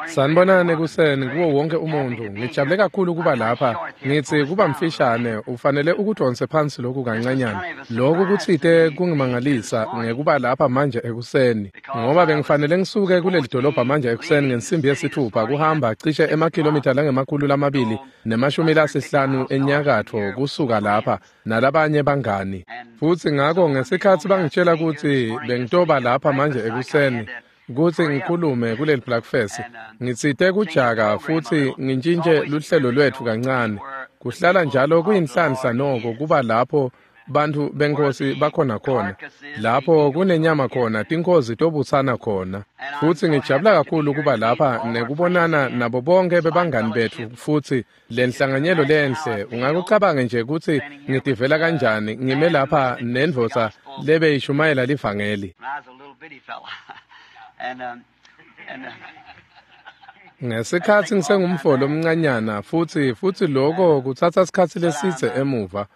Sanibonani ekuseni kuwo wonke umuntu. Ngijabule kakhulu kuba lapha. Ngithi kuba mfishane, ufanele ukudonse phansi lokhu kancanyana. Lokhu kutsite kungimangalisa ngekuba lapha manje ekuseni, ngoba bengifanele ngisuke kuleli dolobha manje ekuseni ngensimbi yesithupha kuhamba cishe emakhilomitha langemakhulu 250 enyakatfo kusuka lapha nalabanye bangani. Futsi ngako ngesikhatsi bangitshela kutsi bengitoba lapha manje ekuseni kutsi ngikhulume kuleli breakfast, ngitsite kujaka futsi ngintjintje luhlelo lwetfu kancane. Kuhlala njalo kuyinhlanhla noko kuba lapho bantfu beNkhosi bakhona khona, lapho kunenyama khona tinkhozi tobutsana khona. Futsi ngijabula kakhulu kuba lapha nekubonana nabo bonke bebangani betfu futsi lenhlanganyelo lenhle. Ungakucabange nje kutsi ngitivela kanjani ngime lapha nendvodza lebeyishumayela livangeli. When I was a little bitty fella. and um, and Ngesikhatsi ngisengumfo lomncanyana futsi loko kutsatsa sikhatsi lesidze emuva.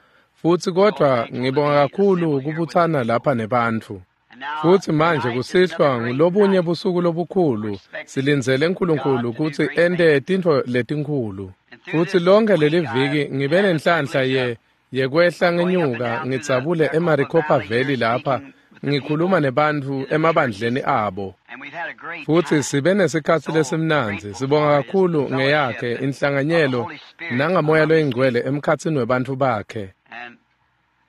Futsi kodvwa ngibonga kakhulu kubutsana lapha nebantfu. And now Futsi manje tonight is kusihlwa another great ngulobunye night. busuku lobukhulu. Silindzele uNkulunkulu kutsi ente tintfo letinkhulu. And through Futsi this lonke leli week, viki I've ngibe had the nenhlanhla privilege ye of yekwehla going up and ngenyuka down through the ngidzabule Maricopa eMaricopa Valley here, Valley lapha speaking with the ngikhuluma people nebantfu in the churches. emabandleni abo. And we've had a great Futsi time. sibe nesikhatsi So lesimnandzi. grateful Sibonga for his kakhulu fellowship ngeyakhe and of the inhlanganyelo Holy Spirit nangamoya among his loyingcwele people. emkhatsini webantfu bakhe. And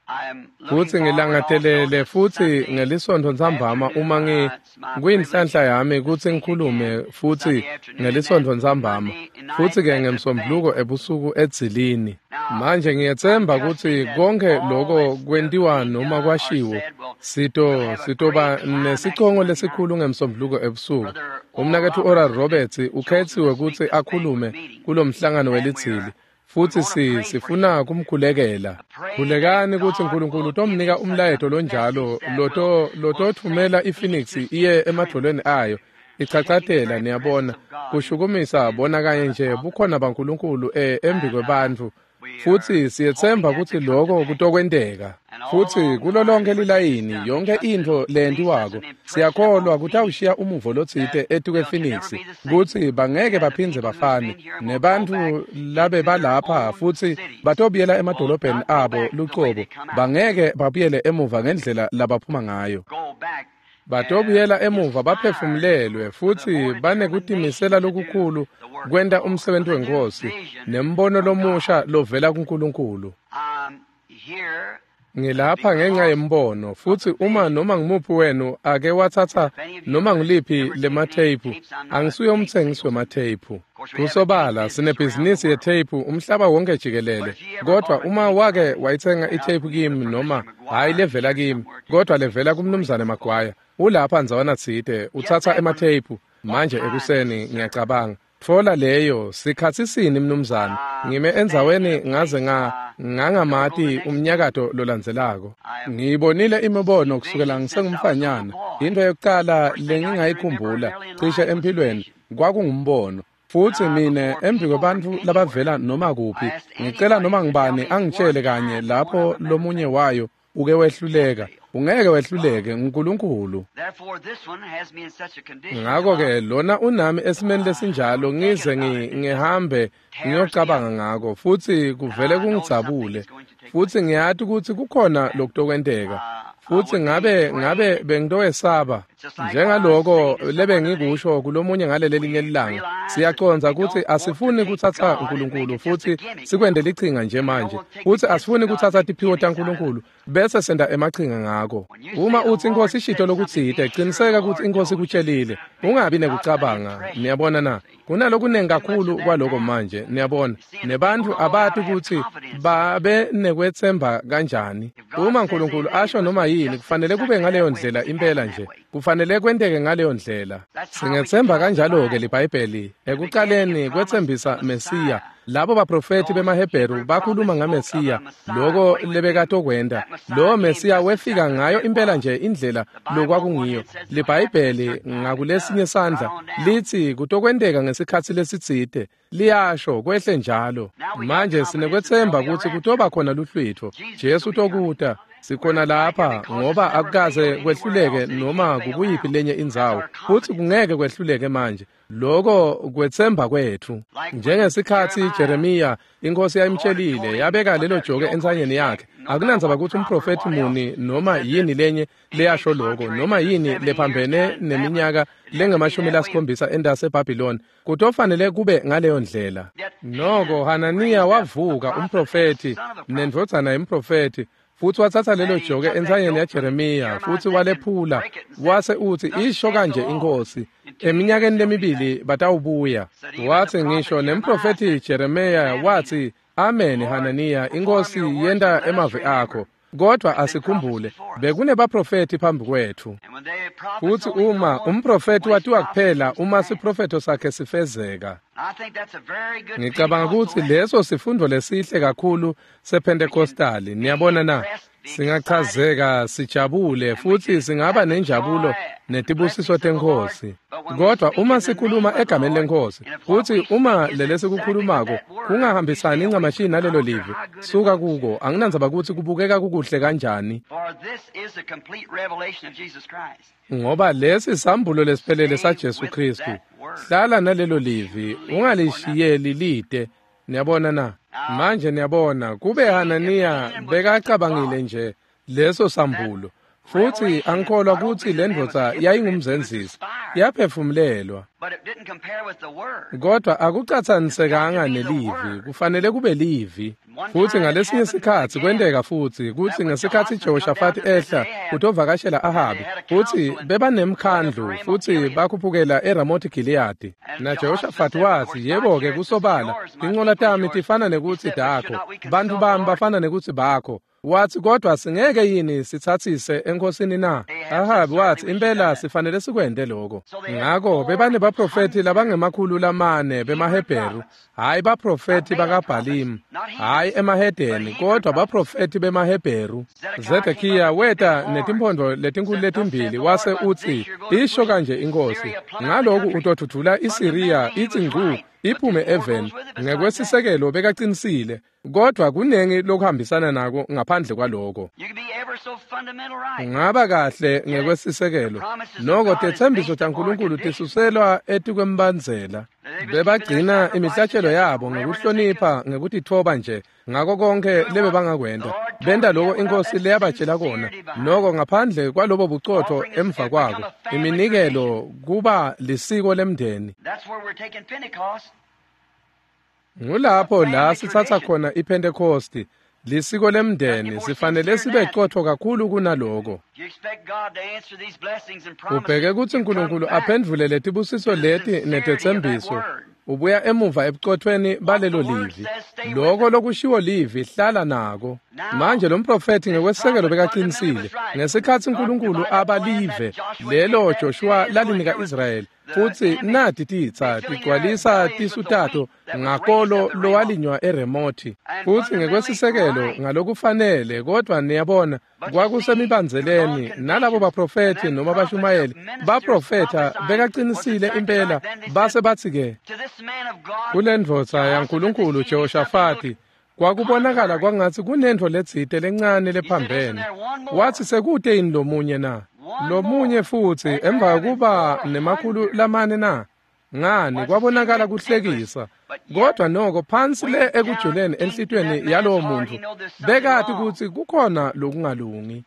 I am looking Futsi forward also ngilangatelele to futsi Sunday ngelisontfo ntsambama afternoon. uma It's my privilege kuyinhlanhla yami to kutsi speak ngikhulume again futsi Sunday afternoon and then ngelisontfo ntsambama Monday night futsi-ke at the bank. ngemsombuluko ebusuku edzilini. Now, Manje I'm ngiyetsemba trusting kutsi that konke all loko that's kwentiwa being noma done or kwashiwo said will we'll sito have a sitoba great climax nesicongo Monday night. lesikhulu ngemsombuluko ebusuku. Brother Oral Umnaketfu Oral Roberts has been Roberts chosen to ukhetsiwe speak kutsi this banquet akhulume meeting, kulomhlangano and we welitsili. are we Futsi want to pray for him. sifuna kumkhulekela. Pray that Khulekani kutsi God uNkulunkulu will give utomnika him such a umlayeto message lonjalo that will loto will set lotothumela Phoenix iPhoenix to its iye feet trembling, emadvolweni ayo. shaking the Ichachatela very presence niyabona of God kushukumisa in bona kanye front nje of the bukhona people. baNkulunkulu embi And kwebantfu. we are Futsi hoping siyetsemba that to kutsi come to loko pass. kutokwenteka. And all Futsi along the kulo line, lonke everything that's lilayini done, we yonke trust that intfo it'll leave such leyentiwako an impression siyakholwa upon Phoenix kutawushiya umuvo lotsite that etukwe they'll can never Phoenix be the same. kutsi bangeke And the baphindze people who's bafane been here will go back nebantfu labe into their balapha own futsi cities, batobuyela will emadolobheni not go abo back the way lucobo they come out. bangeke babuyele emuva ngendlela labaphuma ngayo. Go back Batobuyela emuva inspired baphefumulelwe with a futsi more banekutimisela determination to do lokukhulu the work of kwenta the Lord, umsebenti with a new weNkhosi vision nembono from God. lomusha lovela kuNkulunkulu. I'm here Ngilapha ngenxa because yembono of the futsi uma vision. noma ngumuphi wenu ake watsatsa If any of you noma has nguliphi ever taken any lematheyiphu, tapes, I'm not a angisuye tape umtsengisi salesman. wematheyiphu. Of course, we have a tape Kusobala business around the sinebhizinisi world. yetheyiphu umhlaba wonke But jikelele. if you ever Kodwa bought a uma tape wake from me, wayitsenga and I itheyiphu believe kimi that noma Mr. hhayi McGuire is levela here kimi, somewhere too kodwa levela this morning kumnumzane spoke. Magwaya, ulapha ndzawana tsite Get utsatsa that one. ematheyiphu What manje time is ekuseni it, sir? ngiyacabanga. Tfola leyo sikhatsi sini mnumzane. I Ngime stand in endzaweni a ngaze place I don't know the ngangamati next move. umnyakato lolandzelako. I have Ngiyibonile imibono seen kusukela visions since I was a little ngisengumfanyana. boy. Into yokuqala First thing I can remember lengingayikhumbula early in cishe life was a empilweni vision. kwakungumbono. Futsi And I, mine before embi people from kwebantfu anywhere, labavela noma I kuphi, asked ngicela anybody noma to tell ngubani me one angitshele kanye time one lapho of them ever lomunye failed. wayo uke wehluleka. Can't fail. Ungeke God. wehluleke, nguNkulunkulu. Therefore, this one has me in such a condition till Ngakho-ke I'm lona unami esimeni lesinjalo thinking ngize about it. It just ngihambe tears me up. ngiyocabanga ngako futsi And kuvele I know something kungidzabule is going to take futsi place. ngiyati kutsi kukhona And lokutokwenteka I futsi would be ngabe ngabe afraid. bengitowesaba It's just like what I was njengaloko saying to someone lebe today. ngikusho kulomunye ngalelelinye We lilanga. realize that Siyacondza we kutsi don't want to asifuni take kutsatsa God and make uNkulunkulu it just a futsi gimmick sikwente now. lichinga nje And we don't manje want to take the futsi gifts of asifuni God and kutsatsa make tiphiwo gimmicks out of it. taNkulunkulu bese senta emachinga ngako. When you say Uma the utsi Lord iNkhosi ishito said something, lokutsite, be sure the qiniseka kutsi Lord iNkhosi told you. ikutshelile. Ungabi Not an nekucabanga, impression. niyabona na? See? Kunalokunengi Too much of kakhulu that kwaloko now. manje, niyabona. You see, and the people Nebantfu don't know how abati to have kutsi confidence in it. babe nekwetsemba kanjani. If God Uma says uNkulunkulu anything, it asho must noma be yini, just kufanele kube exactly that ngaleyo way. It ndlela must impela happen that nje. way. Kufanele kwenteke ngaleyo ndlela. That's how we can Singethemba trust the kanjalo-ke Bible. liBhayibheli. The beginning Ekuqaleni it promised a kwetsembisa Mesiya. Messiah. Labo baprofethi Those bemaHebheru Hebrew bakhuluma prophets spoke of ngaMesiya, a Messiah, loko what he would do. lebekatokwenta. That Messiah Lowo came Mesiya just wefika exactly the ngayo way it impela was. nje indlela The Bible on one lokwakungiyo. hand says it'll happen at a LiBhayibheli certain time. It ngakulesinye does. Right sandla on down. litsi kutokwenteka ngesikhatsi lesitsite. Liyasho kwehle njalo. Now we got Manje confidence that sinekwetsemba there'll be a kutsi rapture. kutoba khona luhlwitfo. Jesus Jesu will be coming. utokuta. Sikhona lapha ngoba akukaze kwehluleke noma kukuyiphi lenye indzawo, futhi kungeke kwehluleke manje. Lokho kwetsemba kwethu. Njengesikhathi Jeremiya inkosi yayimtshelile, yabeka lelo joke entsanyeni yakhe. Akunandzaba ukuthi umprofethi muni noma yini lenye leyasho lokho, noma yini lephambene neminyaka lengama-70 endase eBhabhiloni, kutofanele kube ngaleyo ndlela. Noko Hananiya wavuka umprofethi nendvodzana yemprofethi, futhi wathatha lelo joke entsanyeni yaJeremiya futhi walephula, wase uthi, isho kanje inkosi, eminyakeni lemibili batawubuya. Wathi ngisho nemprofethi Jeremiya wathi, amen Hananiya, inkosi yenta emavi akho. Kodwa asikhumbule, bekunebaprofethi phambi kwethu. Futhi uma umprofethi watiwa kuphela uma siprofetho sakhe sifezeka. Ngicabanga ukuthi leso sifundo lesihle kakhulu sePentecostali. Niyabona na? Singachazeka sijabule futhi singaba nenjabulo netibusiso tenkosi. Kodwa uma sikhuluma egameni lenkosi, futhi uma lelesikukhulumako kungahambisani incamashi nalelo livi, suka kuko. Anginandzaba ukuthi kubukeka kukuhle kanjani. Ngoba lesi sambulo lesiphelele saJesu Kristu. Hlala nalelo livi, ungalishiyeli lide. Niyabona na? Manje niyabona, kube Hananiya bekacabangile nje leso sambulo, futhi angikholwa ukuthi le ndvodza yayingumzenzisi, yaphefumulelwa. Kodwa akucatsanisekanga nelivi, kufanele kube livi. Futhi ngalesinye sikhathi kwenteka futhi kuthi ngesikhathi Jehoshaphat ehla utovakashela Ahabi, futhi bebanemkhandlu futhi bakhuphukela eRamoth Gilead. Na Jehoshaphat wathi, yebo-ke kusobala, tincola tami tifana nekuthi dakho, bantu bami bafana nekuthi bakho. Wathi, kodwa singeke yini sithathise enkosini na? Ahabi wathi, impela sifanele sikwente lokho. Ngakho bebanebaprofethi labangama-400 bemaHebheru, hayi baprofethi bakaBhalimu, hayi emahedeni, kodwa baprofethi bemaHebheru. Zedekiya weta netimphondvo letinkulu letimbili wase uthi, isho kanje inkosi, ngaloku utothuthula iSiriya ithi ngcu iphume eveni. Ngekwesisekelo bekaqinisile, kodwa kunengi lokuhambisana nako ngaphandle kwaloko. Ungaba kahle ngekwesisekelo, noko tetsembiso taNkulunkulu tisuselwa etikwembandzela. Bebagcina imihlatshelo yabo ngekuhlonipha, ngekutitfoba nje ngako konke lebebangakwenta. Benta lokho inkosi leyabatshela kona, noko ngaphandle kwalobo bucotho emva kwako iminikelo kuba lisiko lemndeni. Ngulapho la sithatha khona iPentecosti, lisiko lemndeni. Sifanele sibe qotho kakhulu kunaloko. Ubheke kutsi uNkulunkulu aphendvule letibusiso leti netetsembiso. Ubuya emuva ebucothweni balelo livi. Lokho lokushiwo livi, hlala nako. Manje lo mprofethi ngekwesekelo bekaqinisile. Ngesikhathi uNkulunkulu abalive lelo Joshua lalinika Israyeli, futhi nati titsa tigcwalisa tisu tato ngakolo lowalinywa eRemothi. Futhi ngekwesisekelo ngalokufanele, kodwa niyabona kwakusemibandzeleni nalabo baprofethi noma bashumayeli baprofetha bekaqinisile impela. Base bathi ke kule ndvodza yaNkulunkulu Jehoshafati, kwakubonakala kwangathi kunentfo letsite lencane lephambene. Wathi, sekute yini lomunye na? Lomunye futhi emva kokuba 400 na? Ngani, kwabonakala kuhlekisa. Kodwa noko phansi le ekujuleni enhlitweni yalowo muntu bekati kutsi kukhona lokungalungi.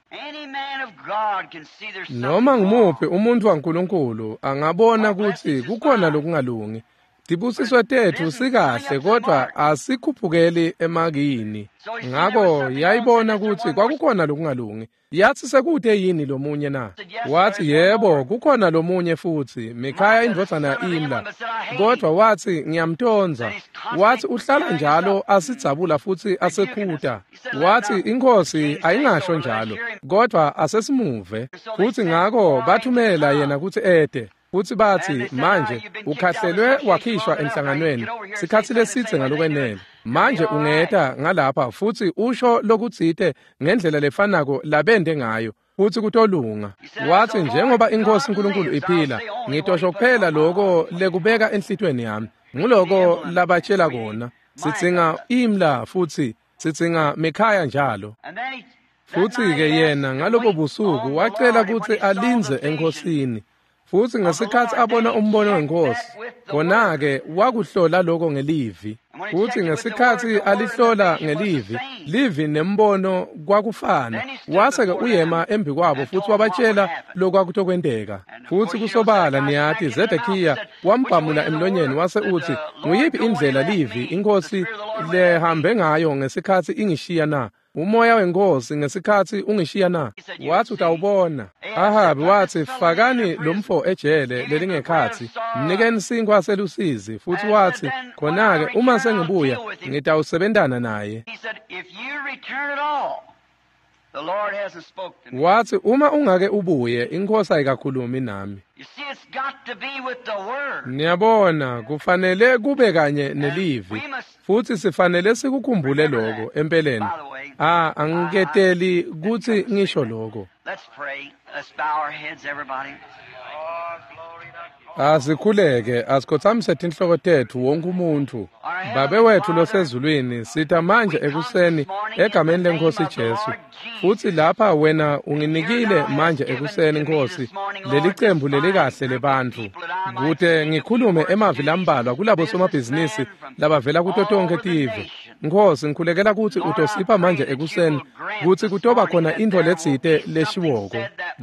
Noma ngumuphi umuntu waNkulunkulu angabona kutsi kukhona lokungalungi. Tibusiso tetfu sikahle, kodwa asikhuphukeli emakini. Ngako yayibona kutsi kwakukhona lokungalungi. Yathi, sekute yini lomunye na? Wathi, yebo, kukhona lomunye futhi, Mikhaya indvodzana ya-Imla. Kodwa wathi, ngiyamtondza. Wathi, uhlala njalo asidzabula futhi asekhuta. Wathi, inkosi ayingasho njalo, kodwa asesimuve. Futhi ngako bathumela yena kutsi ete. Futhi bathi, manje ukhahlelwe wakhishwa enhlanganweni sikhathi lesitse ngalokwenele. Manje ungeta ngalapha futhi usho lokutsite ngendlela lefanako labende ngayo, futhi kutolunga. Wathi, njengoba inkosi uNkulunkulu iphila, ngitosho kuphela lokho lekubeka enhlitweni yami. Nguloko labatshela kona. Sitsinga Imla futhi sitsinga Mikhaya njalo. Futsi-ke yena ngalobo busuku wacela kutsi alindze eNkhosini. Futsi ngesikhatsi abona umbono weNkhosi, khona-ke wakuhlola lokho ngelivi. Futsi ngesikhatsi alihlola ngelivi, livi nembono kwakufana. Wase-ke uyema embikwabo futsi wabatshela lokwakutokwenteka. Futsi kusobala niyati Zedekiya wambhamula emlonyeni wase utsi, "Nguyiphi indlela livi iNkhosi lehambe ngayo ngesikhatsi ingishiya na? Umoya weNkhosi ngesikhatsi ungishiya na?" Wathi utawubona. Ahabi watsi, "Fakani lomfo ejele lelingekhatsi, mnikeni sinkhwa selusizi." Futsi watsi, "Khona-ke uma sengibuya ngitawusebentana naye." Watsi, "Uma ungake ubuye, iNkhosi ayikakhulumi nami." Niyabona, kufanele kube kanye nelivi, futsi sifanele sikukhumbule lokho empeleni. Angiketeli kutsi ngisho lokho. Asikhuleke, asikhotsamise tinhloko tetfu wonke umuntfu. Babe wetfu losezulwini, sita manje ekuseni egameni leNkhosi Jesu. Futsi lapha wena unginikile manje ekuseni Nkhosi lelicembu lelikahle lebantfu, kute ngikhulume emavi lambalwa kulabo somabhizinisi labavela kuto tonkhe tive. Nkhosi, ngikhulekela kutsi utosipha manje ekuseni kutsi kutoba khona intfo letsite leshiwoko.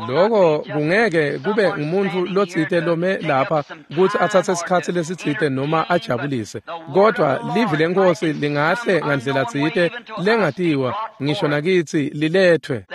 Loko kungeke kube ngumuntu lotsite lome lapha kutsi atsatse sikhatsi lesitsite noma ajabulise, kodwa livi leNkhosi lingahle ngandlela tsite lengatiwa ngisho nakitsi lilethwe.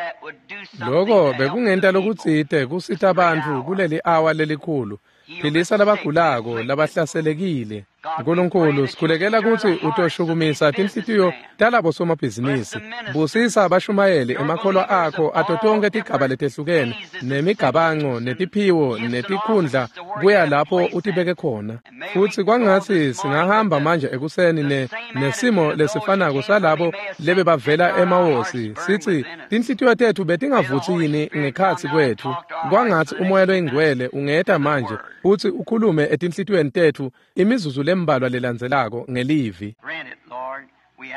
Loko bekungenta lokutsite kusita bantfu kuleli awa lelikhulu. Philisa labagulako labahlaselekile. Nkulunkulu, sikhulekela kutsi utoshukumisa tinhlitiyo talabo somabhizinisi. Busisa abashumayeli emakholwa akho ato tonkhe tigaba letehlukene nemigabango netiphiwo netikhundla kuya lapho utibeke khona. Futsi kwangatsi singahamba manje ekuseni nesimo lesifanako salabo lebebavela emawosi, sitsi tinhlitiyo tetfu betingavutsi yini ngekhatsi kwetfu. Kwangatsi uMoya loyiNgcwele ungeta manje futsi ukhulume etinhlitiyweni tetfu imizuzu lembalwa lelandzelako ngelivi.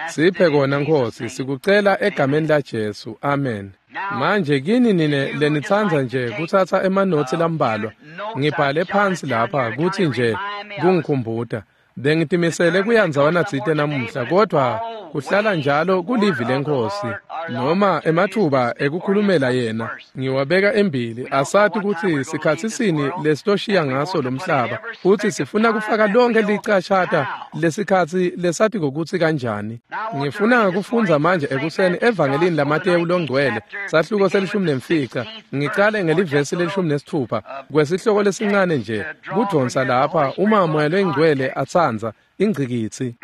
Siphe kona Nkhosi, sikucela egameni laJesu. Amen. Manje kini nine lenitsandza nje kutsatsa emanotsi lambalwa, ngibhale phansi lapha kutsi nje kungikhumbuta. Bengitimisele kuya ndzawana tsite namuhla, kodvwa kuhlala njalo kulivi leNkhosi noma ematfuba ekukhulumela yena ngiwabeka embili. Asati kutsi sikhatsi sini lesitoshiya ngaso lomhlaba, futsi sifuna kufaka lonke licashata lesikhatsi lesatiko kutsi kanjani. Ngifuna kufundza manje ekuseni evangelini laMatewu longcwele, sahluko se-15, ngicale ngelivesi le-16 kwesihloko lesincane nje kudvonsa lapha uma Moya loyiNgcwele atsandza ingcikitsi.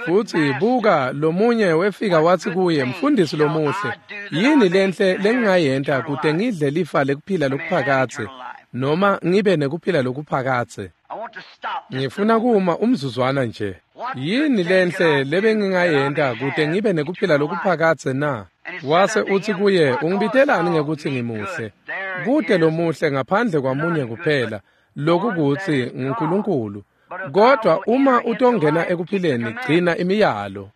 Futsi buka, lomunye wefika watsi kuye, "Mfundisi lomuhle, yini lenhle lengingayenta kute ngidle lifa lekuphila lokuphakadze noma ngibe nekuphila lokuphakadze?" Ngifuna kuma umzuzwana nje. Yini lenhle lebengingayenta kute ngibe nekuphila lokuphakadze na? Wase utsi kuye, "Ungibitelani ngekutsi ngimuhle? Kute lomuhle ngaphandle kwamunye kuphela, lokukutsi nguNkulunkulu. Kodwa uma utongena ekuphileni, gcina imiyalo."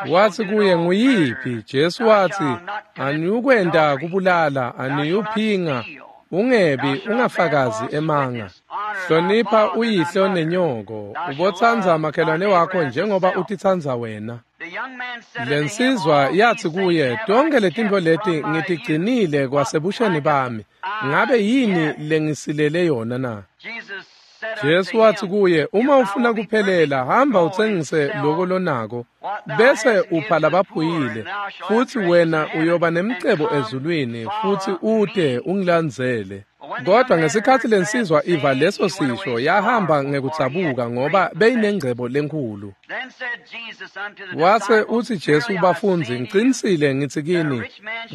Watsi kuye, "Nguyiphi?" Jesu watsi, "Aniyukwenta kubulala, aniyuphinga, ungebi, ungafakazi emanga. Hlonipha uyihlo nenyoko, ubotsandza makhelwane wakho njengoba utitsandza wena." Lensizwa yatsi kuye, "Tonkhe letintfo leti ngitigcinile kwasebusheni bami. Ngabe yini lengisilele yona na?" Jesu watsi kuye, "Uma ufuna kuphelela, hamba utsengise loko lonako, bese upha labaphuyile, futsi wena uyoba nemcebo ezulwini, futsi ute ungilandzele." Kodwa ngesikhatsi lensizwa iva leso sisho, yahamba ngekudzabuka ngoba beyinengcebo lenkhulu. Wase utsi Jesu kubafundzi, "Ngicinisile ngitsi kini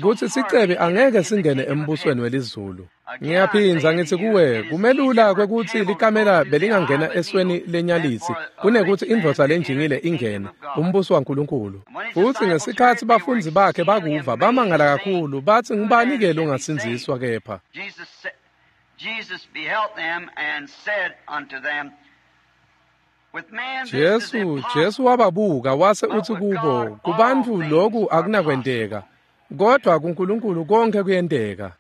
kutsi sicebi angeke singene embusweni welizulu. Ngiyaphindza ngitsi kuwe, kumelula kwekutsi likamela belingangena esweni lenyalitsi kunekutsi indvodza lenjingile ingene umbuso waNkulunkulu." Futsi ngesikhatsi bafundzi bakhe bakuva, bamangala kakhulu, batsi, "Ngubani-ke longasindziswa kepha?" Jesus beheld them and said unto them, Jesu wababuka wase utsi kubo, kubantfu loku akunakwenteka, kodwa kuNkulunkulu konke kuyenteka.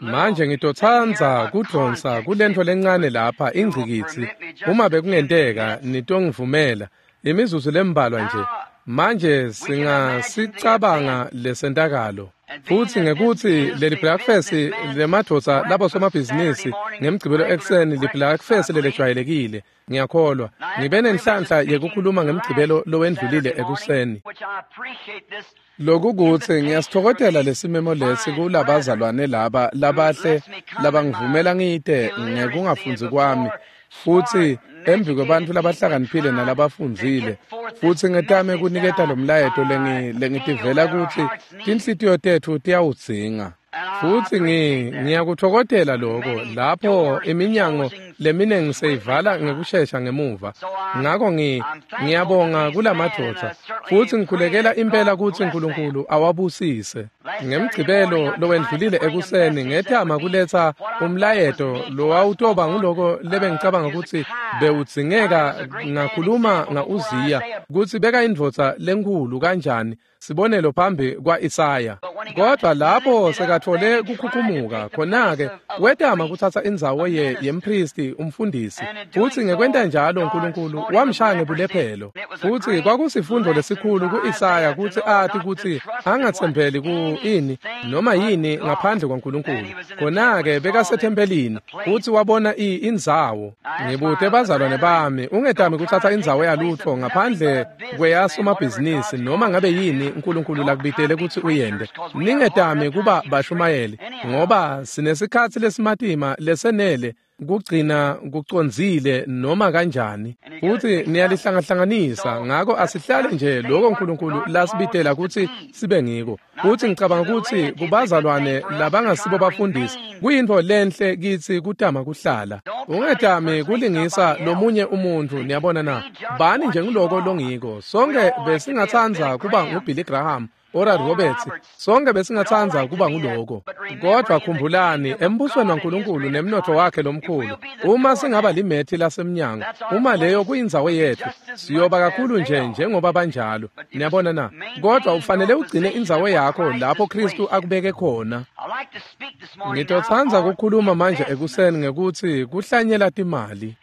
Manje ngitotsandza kudvonsa kulentfo lencane lapha ingcikitsi, uma bekungenteka nitongivumela imizuzu lembalwa nje. Manje singasicabanga lesentakalo. Futsi ngekutsi leli breakfast lemadvodza labo somabhizinisi ngemgcibelo ekuseni li-breakfast lelejwayelekile, ngiyakholwa ngibe nenhlanhla yekukhuluma ngemgcibelo lowendlulile ekuseni. Lokukutsi ngiyasitfokotela lesimemo lesi kulabazalwane laba labahle labangivumela ngite ngekungafundzi kwami, futsi embi kwebantfu labahlakaniphile nalabafundzile, futsi ngetame kuniketa lo mlayeto lengitivela kutsi tinhlitiyo tetfu tiyawudzinga. Futsi ngiyakutfokotela lokho lapho iminyango leminengi seyivala ngekushesha ngemuva. Ngako ngiyabonga kulamadvodza, futsi ngikhulekela impela kutsi uNkulunkulu awabusise. Ngemgcibelo lowendlulile ekuseni ngetama kuletsa umlayeto lowawutoba nguloko lebengicabanga kutsi bewudzingeka. Ngakhuluma nga-Uziya kutsi beka indvodza lenkhulu kanjani, sibonelo phambi kwa-Isaya. Kodwa lapho sekatfole kukhukhumuka, khona-ke wetama kutsatsa indzawo yempristi umfundisi, futsi ngekwenta njalo uNkulunkulu wamshaya ngebulephelo. Futsi kwakusifundo lesikhulu ku-Isaya kutsi ati kutsi angatsembeli ku ini noma yini ngaphandle kwaNkulunkulu. Khona-ke bekasethempelini futsi wabona indzawo. Ngibute bazalwane bami, ungetami kutsatsa indzawo yalutfo ngaphandle kweyasomabhizinisi noma ngabe yini uNkulunkulu lakubitele kutsi uyente. Ningetami kuba bashumayeli, ngoba sinesikhatsi lesimatima lesenele kugcina kucondzile noma kanjani, futsi niyalihlangahlanganisa. Ngako asihlale nje lokho uNkulunkulu lasibitela kutsi sibe ngiko. Futsi ngicabanga kutsi kubazalwane labangasibo bafundisi kuyintfo lenhle kitsi kutama kuhlala. Ungetami kulingisa lomunye umuntfu, niyabona na? Bani nje nguloko longiko. Sonke besingatsandza kuba nguBilly Graham, Oral Roberts, sonke besingatsandza kuba nguloko. Kodwa khumbulani, embusweni waNkulunkulu nemnotfo wakhe lomkhulu, uma singaba limethi lasemnyango, uma leyo kuyindzawo yetfu, siyoba kakhulu nje njengoba banjalo. Niyabona na? Kodwa ufanele ugcine indzawo yakho lapho Kristu akubeke khona. Ngitotsandza kukhuluma manje ekuseni ngekutsi kuhlanyela timali.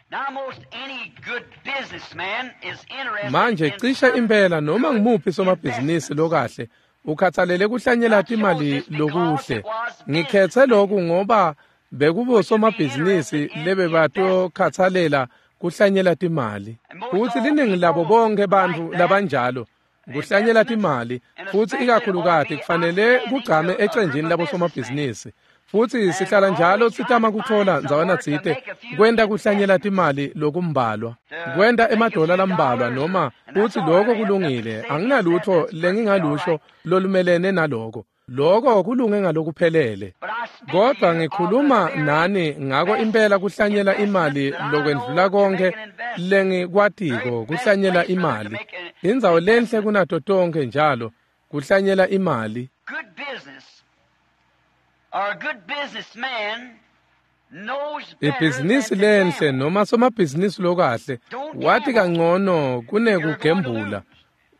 Manje cishe impela noma ngimuphi somabhizinisi lokahle ukhathalele kuhlanyela timali lokuhle. Ngikhetse lokhu ngoba bekubo somabhizinisi lebebatokhathalela kuhlanyela timali. Futsi liningi labo bonke bantfu labanjalo kuhlanyela timali, futsi ikakhulukati kufanele kugcame ecenjini labo somabhizinisi. Futsi sihlala njalo sitama kutfola ndzawana tsite kwenta kuhlanyela timali lokumbalwa, kwenta emadola lambalwa noma futsi lokho kulungile. Anginalutfo lengingalusho lolumelene naloko. Lokho kulunge ngalokuphelele. Kodwa ngikhuluma nani ngako impela kuhlanyela imali lokwendlula konke lengikwatiko kuhlanyela imali. Indzawo lenhle kunato tonke njalo kuhlanyela imali. Ibhizinisi lenhle noma somabhizinisi lokahle wati kangcono kunekugembula.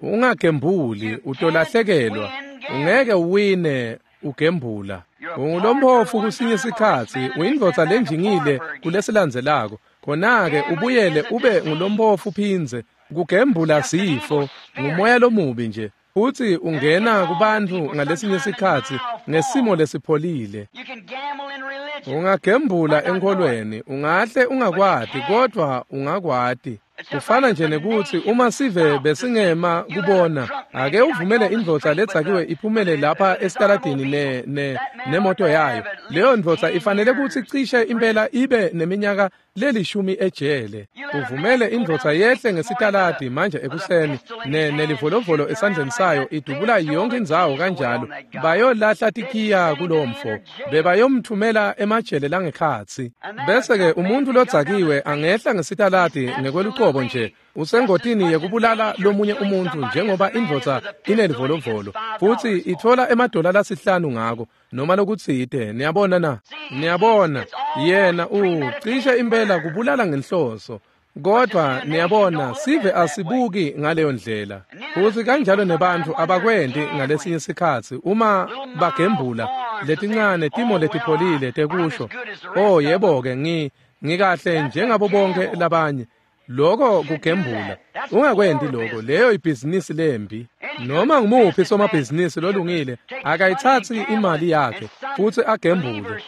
Ungagembuli, utolahlekelwa. Ungeke uwine ugembula. Ungulomphofu kusinye sikhatsi, uyindvodza lenjingile kulesilandzelako. Khona-ke ubuyele ube ngulomphofu phindze. Kugembula sifo, ngumoya lomubi nje. Futsi ungena kubantfu ngalesinye sikhatsi ngesimo lesipholile. Ungagembula enkholweni, ungahle ungakwati, kodwa ungakwati. Kufana nje nekutsi uma sive besingema kubona, ake uvumele indvodza ledzakiwe iphumele lapha esitaladini nemoto yayo. Leyo ndvodza ifanele kutsi cishe impela ibe neminyaka lelishumi ejele. Uvumele indvodza yehle ngesitaladi manje ekuseni nelivolovolo esandleni sayo idubula yonke indzawo kanjalo. Bayolahla tikhiya kulomfo, bebayomthumela emajele langekhatsi. Bese-ke umuntu lodzakiwe angehla ngesitaladi ngekwelucobo nje. Usengotini yekubulala lomunye umuntfu njengoba indvodza inelivolovolo futsi itfola emadola lasihlanu ngako noma lokutsite. Niyabona na? Niyabona, yena cishe impela kubulala ngenhloso. Kodwa niyabona, sive asibuki ngaleyo ndlela. Futsi kanjalo nebantfu abakwenti ngalesinye sikhatsi uma bagembula letincane timo letipholile tekusho, "Oh yebo-ke, ngikahle njengabo bonke labanye." Lokho kugembula. Ungakwenti lokho, leyo ibhizinisi lembi. Noma ngumuphi somabhizinisi lolungile akayithatsi imali yakhe futsi agembule.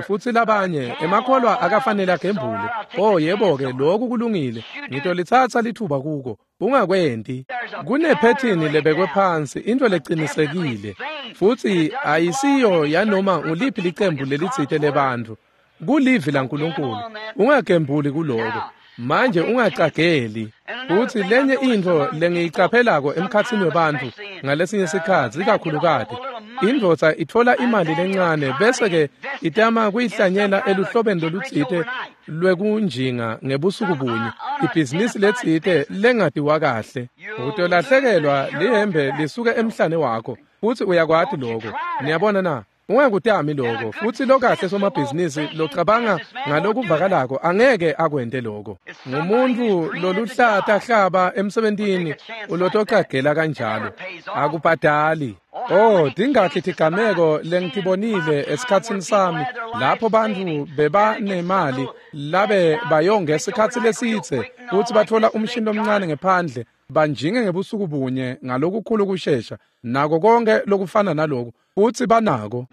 Futsi labanye emakholwa akafanele agembule. Oh yebo-ke, lokhu kulungile, ngitolitsatsa lithuba kuko. Ungakwenti. Kunephethini lebekwe phansi, into lecinisekile, futsi ayisiyo yanoma nguliphi licembu lelitsite lebantfu. Kulivi laNkulunkulu. Ungagembuli kuloko. Manje ungacageli. Futsi lenye intfo lengiyicaphelako emkhatsini webantfu ngalesinye sikhatsi, ikakhulukati indvodza itfola imali lencane bese-ke itama kuyihlanyela eluhlobeni lolutsite lwekunjinga ngebusuku bunye, ibhizinisi letsite lengatiwa kahle. Utolahlekelwa lihembe lisuke emhlane wakho, futsi uyakwati loko. Niyabona na? Ungakutami lokho. Futsi lokahle somabhizinisi locabanga ngalokuvakalako angeke akwente lokho. Ngumuntu loluhlata hlaba emsebentini ulotocagela kanjalo. Akubhadali. Oh, tingakhi tigameko lengitibonile esikhatsini sami lapho bantfu bebanemali labe bayonge esikhatsi lesitse futsi batfola umshini lomncane ngephandle banjinge ngebusuku bunye ngalokukhulu kushesha nako konke lokufana naloku futsi banako.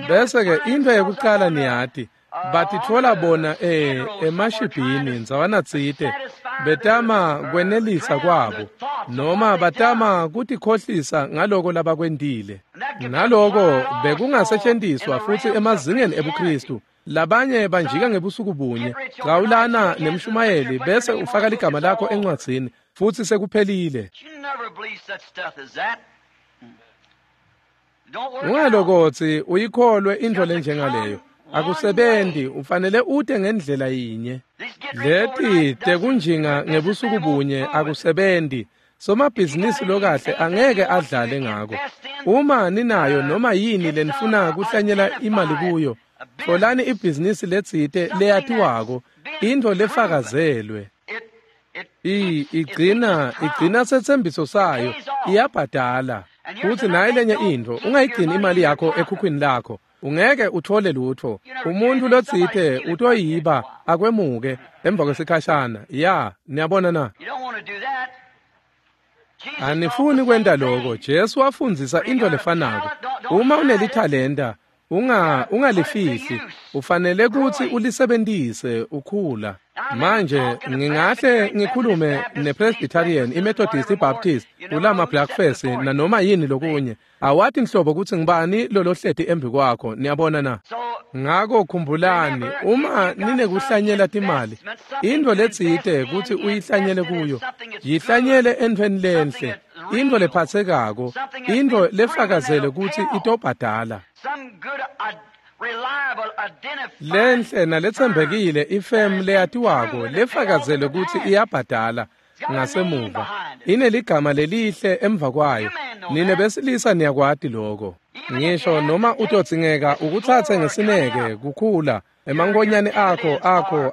Bese-ke into yekucala niyati, batitfola bona emashibhini ndzawanatsite betama kwenelisa kwabo noma batama kutikhohlisa ngaloko labakwentile. Naloko bekungasetjentiswa futsi emazingeni ebuKristu. Labanye banjika ngebusuku bunye, gawulana nemshumayeli bese ufaka ligama lakho encwadzini futsi sekuphelile. Ungalokotsi uyikholwe intfo lenjengaleyo. Akusebenti, ufanele ute ngendlela yinye. Leti tekunjinga ngebusuku bunye akusebenti. Somabhizinisi lokahle angeke adlale ngako. Uma ninayo noma yini lenifuna kuhlanyela imali kuyo, tfolani ibhizinisi letsite leyatiwako, intfo lefakazelwe. Igcina setsembiso sayo, iyabhadala. Futsi nayi lenye intfo, ungayigcini imali yakho ekhukhwini lakho. Ungeke uthole lutho. Umuntu lotsite utoyiba akwemuke emva kwesikhashana. Ya, niyabona na? Anifuni kwenta lokho. Jesu wafundzisa intfo lefanako. Uma unelithalenta, ungalifihli, ufanele kutsi ulisebentise ukhula. Manje ngingahle ngikhulume nePresbyterian, iMethodist, iBaptist, ulama Blackface nanoma yini lokunye. Awati nhlobo kutsi ngibani lolohleti embi kwakho, niyabona na? Ngako khumbulani, uma ninekuhlanyela timali, intfo letsite kutsi uyihlanyele kuyo, yihlanyele entfweni lenhle, intfo lephatsekako, intfo lefakazele kutsi itobhadala. Lenhle naletsembekile ifemu leyatiwako lefakazele kutsi iyabhadala ngasemuva, ineligama lelihle emva kwayo. Nine besilisa niyakwati lokho. Ngisho noma utodzingeka ukutsatse ngesineke kukhula emankonyane akho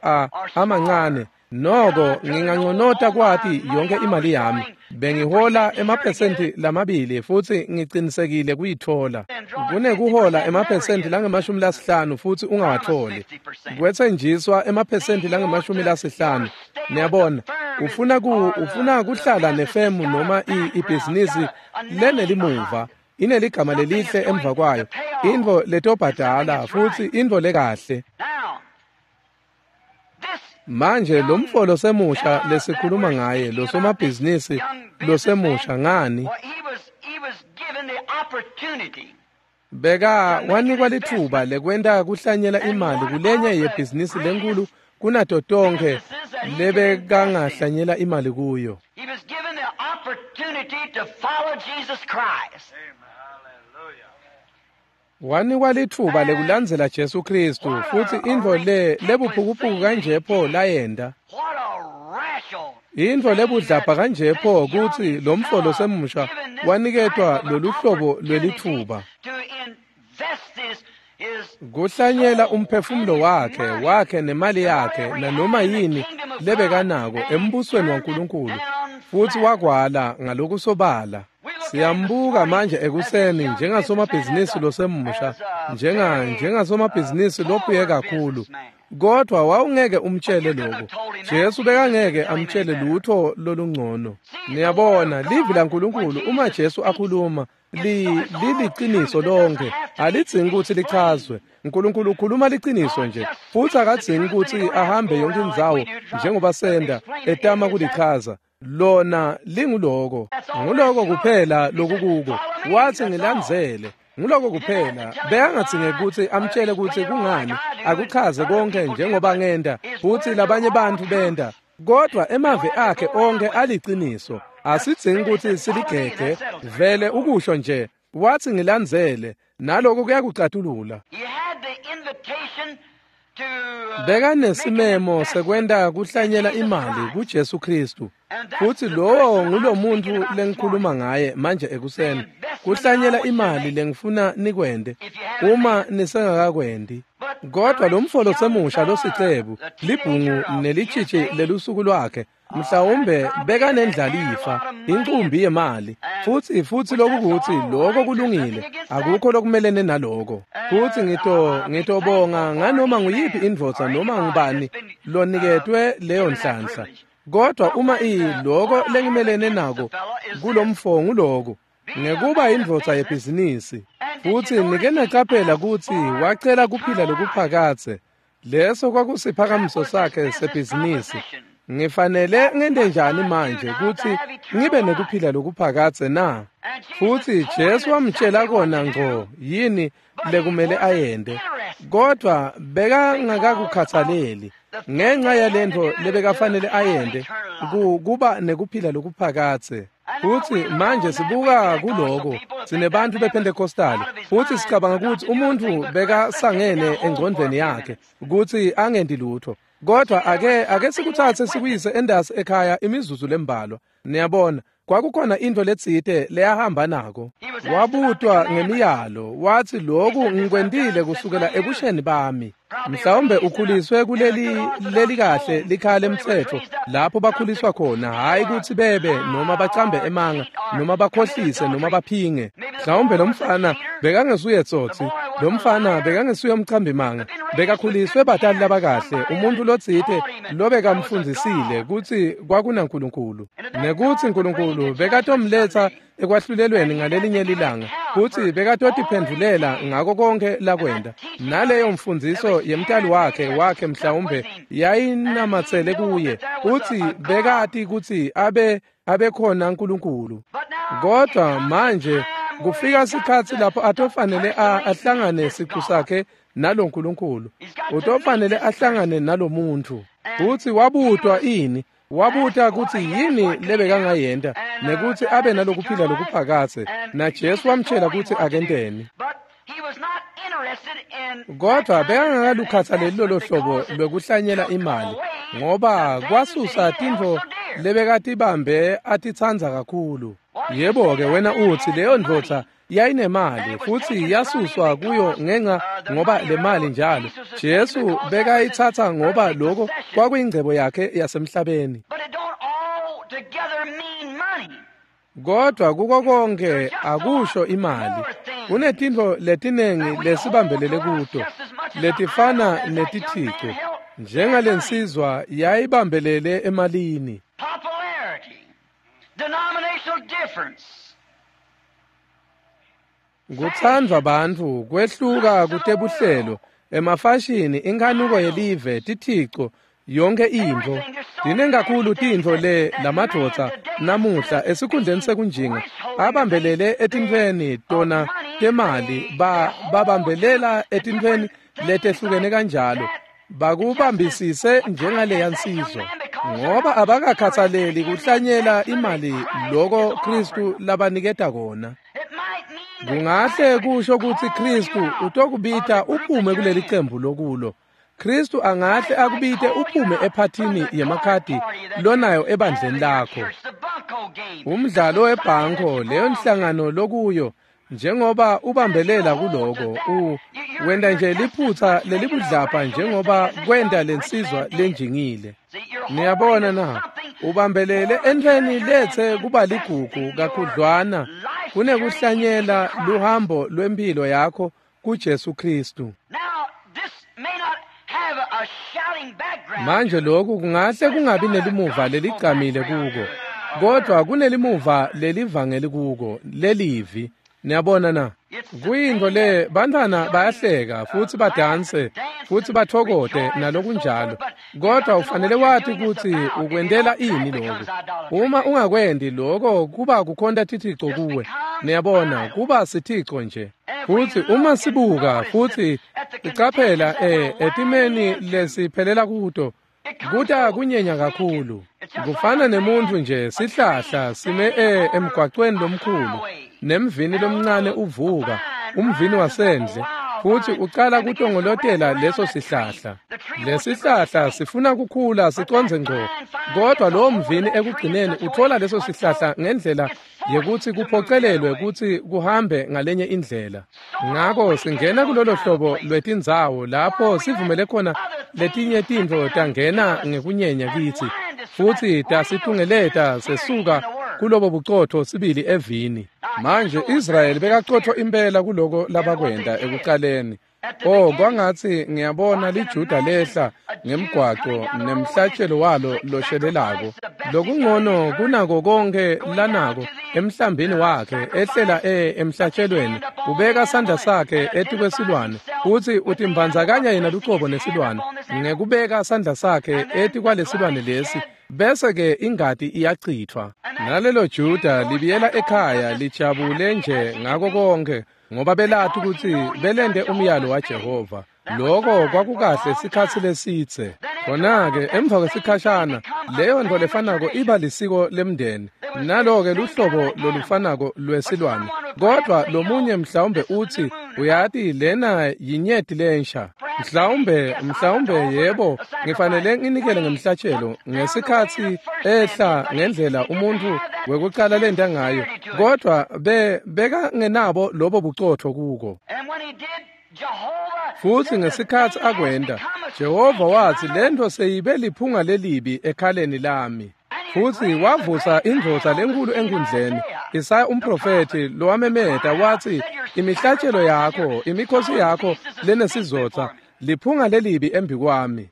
amancane, noko nginganconota kwati yonke imali yami. Bengihola emaphesenti 2 futsi ngicinisekile kuyitfola. Kunekuhola emaphesenti 50 futsi ungawatholi. Kwetsenjiswa emaphesenti 50. Niyabona, ufuna kuhlala nefemu noma ibhizinisi lenelimuva, ineligama lelihle emva kwayo, intfo letobhadala futsi intfo lekahle. Manje lo mfo losemusha lesikhuluma ngaye, losomabhizinisi losemusha, ngani? Beka wanikwa litfuba lekwenta kuhlanyela imali kulenye yebhizinisi lenkulu kunato tonkhe lebekangahlanyela imali kuyo. Wanikwa litfuba lekulandzela Jesu Kristu, futsi intfo le lebuphukuphuku kanje pho layenta. Intfo lebudlabha kanje pho kutsi lo mfo losemusha waniketwa lolu hlobo lwelitfuba kuhlanyela umphefumulo wakhe nemali yakhe nanoma yini lebekanako embusweni waNkulunkulu, futsi wakwala ngalokusobala. Siyambuka manje ekuseni njengasomabhizinisi losemusha, njengasomabhizinisi lophuye kakhulu, kodwa wawungeke umtshele lokho. Jesu bekangeke amtshele lutho lolungcono. Niyabona, livi laNkulunkulu uma Jesu akhuluma liliciniso lonke, alidzingi kutsi lichazwe. uNkulunkulu ukhuluma liciniso nje, futsi akadzingi kutsi ahambe yonke indzawo njengoba senda etama kulichaza. Lona linguloko, nguloko kuphela lokukuko. Wathi ngilandzele, nguloko kuphela. Bekangadzingi kutsi amtshele kutsi kungani, akuchaze konke njengoba ngenda, futsi labanye bantfu benda. Kodwa emavi akhe onke aliciniso, asidzingi kutsi siligege, vele ukusho nje. Wathi ngilandzele, naloko kuyakucatulula. Bekanesimemo sekwenta kuhlanyela imali kuJesu Kristu, futsi lowo ngulomuntu lengikhuluma ngaye manje ekuseni, kuhlanyela imali lengifuna nikwente uma nisengakakwendi. Kodwa lo mfo losemusha losicebu, libhungu nelitshitshi lelusuku lwakhe, mhlawumbe bekanendlalifa, incumbi yemali, futsi lokukuthi lokho kulungile, akukho lokumelene naloko. Futsi ngitobonga nganoma nguyiphi indvodza noma ngubani loniketwe leyo nhlanhla. Kodwa uma loko lengimelene nako kulomfo nguloko, ngekuba indvodza yebhizinisi. Futsi nike nacaphela kutsi wacela kuphila lokuphakadze. Leso kwakusiphakamiso sakhe sebhizinisi. Ngifanele ngente njani manje kutsi ngibe nekuphila lokuphakadze na? Futsi Jesu wamtshela kona ngco yini lekumele ayende, kodwa bekangakakukhathaleli ngenxa yalentfo lebekafanele ayende, kuba nekuphila lokuphakadze. Futsi manje sibuka kuloko, sinebantfu bePentecostal, futsi sicabanga kutsi umuntfu bekasangene engcondvweni yakhe kutsi angendi lutho. Kodwa ake sikutsatse sikuyise endasi ekhaya imizuzu lembalwa. Niyabona, kwakukhona intfo letsite leyahamba nako. Wabutwa ngemiyalo, wathi lokhu ngikwentile kusukela ebusheni bami. Mhlawumbe ukhuliswe kuleli leli kahle likhaya lemtsetfo lapho bakhuliswa khona, hhayi kutsi bebe noma bacambe emanga noma bakhohlise noma baphinge. Mhlawumbe lo mfana bekangesuye tsotsi, lo mfana bekangesuye umcambimanga, bekakhuliswe batali labakahle, umuntu lotsite lobekamfundzisile kutsi kwakunaNkulunkulu, nekutsi Nkulunkulu bekatomletsa ekwahlulelweni ngalelinye lilanga, kutsi bekatotiphendvulela ngako konke lakwenta. Naleyo mfundziso yemtali wakhe mhlawumbe yayinamatsele kuye, kutsi bekati kutsi abekhona uNkulunkulu. Kodwa manje kufika sikhatsi lapho atofanele ahlangane siqu sakhe nalo Nkulunkulu, utofanele ahlangane nalomuntu. Futsi wabutwa ini? Wabuta kutsi yini lebekangayenta nekutsi abe nalokuphila lokuphakadze, na Jesu wamtshela kutsi akenteni. Kodwa bekangakalukhathaleli lolo hlobo lwekuhlanyela imali, ngoba kwasusa tintfo lebekatibambe atitsandza kakhulu. Yebo-ke, wena utsi leyo ndvodza yayinemali futsi yasuswa kuyo ngenxa ngoba le mali njalo Jesu bekayitsatsa ngoba lokho kwakuyingcebo yakhe yasemhlabeni. Kodwa kuko konke akusho imali. Kunetintfo letinengi lesibambelele kuto letifana netithico, njengalensizwa yayibambelele emalini. Kuthandwa bantfu, kwehluka kutebuhlelo, emafashini, inkhanuko yelive, tithico, yonke intfo. Tinengi kakhulu tintfo le lamadvodza namuhla esikhundleni sekunjinga abambelele etintfweni tona temali, babambelela etintfweni letehlukene kanjalo, bakubambisise njengaleya nsizwa, ngoba abakakhathaleli kuhlanyela imali loko Kristu labaniketa kona. Kungahle kusho kutsi Kristu utokubita uphume kuleli cembu lokulo. Kristu angahle akubite uphume ephathini yemakhadi lonayo ebandleni lakho. Umdlalo webhanko, leyo nhlangano lokuyo, njengoba ubambelela kuloko, wenda nje liphutha lelibudlapha njengoba kwenda lensizwa lenjingile. Niyabona na? Ubambelele entweni lethe kuba ligugu kakhudlwana kunekuhlanyela luhambo lwempilo yakho kuJesu Kristu. Manje lokhu kungahle kungabi nelimuva leligcamile kuko, kodwa kunelimuva lelivangeli kuko, lelivi. Niyabona na? Kuyinto le bantwana bayahleka futhi badanse futhi bathokote nalokunjalo, kodwa ufanele wathi ukuthi ukwendela ini lokho. Uma ungakwendi lokho kuba kukhonta tithixo kuwe. Niyabona, kuba sithixo nje. Futhi uma sibuka futhi icaphela etimeni lesiphelela kuto, kuta kunyenya kakhulu. Kufana nemuntu nje sihlahla sime emgwaqweni lomkhulu, nemvini lomncane uvuka, umvini wasendle, futhi uqala kutongolotela leso sihlahla. Lesihlahla sifuna kukhula siconze ngqo, kodwa lowo mvini ekugcineni uthola leso sihlahla ngendlela yekuthi kuphocelelwe ukuthi kuhambe ngalenye indlela. Ngako singena kulolo hlobo lwetindzawo lapho sivumele khona letinye tintfo tangena ngekunyenya kithi, futhi tasitungeleta sesuka kulobo bucotho sibili evini. Manje Israyeli bekaqotho impela kuloko labakwenda ekuqaleni. Oh, kwangathi ngiyabona liJuda lehla ngemgwaqo nemhlatshelo walo loshelelako. Lokungcono kunako konke lanako emhlambini wakhe ehlela emhlatshelweni, ubeka sandla sakhe etikwesilwane, futhi utimbandzakanya yena lucobo nesilwane ngekubeka sandla sakhe etikwalesilwane lesi, bese ke ingati iyachithwa. Nalelo Juda libiyela ekhaya lijabule nje ngako konke, ngoba belathi ukuthi belende umyalo waJehova. Lokho kwakukahle sikhathi lesitse. Khona-ke emva kwesikhashana leyo nto lefanako iba lisiko lemndeni, nalo-ke luhlobo lolufanako lwesilwane. Kodwa lomunye mhlawumbe uthi, uyati lena yinyeti lensha. Mhlawumbe yebo, ngifanele nginikele ngemhlatshelo ngesikhathi ehla ngendlela umuntu wekuqala lenta ngayo, kodwa bekangenabo lobo bucotho kuko. Futhi ngesikhathi akwenda, Jehova wathi lento seyibe liphunga lelibi ekhaleni lami. Futhi wavusa indvodza lenkulu enkundleni, Isaya umprofethi lowamemeta wathi, imihlatshelo yakho, imikhosi yakho lenesizotha, liphunga lelibi embi kwami.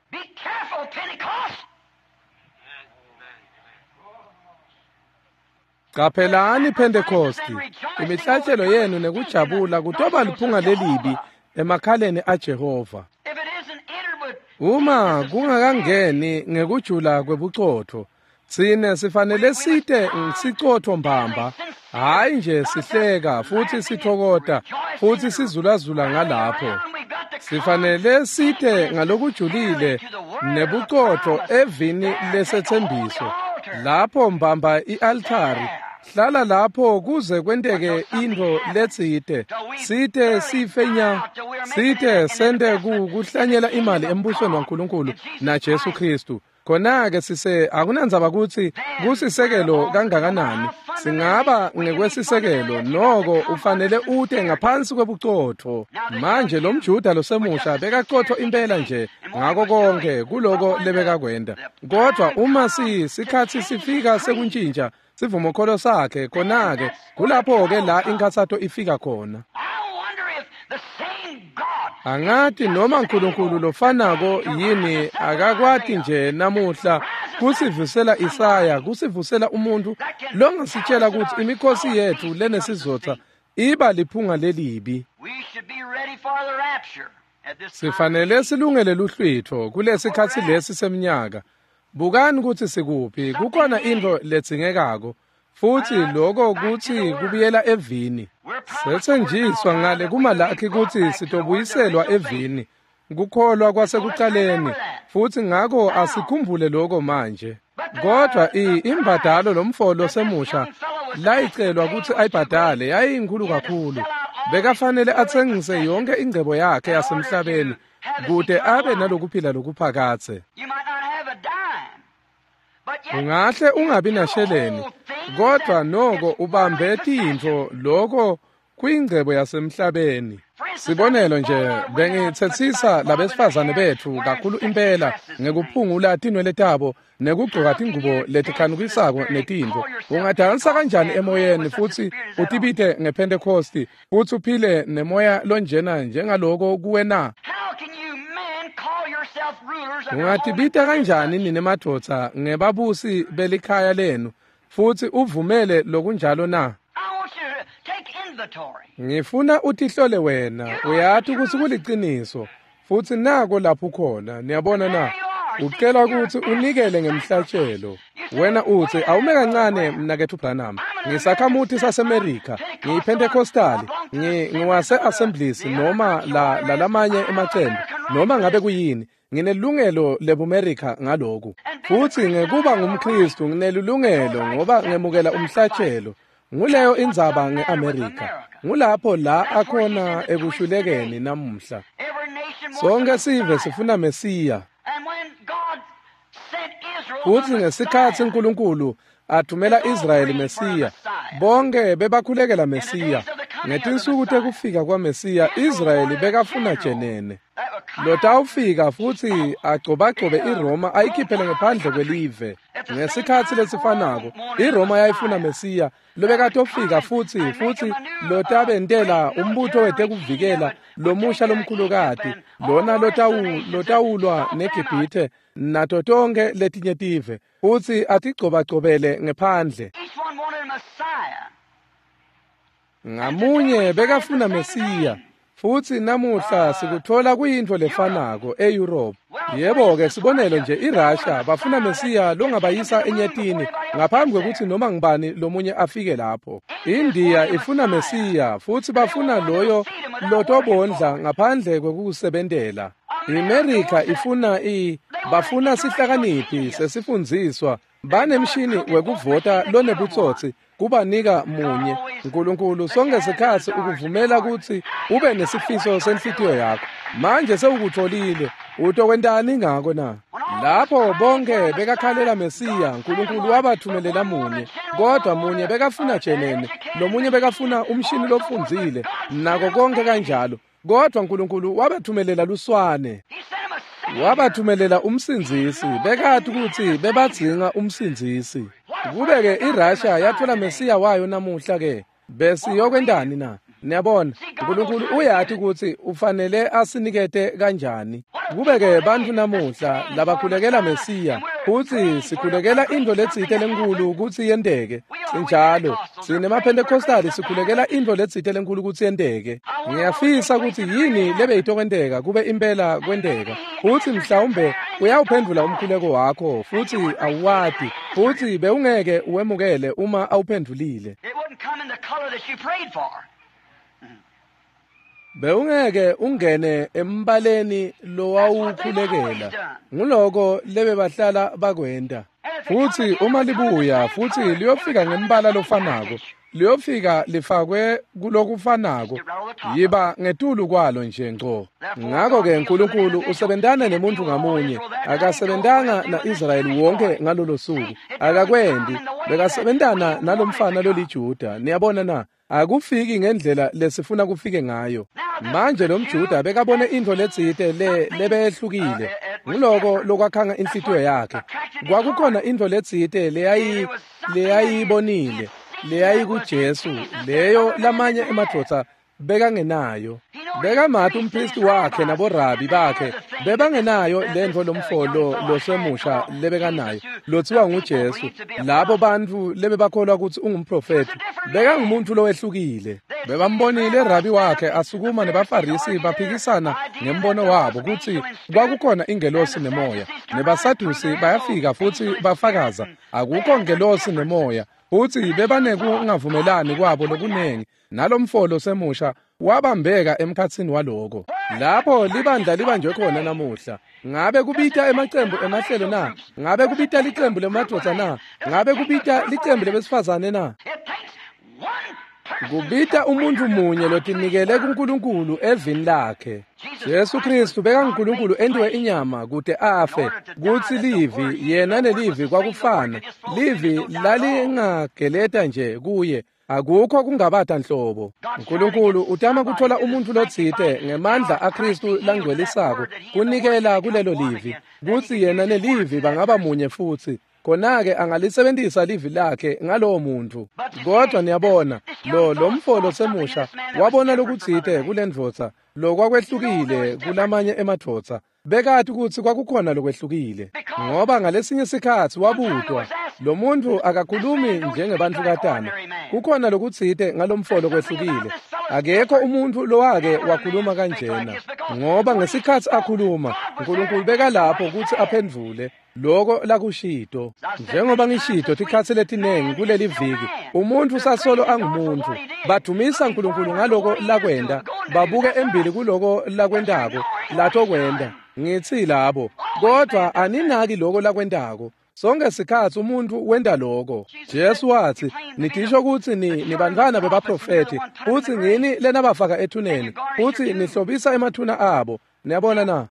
Qaphelani Pentecosti, imihlatshelo yenu nekujabula kutoba liphunga lelibi emakhaleni aJehova. Uma kungakangeni ngekujula kwebucotho, tsine sifanele site sicotho mbamba, hayi nje sihleka futhi sithokota futhi sizulazula ngalapho. Sifanele site ngalokujulile nebucotho evini lesethembiso. Lapho mbamba i-altari, hlala lapho kuze kwenteke into letsite, site sife nya, site sente kuhlanyela imali embusweni waNkulunkulu naJesu Kristu. Khona-ke sise akunandzaba ukuthi kusisekelo kangakanani, singaba ngekwesisekelo, noko ufanele ute ngaphansi kwebucotho. Manje lo mJuda losemusha bekaqotho impela nje ngako konke kuloko lebekakwenda, kodwa uma sikhathi sifika sekuntshintsha sivumokholo sakhe, khona-ke kulapho-ke la inkathato ifika khona. Angathi noma uNkulunkulu lofanako yini akakwati nje namuhla kusivusela Isaya, kusivusela umuntu longasitshela ukuthi imikhosi yethu lenesizotha iba liphunga lelibi. Sifanele silungele luhlwitho kulesikhathi lesi seminyaka. Bukani ukuthi sikuphi, kukhona into ledzingekako, futhi lokho kuthi kubuyela evini. Sethenjiswa ngale kuMalaki ukuthi sitobuyiselwa evini, kukholwa kwasekuqaleni, futhi ngakho asikhumbule lokho manje. Kodwa imbadalo lomfo losemusha layicelwa kutsi ayibhadale yayinkhulu kakhulu. Bekafanele atsengise yonke ingcebo yakhe yasemhlabeni kute abe nalokuphila lokuphakadze. Ungahle ungabi nasheleni, kodwa noko ubambe tintfo loko kuyingcebo yasemhlabeni. Sibonelo nje, bengitsetsisa labesifazane betfu kakhulu impela ngekuphungula tinwele tabo nekugcoka tingubo letikhanukisako netintfo. Ungadansa kanjani emoyeni futsi utibite ngePhentekhosti futsi uphile nemoya lonjena njengaloko kuwe na? Ungatibita kanjani nine madvodza ngebabusi belikhaya lenu futsi uvumele lokunjalo na? Ngifuna utihlole wena, uyati kutsi kuliciniso, futsi nako lapho ukhona, niyabona na? Ucela kutsi unikele ngemhlatshelo. Wena utsi, awume kancane mnaketfu Branham, ngisakhamuti saseMerika, ngiyiPhentekhostali, ngiwase-Assemblies noma lalamanye emacembu, noma ngabe kuyini, nginelungelo lebuMerika ngaloku. Futsi ngekuba ngumKhristu nginelungelo ngoba ngemukela umhlatshelo. Nguleyo indzaba ngeAmerika. Ngulapho la akhona ekushulekeni namuhla. Sonke sive sifuna Mesiya. Futsi ngesikhatsi uNkulunkulu athumela Israyeli Mesiya, bonke bebakhulekela Mesiya. Ngetinsuku tekufika kwaMesiya, Israyeli bekafuna jenene lotawufika futsi agcobagcobe iRoma ayikhiphele ngephandle kwelive. Ngesikhatsi lesifanako, iRoma yayifuna Mesiya lobekatofika futsi lotabentela umbutho wetekuvikela lomusha lomkhulukati, lona lotawulwa neGibhithe nato tonkhe letinye tive, futsi atigcobagcobele ngephandle. Ngamunye bekafuna Mesiya. Futsi namuhla sikutfola kuyintfo lefanako eEurope. Yebo-ke, sibonelo nje, iRussia bafuna Mesiya longabayisa enyetini ngaphambi kwekutsi noma ngubani lomunye afike lapho. India ifuna Mesiya futsi bafuna loyo lotobondla ngaphandle kwekusebentela. IMerika ifuna bafuna sihlakaniphi sesifundziswa, banemshini wekuvota lonebutsotsi kubanika munye. Nkulunkulu sonke sikhatsi ukuvumela kutsi ube nesifiso senhlitiyo yakho. Manje sewukutfolile, utokwentani ngako na? Lapho bonke bekakhalela Mesiya, Nkulunkulu wabathumelela munye, kodwa munye bekafuna jenene, lomunye bekafuna umshini lofundzile, nako konke kanjalo. Kodwa Nkulunkulu wabathumelela luswane. Wabathumelela umsindzisi, bekati kutsi bebadzinga umsindzisi. Kube-ke iRussia yatfola Mesiya wayo namuhla-ke, besiyokwentani na? Niyabona, Nkulunkulu uyati kutsi ufanele asinikete kanjani. Kube-ke bantfu namuhla labakhulekela Mesiya, futsi sikhulekela intfo letsite lenkhulu kutsi yenteke. Sinjalo, sinemaPhentekhostali sikhulekela intfo letsite lenkhulu kutsi yenteke. Ngiyafisa kutsi yini lebeyitokwenteka kube impela kwenteka. Futsi mhlawumbe uyawuphendvula umkhuleko wakho, futsi awuwati, futsi bewungeke uwemukele uma awuphendvulile. Bewungeke ungene embaleni lowawukhulekela. Nguloko lebebahlala bakwenta. Futsi uma libuya futsi liyofika ngembala lofanako, liyofika lifakwe kulokufanako, yiba ngetulu kwalo nje ngco. Ngako-ke Nkulunkulu usebentana nemuntfu ngamunye. Akasebentanga na-Israyeli wonke ngalolo suku, akakwendi. Bekasebentana nalomfana loliJuda. Niyabona na? Akufiki ngendlela lesifuna kufike ngayo. Manje lo mJuda bekabone intfo letsite lebehlukile. Nguloko lokwakhanga inhlitiyo yakhe. Kwakukhona intfo letsite leyayibonile, leyayikuJesu, leyo lamanye emadvodza bekangenayo. Bekamati umphristi wakhe naborabi bakhe bebangenayo lentfo lomfolo losemusha lebekanayo lotsiwa nguJesu. Labo bantfu lebebakholwa kutsi ungumprofethi, bekangumuntu lowehlukile. Bebambonile rabi wakhe asukuma nebaFarisi baphikisana ngembono wabo kutsi kwakukhona ingelosi nemoya. Nebasadusi bayafika futsi bafakaza akukho ngelosi nemoya, futsi bebanekungavumelani kwabo lokunengi. Nalomfolo semusha Wabambeka emkhatsini waloko. Lapho libandla libanjwe khona namuhla. Ngabe kubita emacembu emahlelo na? Ngabe kubita licembu lemadvodza na? Ngabe kubita licembu lebesifazane na? Kubita umuntu munye lotinikele kuNkulunkulu evini lakhe. Jesu Kristu bekanguNkulunkulu entiwe inyama kute afe, kutsi livi yena nelivi kwakufana. Livi lalingageleta nje kuye, akukho kungabata nhlobo. uNkulunkulu utama kuthola umuntu lotsite ngemandla aKristu langcwelisako kunikela kulelo livi, kutsi yena nelivi bangaba munye futsi. Khona-ke angalisebentisa livi lakhe ngalowo muntu. Kodwa niyabona, lo mfo semusha wabona lokutsite kulendvodza lokwakwehlukile kulamanye emadvodza. Bekati kutsi kwakukhona lokwehlukile, ngoba ngalesinye sikhatsi wabutwa, lo muntu akakhulumi njengebantukatana. Kukhona lokutsite ngalomfo lokwehlukile. Akekho umuntu lowake wakhuluma kanjena, ngoba ngesikhatsi akhuluma, uNkulunkulu bekalapho kutsi aphendvule loko lakushito. Njengoba ngishito tikhatsi letinengi kuleli viki, umuntu sasolo angumuntu. Badumisa uNkulunkulu ngaloko lakwenda, babuke embili kuloko lakwendako, latokwenda. Ngitsi labo, kodwa aninaki loko lakwendako. Sonke sikhatsi umuntu wenta loko. Jesu watsi, nitisho kutsi nibantfwana bebaprofethi, futsi ngini lenabafaka ethuneni, futsi nihlobisa emathuna abo. Niyabona na?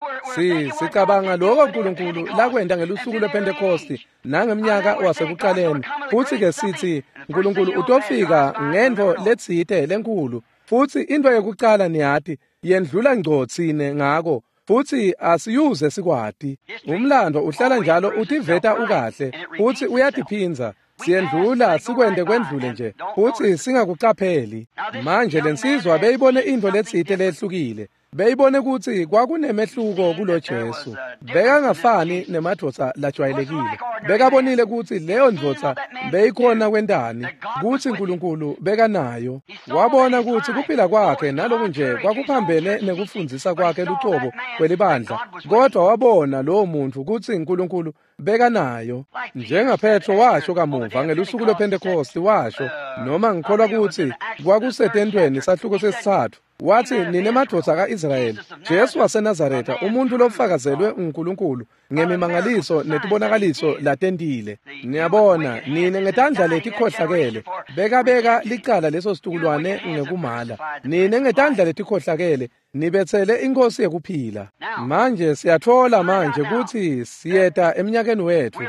Sicabanga loko uNkulunkulu lakwenta ngelusuku lwePhentekosti nangemnyaka wasekuqaleni. Futsi ke sithi uNkulunkulu utofika ngentfo letsite lenkulu. Futsi into yekucala niyati yendlula ngco tsine ngako. Futsi asiyuze sikwati. Umlando uhlala njalo utiveta ukahle, futsi uyatiphindza. Siyendlula sikwende kwendlule nje, futsi singakucapheli. Manje lensizwa beyibone intfo letsite lehlukile. Beyibone kutsi kwakunemehluko kulo Jesu. Bekangafani nemadvodza lajwayelekile. Bekabonile kutsi leyo ndvodza beyikhona kwentani, kutsi uNkulunkulu bekanayo. Wabona kutsi kuphila kwakhe naloku nje kwakuphambene nekufundzisa kwakhe lucobo kwelibandla, kodwa wabona lowo muntu kutsi uNkulunkulu bekanayo. NjengaPetro washo kamuva ngelusuku lwePhentekosti, washo, noma ngikholwa kutsi kwakusetentweni sahluko sesitsatfu, wathi, nine madvodza ka-Israyeli, Jesu waseNazaretha, umuntu lofakazelwe uNkulunkulu ngemimangaliso netibonakaliso latentile. Niyabona, nine ngetandla letikhohlakele bekabeka licala leso situkulwane ngekumala. Nine ngetandla letikhohlakele nibetsele inkosi yekuphila. Manje siyatfola manje kutsi siyeta eminyakeni wetfu,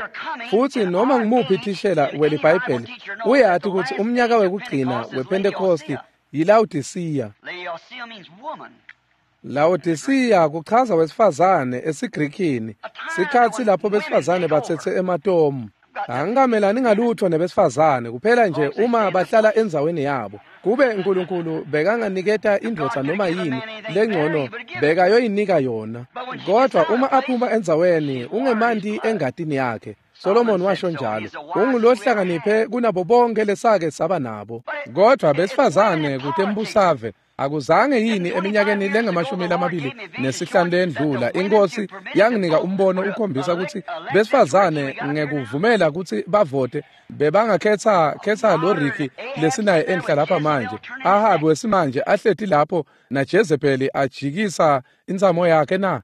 futsi noma ngumuphi thishela weliBhayibheli uyati kutsi umnyaka wekugcina wePhentekosti yiLaodisiya. Laodisiya kuchaza wesifazane esiGrikini, sikhatsi lapho besifazane batsetse ematomu. Angikamelani ngalutho nebesifazane, kuphela nje uma bahlala endzaweni yabo. Kube uNkulunkulu bekanganiketa indvodza noma yini lengcono, bekayoyinika yona. Kodwa uma aphuma endzaweni, ungemanti engatini yakhe. Solomon washo njalo, ungulohlakaniphe kunabo bonke lesake saba nabo. Kodwa besifazane kutembusave akuzange yini eminyakeni lengamashumi lamabili nesihlanu lendlula inkosi yanginika umbono ukhombisa kutsi besifazane ngekuvumela kutsi bavote bebangakhetha khetha lo Ricky lesinaye enhla lapha manje, Ahabi wesimanje ahleti lapho na Jezebeli ajikisa intsamo yakhe na.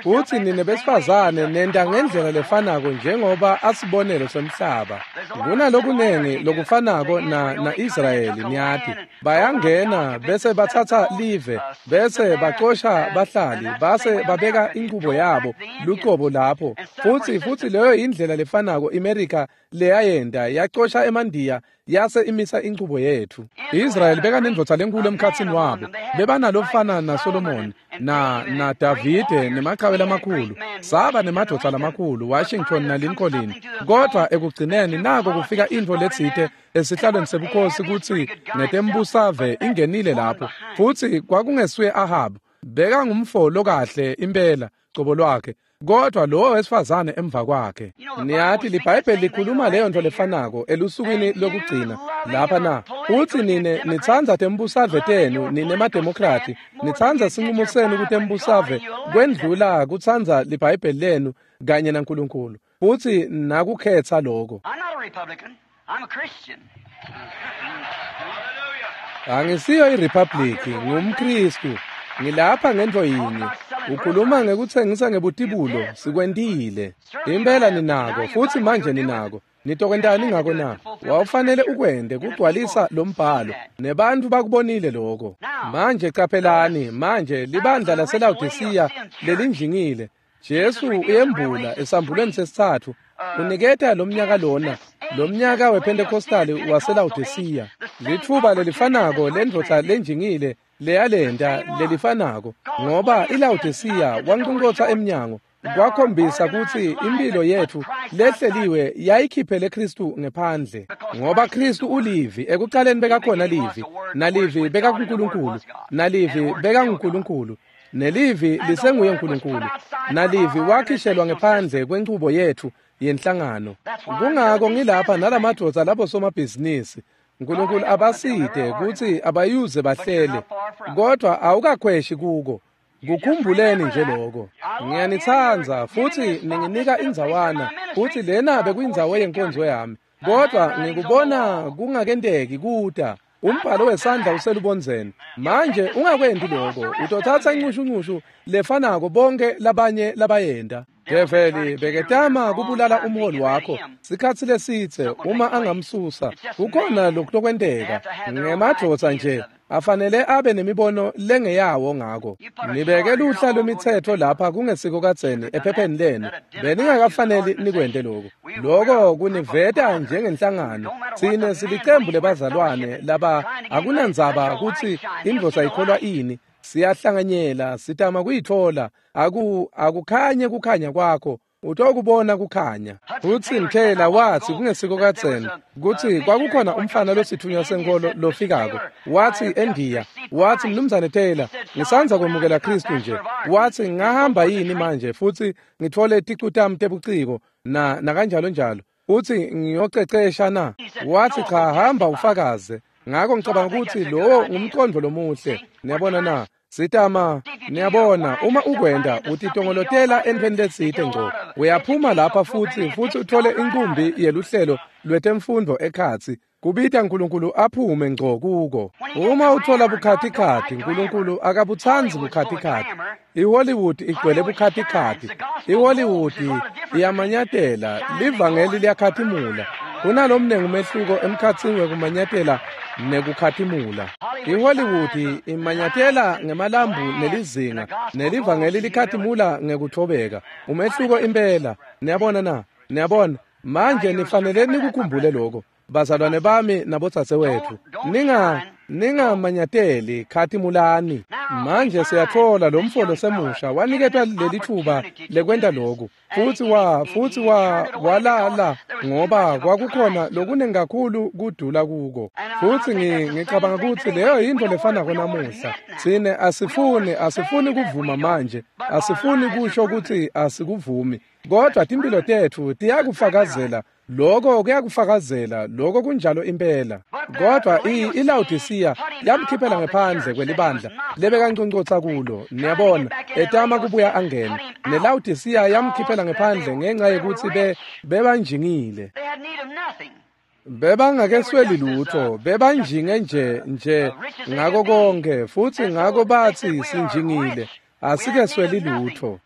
Futsi nine besifazane nenta ngendlela lefanako njengoba asibonelo semhlaba. Kunalokunengi lokufanako na Israyeli, niyati. Bayangena bese batsatsa live, bese bacosha bahlali, base babeka inchubo yabo lucobo lapho. Futsi leyo indlela lefanako iMerica leyayenta, yacosha emandiya yase imisa inchubo yetfu. Israyeli bekanendvodza lenkulu emkhatsini wabo. Bebanalofana naSolomon na Davide nemaqhawe lamakhulu. Saba nemadvodza lamakhulu, Washington na Lincoln. Kodwa ekugcineni nako kufika intfo letsite esihlalweni sebukhosi kutsi ngetembusave ingenile lapho. Futsi kwakungesuye Ahab, bekangumfo lokahle impela cobo lwakhe, kodwa lowo wesifazane emva kwakhe. Niyati liBhayibheli likhuluma leyo nto lefanako elusukwini lokugcina lapha na. Utsi nine nitsandza tembusave tenu, nine mademokrati, nitsandza sinqumo senu kutembusave kwendlula kutsandza liBhayibheli lenu kanye naNkulunkulu. Futsi nakukhetsa loko. I'm not a Republican. I'm a Christian. Angisiyo iRepublic, ngumKristu. Ngilapha ngento yinye. Ukhuluma ngekutsengisa ngebutibulo, sikwentile. Impela ninako, futhi manje ninako. Nitokwentani ngako na? Wawufanele ukwente kugcwalisa lo mbhalo, nebantu bakubonile lokho. Manje qaphelani, manje libandla laseLawodisiya lelinjingile. Jesu uyembula esambulweni sesithathu, uniketa lomnyaka lona, lomnyaka wePentecostal waseLawodisiya. Litfuba lelifanako lendvodza lenjingile leyalenta lelifanako, ngoba iLawodisiya wanqonqotha emnyango. Kwakhombisa kutsi impilo yetfu lehleliwe yayikhiphele Kristu ngephandle, ngoba Kristu ulivi. Ekucaleni bekakhona livi, nalivi bekakuNkulunkulu, nalivi bekanguNkulunkulu, nelivi lisenguye uNkulunkulu, nalivi wakhishelwa ngephandle kwenchubo yetfu yenhlangano. Kungako ngilapha nalamadvodza labo somabhizinisi. uNkulunkulu abaside kutsi abayuze bahlele, kodwa awukakhweshi kuko. Kukhumbuleni nje lokho. Ngiyanitsandza futhi ninginika indzawana, futhi lena bekuyindzawo yenkonzo yami, kodwa ngikubona kungakenteki kuta. Umbhalo wesandla uselubondzeni. Manje ungakwenti lokho, utothatha incushuncushu lefanako bonke labanye labayenta. Develi beketama kubulala umholi wakho sikhatsi lesitse uma angamsusa. Kukhona lokutokwenteka ngemadvodza nje afanele abe nemibono lengeyawo ngako. Nibeke luhla lwemitsetfo lapha kungesiko kadzeni ephepheni lenu. Beningakafaneli nikwente lokho. Lokho kuniveta njengenhlangano. Tsine silicembu lebazalwane laba akunandzaba kutsi indvodza ikholwa ini. Siyahlanganyela, sitama kuyitfola. Akukhanye kukhanya kwakho, utokubona kukhanya. Futsi Mkhela wathi kungesiko kadzeni kutsi kwakukhona umfana lositfunywa senkolo lofikako. Wathi eNdiya, wathi Mnumzane Taylor, ngisandza kwemukela Kristu nje. Wathi ngahamba yini manje futhi ngitfole ticu tami tebuciko na nakanjalo njalo. Uthi ngiyocecesha na? Wathi cha, hamba ufakaze. Ngako ngicabanga ukuthi lowo ngumqondo lomuhle. Niyabona na? Sitama, niyabona, uma ukwenda utitongolotela entweni letsite ngco. Uyaphuma lapha futhi uthole inkumbi yeluhlelo lwetemfundo ekhatsi. Kubita uNkulunkulu aphume ngco kuko. Uma uthola bukhatikhathi, uNkulunkulu akabutsandzi bukhatikhathi. iHollywood igcwele bukhatikhathi. iHollywood iyamanyatela, livangeli liyakhatimula. Kunalomnengi umehluko emkhatsini wekumanyatela nekukhatimula. iHollywood imanyatela ngemalambu nelizinga, nelivangeli likhatimula ngekuthobeka. Umehluko impela. Niyabona na? Niyabona? Manje nifanele nikukhumbule lokho, bazalwane bami nabodzadzewethu. Ningamanyateli, khatimulani. Manje siyatfola lo mfolo semusha waniketwa leli thuba lekwenta lokhu, futhi walala ngoba kwakukhona lokuningi kakhulu kudula kuko. Futhi ngicabanga ukuthi leyo yinto lefanako namuhla. Tsine asifuni kuvuma manje, asifuni kusho ukuthi asikuvumi, kodwa timpilo tetfu tiyakufakazela. Lokho kuyakufakazela, lokho kunjalo impela. Kodwa iLawodisiya yamkhiphela ngephandle kwelibandla lebekanconcotsa kulo. Niyabona, etama kubuya angene. NeLawodisiya yamkhiphela ngephandle ngenxa yekuthi bebanjingile. Bebangakesweli lutho, bebanjinge nje ngako konke, futhi ngako bathi sinjingile. Asikesweli lutho.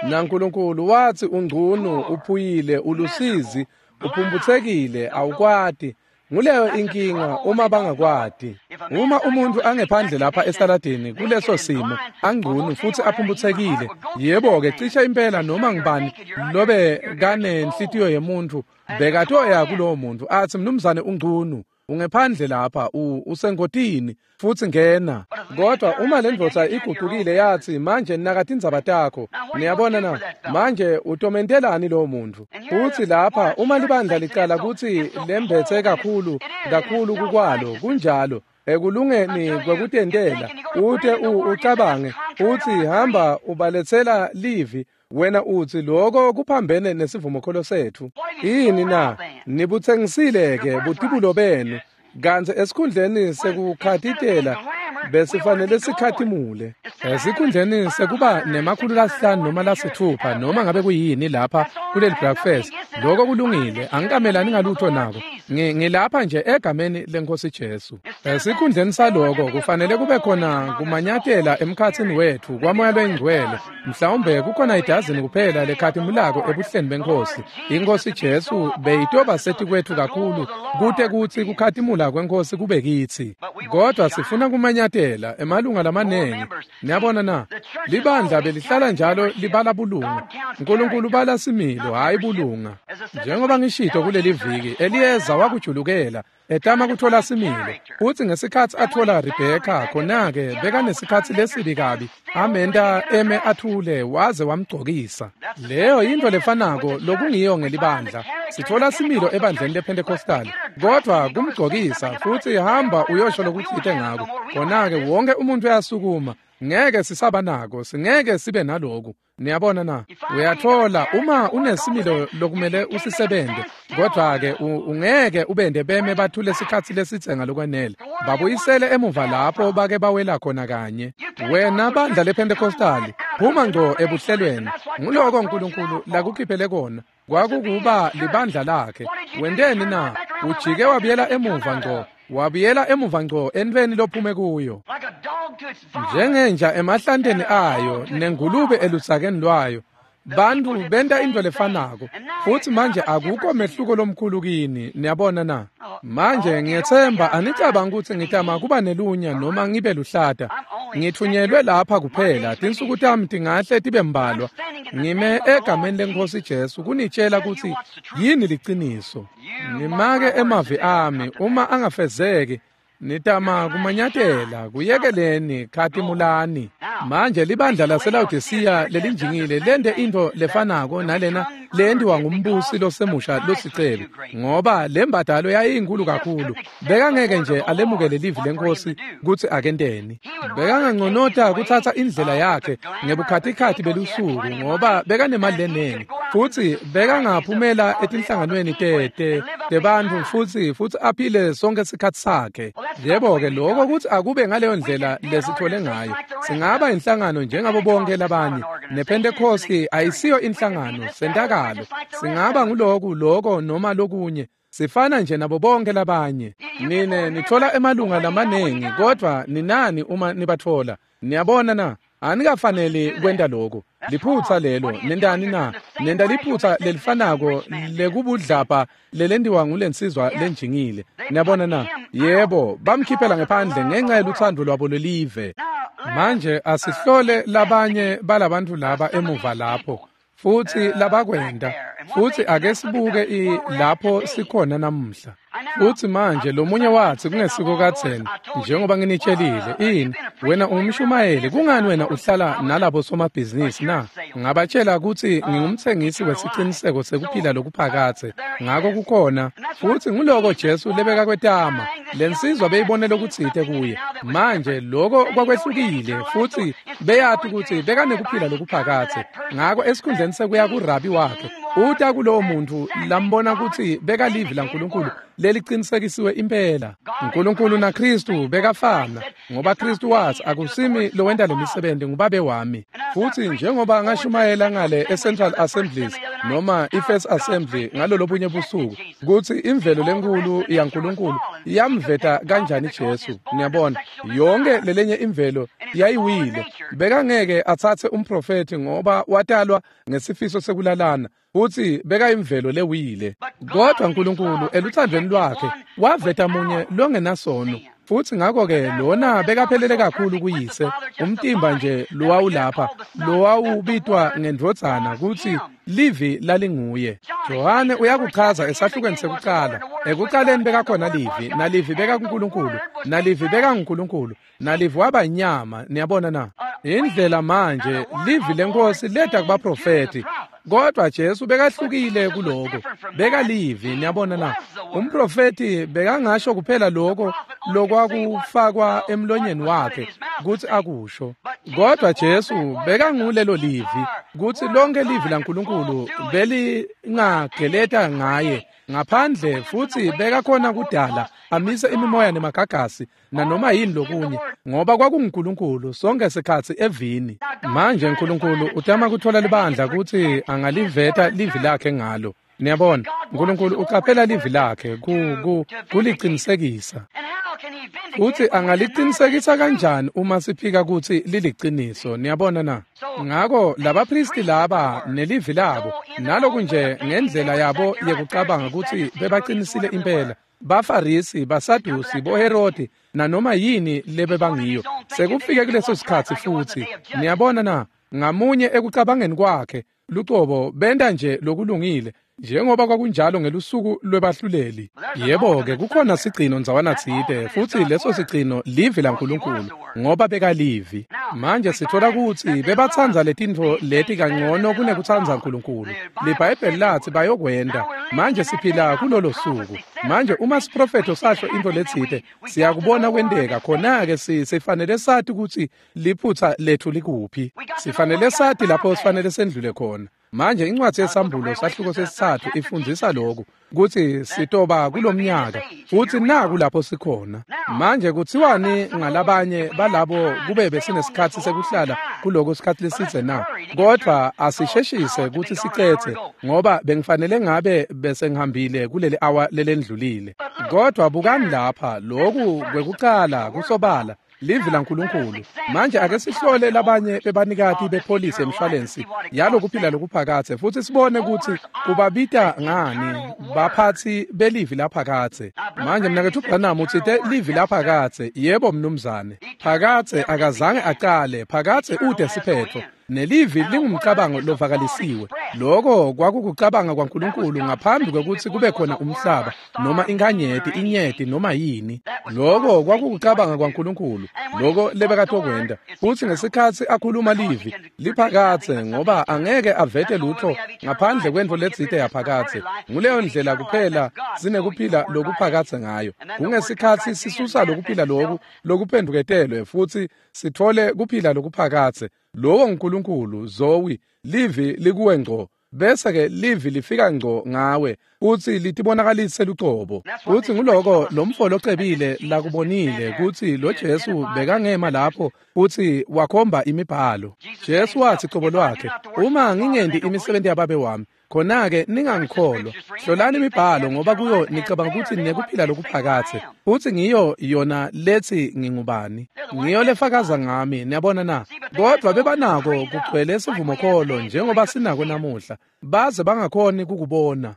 NaNkulunkulu wathi ungcunu, uphuyile, ulusizi, uphumputhekile, awukwati. Nguleyo inkinga uma bangakwati. Uma umuntu angephandle lapha estaladini kuleso simo, angcunu futhi aphumputhekile, yebo-ke cishe impela noma ngibani lobe kanenhlitiyo yemuntu bekatoya kulowo muntu athi mnumzane ungcunu, ungephandle lapha, usengotini, futhi ngena. Kodwa uma le ndvodza iguqukile yathi manje naka tindzaba takho, niyabona na? Manje utomentelani lowo muntu? Futhi lapha uma libandla licala kutsi lembetse kakhulu kakhulu kukwalo, kunjalo ekulungeni kwekutentela, ute ucabange uthi hamba ubaletsela livi, wena uthi lokho kuphambene nesivumokholo sethu. Yini na? Nibutsengisile-ke butibulo benu, kantsi esikhundleni sekukhatitela besifanele sikhatimule. Esikhundleni sekuba 500 noma 6 noma ngabe kuyini lapha kuleli breakfast, lokho kulungile, angikamelani ngalutho nako. Ngilapha nje egameni leNkosi Jesu. Esikhundleni saloko kufanele kube khona kumanyatela emkhatsini wethu kwaMoya loyiNgcwele. Mhlawumbe kukhona idazini kuphela lekhatimulako ebuhleni benkosi. Inkosi Jesu beyitoba sethi kwethu kakhulu kute kutsi kukhatimula kwenkosi kube kitsi. Kodwa sifuna kumanyatela emalunga lamanengi. Niyabona na? Libandla belihlala njalo libala bulunga. Nkulunkulu bala similo hayi bulunga. Njengoba ngishito kuleli viki, Eliyeza wakujulukela etama kuthola similo. Futsi ngesikhatsi athola Rebheka khona-ke bekanesikhatsi lesibi kabi, amenta eme athule waze wamgcokisa. Leyo yintfo lefanako lokungiyo ngelibandla. Sithola similo ebandleni lePentecostal, kodwa kumgcokisa futsi hamba uyosho lokutsite ngako. Khona-ke wonke umuntu uyasukuma. Ngeke sisaba nako, singeke sibe naloku. Niyabona na? Uyathola uma unesimilo lokumele usisebente, kodwa-ke ungeke ubende beme bathule sikhatsi lesitse ngalokwanele. Babuyisele emuva lapho bake bawela khona kanye. Wena bandla lePentecostali, phuma ngco ebuhlelweni. Nguloko uNkulunkulu lakukhiphele kona. Kwakukuba libandla lakhe. Wenteni na? Ujike wabuyela emuva ngco. Wabuyela emuva ngco entweni lophume kuyo. Njengenja emahlanteni ayo nengulube elusakeni lwayo. Bantu benta into lefanako. Futsi manje akukho mehluko lomkhulu kini, niyabona na? Manje ngiyethemba anicabanga ukuthi ngitama kuba nelunya noma ngibe luhlata. Ngithunyelwe lapha kuphela, tinsuku tami tingahle tibe mbalwa. Ngime egameni leNkosi Jesu kunitshela ukuthi yini liciniso. Nimake emavi ami uma angafezeki. Nitama kumanyatela kuyekeleni khatimulani. Manje libandla laseLawodisiya lelinjingile lente intfo lefanako nalena lentiwa ngumbusi losemusha losicelo, ngoba lembadalo yayinkulu kakhulu. Bekangeke nje alemukele livi lenkosi kutsi akenteni. Bekanganconota kutsatsa indlela yakhe ngebukhatikhathi belusuku ngoba bekanemali lenengi, futsi bekangaphumela etinhlanganweni tebantfu futsi aphile sonke sikhatsi sakhe. Yebo-ke lokho kutsi akube ngaleyo ndlela lesithole ngayo. Singaba inhlangano njengabo bonke labanye. NePentecosti ayisiyo inhlangano, sentakalo. Singaba nguloku, loko noma lokunye. Sifana nje nabo bonke labanye. Nine nithola emalunga lamanengi, kodwa ninani uma nibathola? Niyabona na? Anikafaneli kwenta lokho. Liphutsa lelo, nentani na? Nenta liphutsa lelifanako lekubudlapha lelentiwa ngulensizwa lenjingile. Niyabona na? Yebo, bamkhiphela ngephandle ngenxa yelutsandvo lwabo lwelive. Manje asihlole labanye balabantu laba emuva lapho. Futsi labakwenta, futsi ake sibuke lapho sikhona namuhla. Futsi manje lomunye watsi kungesiko kadzeni, njengoba nginitshelile, ini wena ungumshumayeli, kungani wena uhlala nalabo somabhizinisi na? Ngabatshela kutsi ngingumtsengisi wesiciniseko sekuphila lokuphakadze. Ngako kukhona, futsi nguloko Jesu lebekakwetama. Lensizwa beyibone lokutsite kuye. Manje loko kwakwehlukile, futsi beyati kutsi bekanekuphila lokuphakadze. Ngako esikhundleni sekuya kurabi wakhe, uta kulowo muntu lambona kutsi bekalivi laNkulunkulu lelicinisekisiwe impela. uNkulunkulu naKristu bekafana, ngoba Kristu watsi akusimi lowenta lemisebenzi, ngubabe wami. Futsi njengoba ngashumayela ngale eCentral Assemblies noma iFirst Assembly ngalolobunye busuku, kutsi imvelo lenkulu yaNkulunkulu yamveta kanjani Jesu. Niyabona, yonke lelenye imvelo yayiwile. Bekangeke atsatse umprofethi ngoba watalwa ngesifiso sekulalana, futsi bekayimvelo lewile. Kodwa uNkulunkulu eluthandweni lwakhe waveta munye longenasono, futsi ngako-ke lona bekaphelele kakhulu kuyise. Umtimba nje lowawulapha lowawubitwa ngendvodzana kutsi livi lalinguye. Johane uyakuchaza esahlukweni sekucala. Ekucaleni bekakhona livi, nalivi bekakuNkulunkulu, nalivi bekanguNkulunkulu, nalivi waba inyama. Niyabona na? Indlela manje livi lenkosi leta kubaprofethi, kodwa Jesu bekahlukile kuloko. Bekalivi, niyabona na? Umprofethi bekangasho kuphela lokho lokwakufakwa emlonyeni wakhe kutsi akusho, kodwa Jesu bekangulelo livi, kutsi lonke livi laNkulunkulu belingageleta ngaye ngaphandle, futsi bekakhona kudala amise imimoya nemagagasi nanoma yini lokunye, ngoba kwakunguNkulunkulu sonke sikhatsi evini. Manje uNkulunkulu utama kuthola libandla kutsi angaliveta livi lakhe ngalo. Niyabona, uNkulunkulu uqaphela livi lakhe kuliqinisekisa. Futhi angaliqinisekisa kanjani uma siphika kutsi liliqiniso? Niyabona na? Ngako labaphristi laba nelivi labo naloku nje ngendlela yabo yekucabanga kutsi bebaqinisile impela. Bafarisi, baSadusi, boHerodi nanoma yini lebebangiyo. Sekufike kuleso sikhatsi futhi. Niyabona na? Ngamunye ekucabangeni kwakhe lucobo benta nje lokulungile njengoba kwakunjalo ngelusuku lwebahluleli. Yebo-ke, kukhona sigcino ndzawana tsite, futsi leso sigcino livi laNkulunkulu, ngoba bekalivi. Manje sithola kutsi bebatsandza letintfo leti kangcono kunekutsandza uNkulunkulu. LiBhayibheli latsi bayokwenta. Manje siphila kulolo suku. Manje uma siprofetho sasho intfo letsite, siyakubona kwenteka. Khona-ke sifanele sati kutsi liphutsa letfu likuphi. Sifanele sati lapho sifanele sendlule khona. Manje incwadi yeSambulo sahluko sesitsatfu ifundzisa lokhu kutsi sitoba kulomnyaka futhi naku lapho sikhona. Manje kutsiwani ngalabanye balabo kube besinesikhatsi sekuhlala kuloko sikhatsi lesidze na? Kodwa asisheshise kutsi sicetse ngoba bengifanele ngabe bese ngihambile kuleli awa lelendlulile. Kodwa bukani lapha, lokhu kwekucala kusobala livi laNkulunkulu. Manje ake sihlole labanye bebanikati bepholisi emshwalensi yalokuphila lokuphakathe futhi sibone kutsi kubabita ngani baphatsi belivi laphakathe. Manje mnaketfu Branham utsite livi laphakathe. Yebo mnumzane, phakathe akazange acale, phakathe ude siphetfo. Nelivi lingumcabango lovakalisiwe. Loko kwakukucabanga kwaNkulunkulu ngaphambi kwekutsi kube khona umhlaba noma inkanyeti, inyeti noma yini. Loko kwakukucabanga kwaNkulunkulu, loko lebekatokwenta. Futsi ngesikhatsi akhuluma livi liphakathe, ngoba angeke avete lutho ngaphandle kwentfo letsite yaphakathe. Nguleyo ndlela kuphela sinekuphila lokuphakathe ngayo. Kungesikhatsi sisusa lokuphila loku lokuphenduketelwe futhi sithole kuphila lokuphakathe. Lowo nguNkulunkulu, Zoe, livi likuwe ngco. Bese-ke livi lifika ngco ngawe kutsi litibonakalise lucobo. Futsi nguloko lomfo locebile lakubonile kutsi lo Jesu bekangema lapho futsi wakhomba imibhalo. Jesu watsi cobo lwakhe, uma ngingenti imisebenti yababe wami, khona-ke ningangikholwa. Hlolani imibhalo ngoba kuyo nicabanga kutsi ninekuphila lokuphakathe, futsi ngiyo yona lethi ngingubani. Ngiyo lefakaza ngami, niyabona na? Kodwa bebanako kugcwele sivumokholo njengoba sinako namuhla, baze bangakhoni kukubona.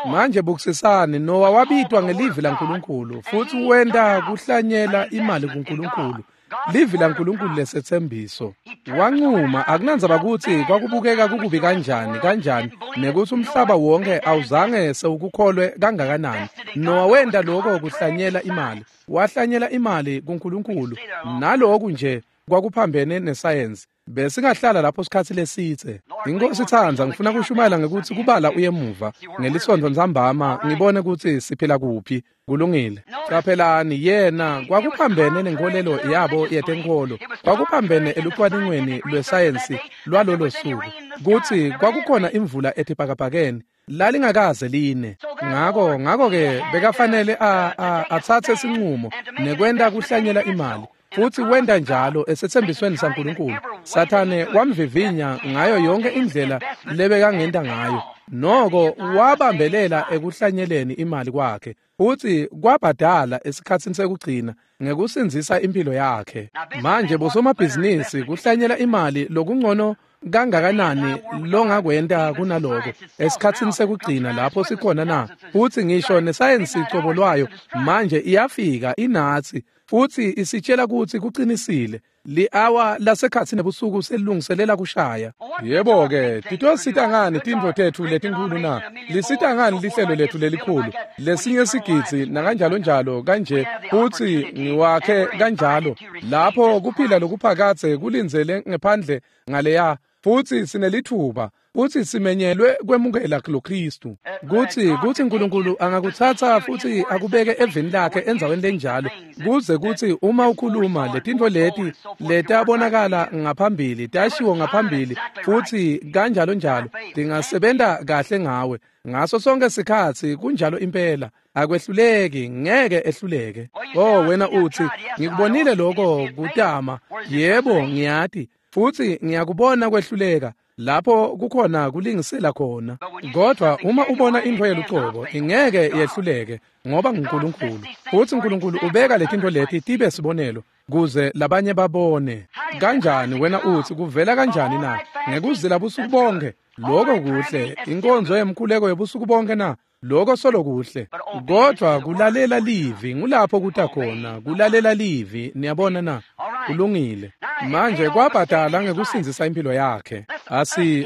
Manje bukisisani, Nowa wabitwa ngelivi laNkulunkulu futhi wenta kuhlanyela imali kuNkulunkulu. Livi laNkulunkulu lesetsembiso. Wancuma, akunandzaba kutsi kwakubukeka kukubi kanjani kanjani nekutsi umhlaba wonke awuzange sewukukholwe kangakanani. Nowa wenta lokho kuhlanyela imali. Wahlanyela imali kuNkulunkulu. Naloku nje kwakuphambene nesayensi. Besingahlala lapho sikhatsi lesitse. Inkosi itsandza ngifuna kushumayela ngekutsi kubala uyemuva ngelisonto ntsambama ngibone kutsi siphila kuphi. Kulungile. Qaphelani, yena kwakuphambene nenkolelo yabo yetenkholo, kwakuphambene elucwaningweni lwesayensi lwalolo suku kutsi kwakukhona imvula etibhakabhakeni lalingakaze line. Ngako-ke bekafanele atsatse sinqumo nekwenta kuhlanyela imali. Futhi wenta njalo esethembisweni saNkulunkulu. Sathane wamvivinya ngayo yonke indlela lebekangenta ngayo. Noko wabambelela ekuhlanyeleni imali kwakhe. Futhi kwabhadala esikhatsini sekugcina ngekusindzisa impilo yakhe. Manje bosomabhizinisi kuhlanyela imali lokungcono kangakanani longakwenta kunaloko esikhatsini sekugcina lapho sikhona na? Futhi ngisho nesayensi cobo lwayo manje iyafika inatsi futhi isitshela kutsi kuqinisile. Li-awa lasekhatsi nebusuku selilungiselela kushaya. Yebo-ke, titosita ngani tintfo tetfu letinkhulu na? Lisita ngani lihlelo letfu lelikhulu? Lesinye sigidzi nakanjalo njalo kanje, futsi ngiwakhe kanjalo. Lapho kuphila lokuphakathe kulindzele ngephandle ngaleya, futsi sinelitfuba, futsi simenyelwe kwemukela loKristu. Kutsi uNkulunkulu angakutsatsa futsi akubeke eveni lakhe endzaweni lenjalo, kuze kutsi uma ukhuluma letintfo leti letabonakala ngaphambili, tashiwo ngaphambili, futsi kanjalo njalo, tingasebenta kahle ngawe. Ngaso sonke sikhatsi kunjalo impela. Akwehluleki, ngeke ehluleke. Oh, wena utsi, ngikubonile lokho kutama. Yebo, ngiyati. Futsi ngiyakubona kwehluleka. Lapho kukhona kulingisela khona. Kodwa uma ubona intfo yelucobo, ingeke yehluleke, ngoba nguNkulunkulu. Futsi uNkulunkulu ubeka letintfo leti tibe sibonelo, kuze labanye babone. Kanjani wena utsi kuvela kanjani na? Ngekuzila busuku bonke. Lokho kuhle. Inkonzo yemkhuleko yebusuku bonke na? Lokho solo kuhle. Kodwa kulalela livi ngulapho kuta khona, kulalela livi, niyabona na? Kulungile. Manje kwabhadala ngekusindzisa impilo yakhe.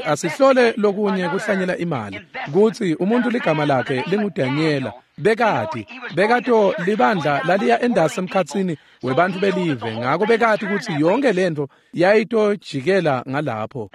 Asihlole lokunye kuhlanyela imali. Kutsi umuntu ligama lakhe linguDaniela. Bekati, bekato libandla laliya endasi emkhatsini webantfu belive, ngako bekati kutsi yonke lentfo yayitojikela ngalapho.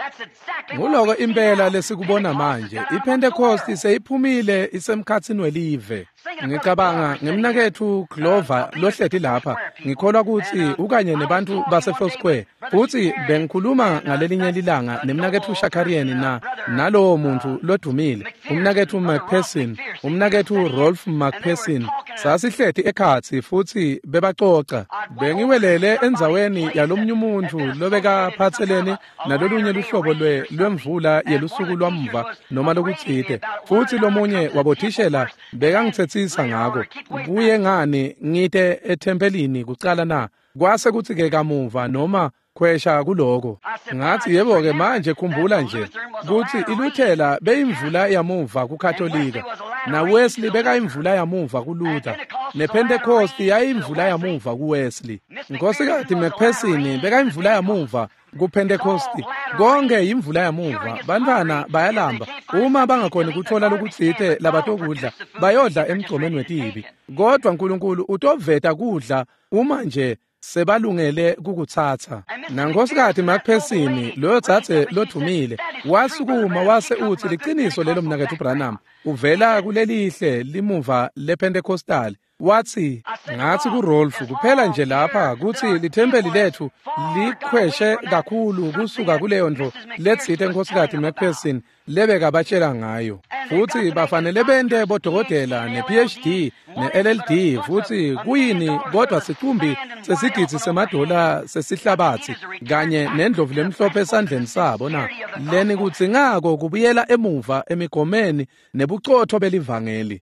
Nguloko impela lesikubona manje. IPentecost seyiphumile isemkhatsini welive. Ngicabanga ngemnaketfu Glover lohleti lapha. Ngikholwa kutsi ukanye nebantfu base Foursquare. Futsi bengikhuluma ngalelinye lilanga nemnaketfu Shakarian na nalowo muntfu lodumile, umnaketfu McPherson, umnaketfu Rolf McPherson. Sasihleti ekhatsi futsi bebacoca. Bengiwelele endzaweni yalomnye umuntfu lobekaphatselene nalolunye luhlobo lwemvula yelusuku lwamva noma lokutsite. Futsi lomunye wabothishela bekangitsetsisa ngako. Kuye ngani ngite ethempelini kucala na? Kwase kutsi-ke kamuva noma khwesha kuloko. Ngathi yebo-ke manje khumbula nje kutsi iLuthela beyimvula yamuva kuKatolika, naWesley bekayimvula yamuva kuLuther, nePentecost yayimvula yamuva kuWesley. Nkosikazi McPherson bekayimvula yamuva kuPentecost. Konke yimvula yamuva. Bantwana bayalamba. Uma bangakhoni kutfola lokutsite labatokudla, bayodla emgcomeni wetibi. Kodwa uNkulunkulu utoveta kudla uma nje sebalungele kukutsatsa. Nankosikazi McPherson, loyo dzadze lodvumile, wasukuma wase utsi liciniso lelo mnaketfu Branham, uvela kulelihle limuva lePentecostal. Watsi, ngathi kuRolf kuphela nje lapha kutsi lithempeli letfu likhweshe kakhulu kusuka kuleyo ntfo letsite Nkosikazi McPherson lebekabatshela ngayo. Futsi bafanele bente bodokotela ne-PhD ne-LLD futsi kuyini kodwa sicumbi sesigidzi semadola sesihlabatsi kanye nendlovu lemhlophe esandleni sabo na? Leni kudzingako kubuyela emuva emigomeni nebucotho belivangeli.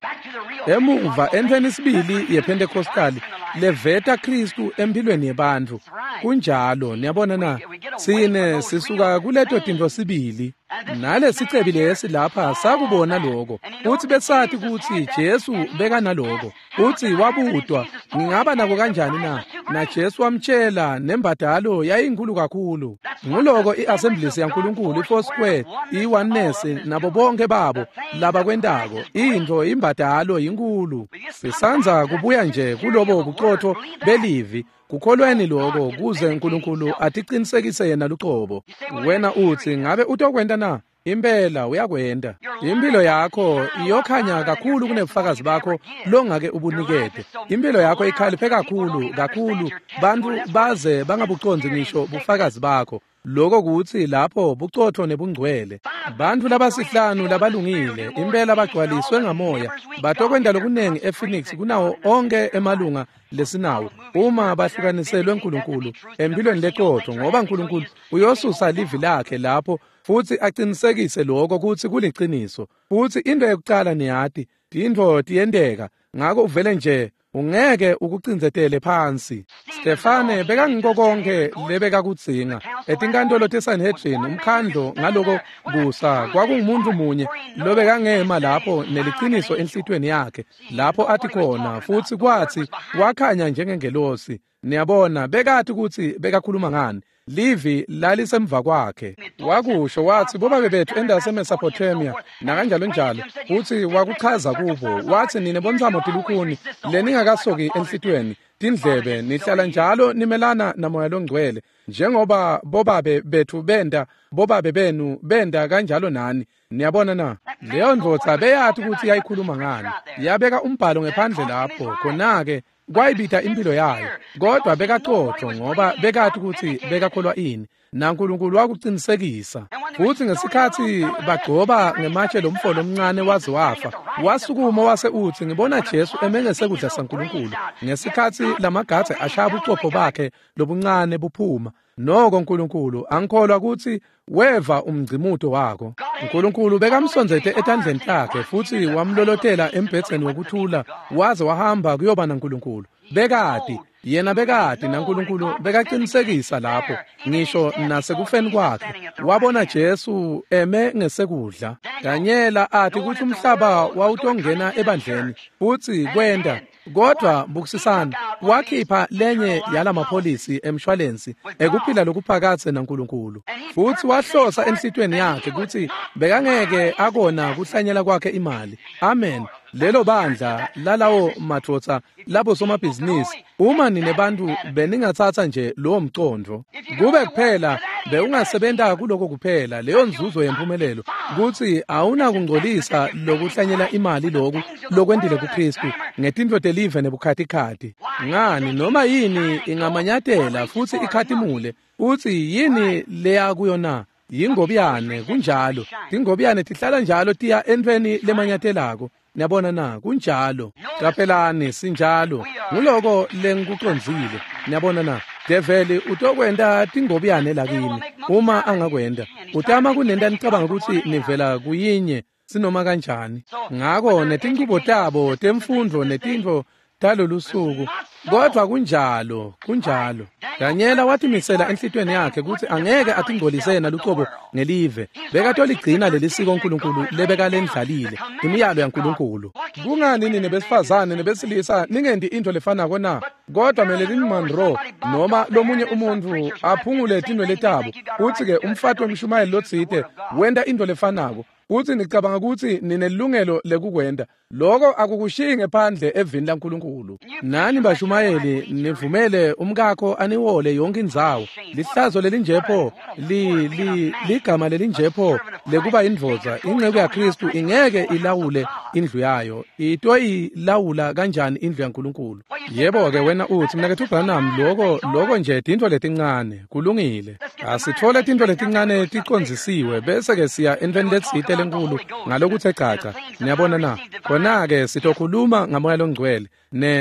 Emuva entfweni sibili yePentecostali leveta Kristu empilweni yebantfu. Kunjalo, niyabona na? Sine sisuka kuleto tintfo sibili. Nalesicebi lesi lapha sakubona lokho. Uthi besathi kutsi Jesu bekanaloko. Uthi wabutwa, ngingaba nako kanjani na? Na Jesu wamtshela nembadalo yayinkulu kakhulu. Nguloko iAssemblies yaNkulunkulu, iFoursquare, iOneness nabo bonke babo labakwentako. Intfo imbadalo yinkulu. Sisandza kubuya nje kulobo bucotho belivi. Kukholweni lokho kuze uNkulunkulu atiqinisekise yena lucobo. Wena utsi ngabe utokwenta na? Impela uyakwenta. Impilo yakho iyokhanya kakhulu kunebufakazi bakho longake ubunikete. Impilo yakho ikhaliphe kakhulu kakhulu, bantfu baze bangabucondzi ngisho bufakazi bakho. Lokho kutsi lapho bucotho nebungcwele. Bantfu labasihlanu labalungile impela bagcwaliswe ngamoya batokwenta lokunengi ePhoenix kunawo onke emalunga lesinawo uma bahlukaniselwe uNkulunkulu empilweni leqotho, ngoba uNkulunkulu uyosusa livi lakhe lapho futsi aqinisekise lokho kutsi kuliciniso. Futsi into yekucala niyati, tintfo tiyenteka, ngako uvele nje ungeke ukucindzetele phansi. Stefane bekangiko konke lebekakudzinga. Etinkantolo teSanhedrin, umkhandlo ngaloko kusa kwakungumuntu munye lobekangema lapho neliciniso enhlitiyweni yakhe, lapho athi khona, futsi kwatsi wakhanya njengengelosi. Niyabona, bekati kutsi bekakhuluma ngani. Livi lalisemva kwakhe. Wakusho wathi bobabe bethu endase Mesopotamia nakanjalo njalo, futsi wakuchaza kubo wathi nine bontsamo tilukhuni leningakasoki enhlitiyweni tindlebe nihlala njalo nimelana namoya longcwele, njengoba bobabe bethu benda, bobabe benu benda kanjalo nani. Niyabona na? Leyo ndvodza beyati kutsi yayikhuluma ngani. Yabeka umbhalo ngephandle lapho, khona-ke kwayibita impilo yayo. Kodwa bekaqotho ngoba bekati kutsi bekakholwa ini, naNkulunkulu wakuqinisekisa. Futsi ngesikhatsi bagcoba ngematshe lomfo lomncane waze wafa, wasukuma wase utsi, ngibona Jesu eme ngesekudla saNkulunkulu. Ngesikhatsi lamagadze ashaya bucopho bakhe lobuncane buphuma, noko Nkulunkulu angikholwa kutsi weva umgcimuto wako. Nkulunkulu bekamsondzete etandleni takhe futsi wamlolotela embhedzeni wekuthula waze wahamba kuyoba naNkulunkulu. Bekati, yena bekati naNkulunkulu bekaqinisekisa lapho ngisho nasekufeni kwakhe. Wabona Jesu eme ngesekudla. Danyela athi kutsi umhlaba wawutongena ebandleni futsi kwenta. Kodwa bukisisana, wakhipha lenye yalamapholisi emshwalensi ekuphila lokuphakatse naNkulunkulu. Futsi wahlosa enhlitiyweni yakhe kutsi bekangeke akona kuhlanyela kwakhe imali. Amen. Lelo bandla lalawo madvodza labo somabhizinisi, uma nine bantu beningatsatsa nje lowo mcondvo kube kuphela bewungasebenta kuloko kuphela, leyo nzuzo yempumelelo kutsi awunakungcolisa lokuhlanyela imali loku lokwentile kuKristu ngetintfo telive nebukhatikhati. Ngani, noma yini ingamanyatela futsi ikhatimule. Utsi yini leya kuyo na? Yingobiyane. Kunjalo, tingobiyane tihlala njalo tiya entfweni lemanyatelako. Niyabona na? Kunjalo. Caphelani, sinjalo. Nguloko lengikucondzile. Niyabona na? Develi utokwenta tingobiyane lakini uma angakwenta. Utama kunenta nicabanga kutsi nivela kuyinye sinoma kanjani. Ngako netinchubo tabo temfundvo netintfo talolusuku. Kodwa kunjalo, kunjalo. Danyela watimisela enhlitiyweni yakhe kutsi angeke atingcolise yena lucobo ngelive. Bekatoligcina lelisiko uNkulunkulu lebekalendlalile, imiyalo yaNkulunkulu. Kungani nine besifazane nebesilisa ningenti intfo lefanako na? Kodwa Marilyn Monroe noma lomunye umuntfu aphungule tinwele tabo, utsi-ke umfati wemshumayeli lotsite wenta intfo lefanako. Utsi nicabanga kutsi ninelungelo lekukwenta. Loko akukushiyi ngephandle evini laNkulunkulu. Nani bashumayeli nivumele umkakho aniwole yonke indzawo. Lihlazo lelinjepho, ligama lelinjepho lekuba indvodza, inceku yaKristu ingeke ilawule indlu yayo. Itoyilawula kanjani indlu yaNkulunkulu? Yebo-ke wena utsi, mnaketfu Branham, loko nje tintfo letincane. Kulungile. Asitfole tintfo letincane ticondzisiwe bese-ke siya entfweni letsite lenkulu ngalokutse caca. Niyabona na? Khona-ke sitokhuluma ngaMoya loNgcwele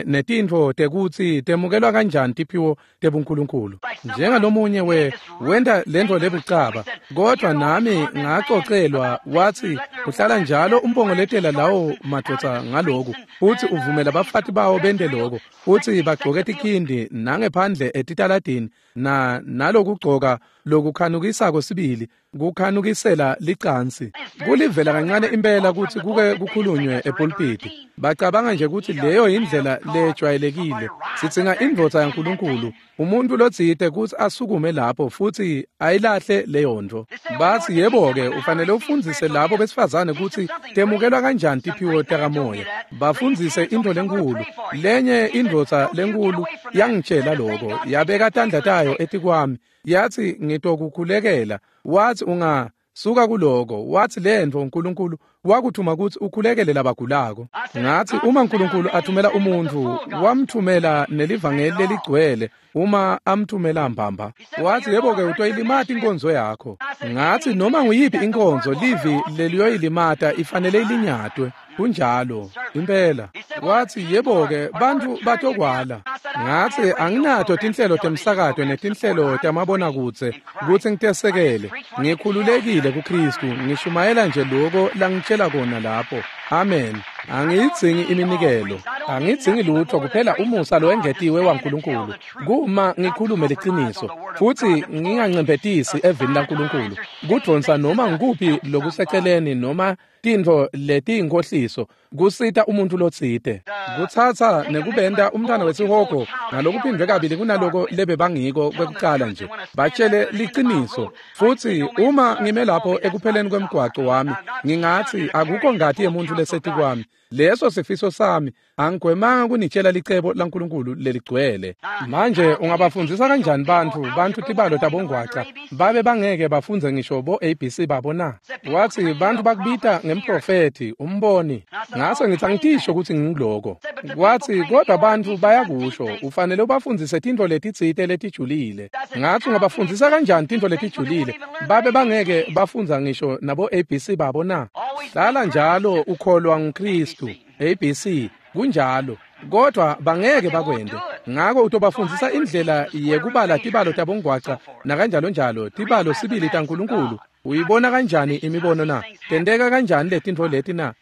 netintfo tekutsi temukelwa kanjani tiphiwo tebuNkulunkulu. Njengalomunye wenta lentfo lebucaba, kodwa nami ngacocelwa wathi uhlala njalo umbongoletela lawo madvodza ngaloku, futsi uvumela bafati bawo bente loko, futsi bagcoke tikhindi nangephandle etitaladini nalokugcoka lokukhanukisako sibili, kukhanukisela licansi. Kulivela kancane impela kutsi kuke kukhulunywe epulpiti. Bacabanga nje kutsi leyo indlela lejwayelekile. Sidzinga indvodza yaNkulunkulu, umuntu lotsite kutsi asukume lapho futsi ayilahle leyo ntfo. Batsi yebo-ke ufanele ufundzise labo besifazane kutsi temukelwa kanjani tiphiwo takamoya. Bafundzise intfo lenkulu. Lenye indvodza lenkulu yangitshela loko, yabeka tandla tayo etikwami, yathi ngitokukhulekela. Wathi ungasuka kuloko, wathi lentfo uNkulunkulu wakuthuma kutsi ukhulekele labagulako. Ngathi uma uNkulunkulu athumela umuntfu, wamthumela nelivangeli leligcwele uma amthumela mbamba. Wathi yebo-ke utoyilimata inkonzo yakho. Ngathi noma nguyiphi inkonzo livi leliyoyilimata ifanele ilinyatwe. Kunjalo impela. Wathi yebo-ke bantfu batokwala. Ngathi anginato tinhlelo temsakato netinhlelo tamabonakudze kutsi ngitesekele. Ngikhululekile kuKristu, ngishumayela nje loko langitshela kona lapho. Amen. Angiyidzingi iminikelo, angidzingi lutho kuphela umusa lowengetiwe waNkulunkulu. Kuma ngikhulume liciniso futsi ngingancemphetisi evini laNkulunkulu, kudvonsa noma ngikuphi lokuseceleni noma tintfo letiyinkhohliso kusita umuntu lotsite. Kutsatsa nekubenta umntwana wesihogo ngalokuphindwe kabili kunaloko lebebangiko kwekucala nje. Batshele liciniso. Futsi uma ngime lapho ekupheleni kwemgwaco wami, ngingatsi akukho ngati yemuntfu lesetikwami. Leso sifiso sami, angigwemanga kunitshela licebo laNkulunkulu leligcwele. Manje ungabafundzisa kanjani bantfu tibalo tabongwaca babe bangeke bafundze ngisho bo ABC babo na? Wathi bantfu bakubita ngemprofethi, umboni. Ngase ngithi angitisho kutsi ngingiloko. Wathi kodwa bantfu bayakusho, ufanele ubafundzise tintfo letitsite letijulile. Ngathi ungabafundzisa kanjani tintfo letijulile babe bangeke bafundza ngisho nabo ABC babo na? Hlala njalo ukholwa nguKristu, ABC, kunjalo, kodwa bangeke bakwente. Ngako utobafundzisa indlela yekubala tibalo tabongwaca nakanjalo njalo, tibalo sibili taNkulunkulu. Uyibona kanjani imibono na? Tenteka kanjani letintfo leti na?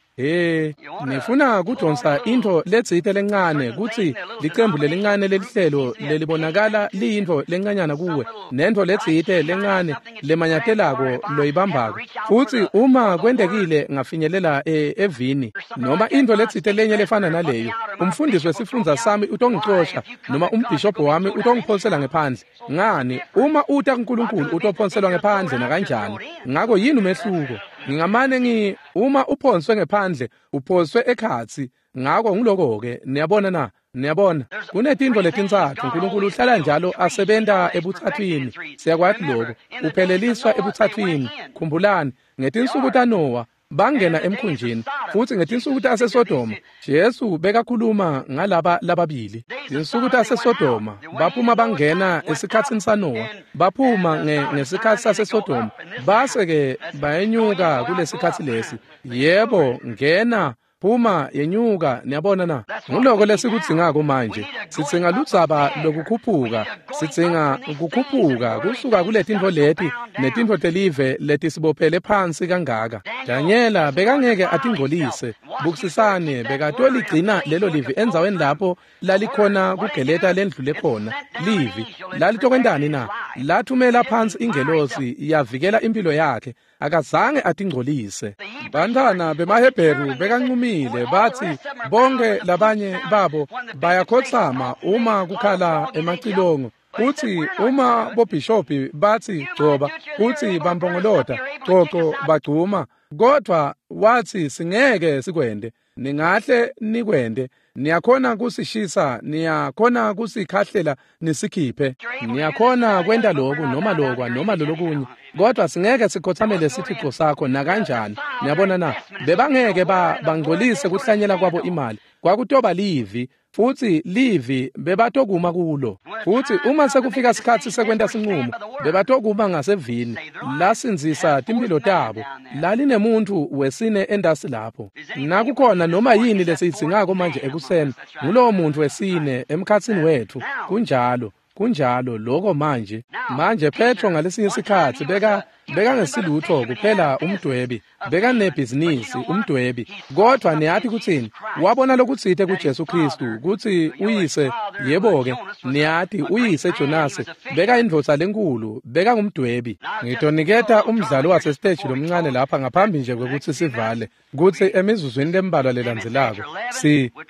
Nifuna kudonsa intfo letsite lencane kutsi licembu lelincane lelihlelo lelibonakala liyintfo lencanyana kuwe, nentfo letsite lencane lemanyatelako loyibambako. Futsi uma kwentekile ngafinyelela evini noma intfo letsite lenye lefana naleyo, umfundisi wesifundza sami utongicosha noma umbhishobho wami utongiphonsela ngephandle. Ngani, uma uta kuNkulunkulu utophonselwa ngephandle nakanjani. Ngako yini umehluko? Ngingamane uma uphonswe ngephandle, uphonswe ekhatsi. Ngako ngiloko-ke, niyabona na? Niyabona, kunetintfo letintsatfu. Nkulunkulu uhlala njalo asebenta ebutsatswini. Siyakwati lokho. Upheleliswa ebutsatswini. Khumbulani, ngetinsuku taNowa bangena emkhunjini, futsi ngetinsuku taseSodoma Jesu bekakhuluma ngalaba lababili. Tinsuku taseSodoma baphuma bangena esikhatsini saNowa, baphuma ngesikhatsi saseSodoma, base-ke bayenyuka kulesikhatsi lesi. Yebo, ngena, phuma, yenyuka. Niyabona na? Nguloko lesikudzingako manje. Sidzinga ludzaba lokukhuphuka, sidzinga kukhuphuka kusuka kuletintfo leti netintfo telive letisibophele phansi kangaka. Danyela bekangeke atingcolise. Bukisisane, bekatoligcina lelo livi endzaweni lapho lalikhona kugeleta lendlule khona. Livi lalitokwentani na? Lathumela phansi ingelosi yavikela impilo yakhe. Akazange atingcolise. Bantwana bemaHebheru bekancumile bathi bonke labanye babo bayakhotsama uma kukhala emacilongo. Kuthi uma bobhishobhi bathi gcoba, kuthi bampongolota, coco bagcuma, kodwa wathi singeke sikwende. Ningahle nikwende. Niyakhona kusishisa, niyakhona kusikhahlela nisikhiphe, niyakhona kwenta loku noma lokwa noma lolokunye, kodwa singeke sikhothamele sithixo sakho nakanjani. Niyabona na? Bebangeke bangcolise kuhlanyela kwabo imali. Kwakutoba livi, futsi livi bebatokuma kulo. Futsi uma sekufika sikhatsi sekwenta sinqumo, bebatokuma ngasevini lasindzisa timphilo tabo. Lalinemuntfu wesine endasi lapho. Nakukhona noma yini lesiyidzingako manje ekuseni, ngulowo muntfu wesine emkhatsini wetfu. Kunjalo, kunjalo lokho manje. Manje Petro ngalesinye sikhatsi bekangesilutho kuphela umdwebi, bekanebhizinisi umdwebi, kodwa niyati kutsini? Wabona lokutsite kuJesu Kristu kutsi uyise, yebo-ke, niyati uyise Jonase bekayindvodza lenkulu, bekangumdwebi. Ngitoniketa umdlalo wasesiteji lomncane lapha ngaphambi nje kwekutsi sivale, kutsi emizuzwini lembalwa lelandzelako,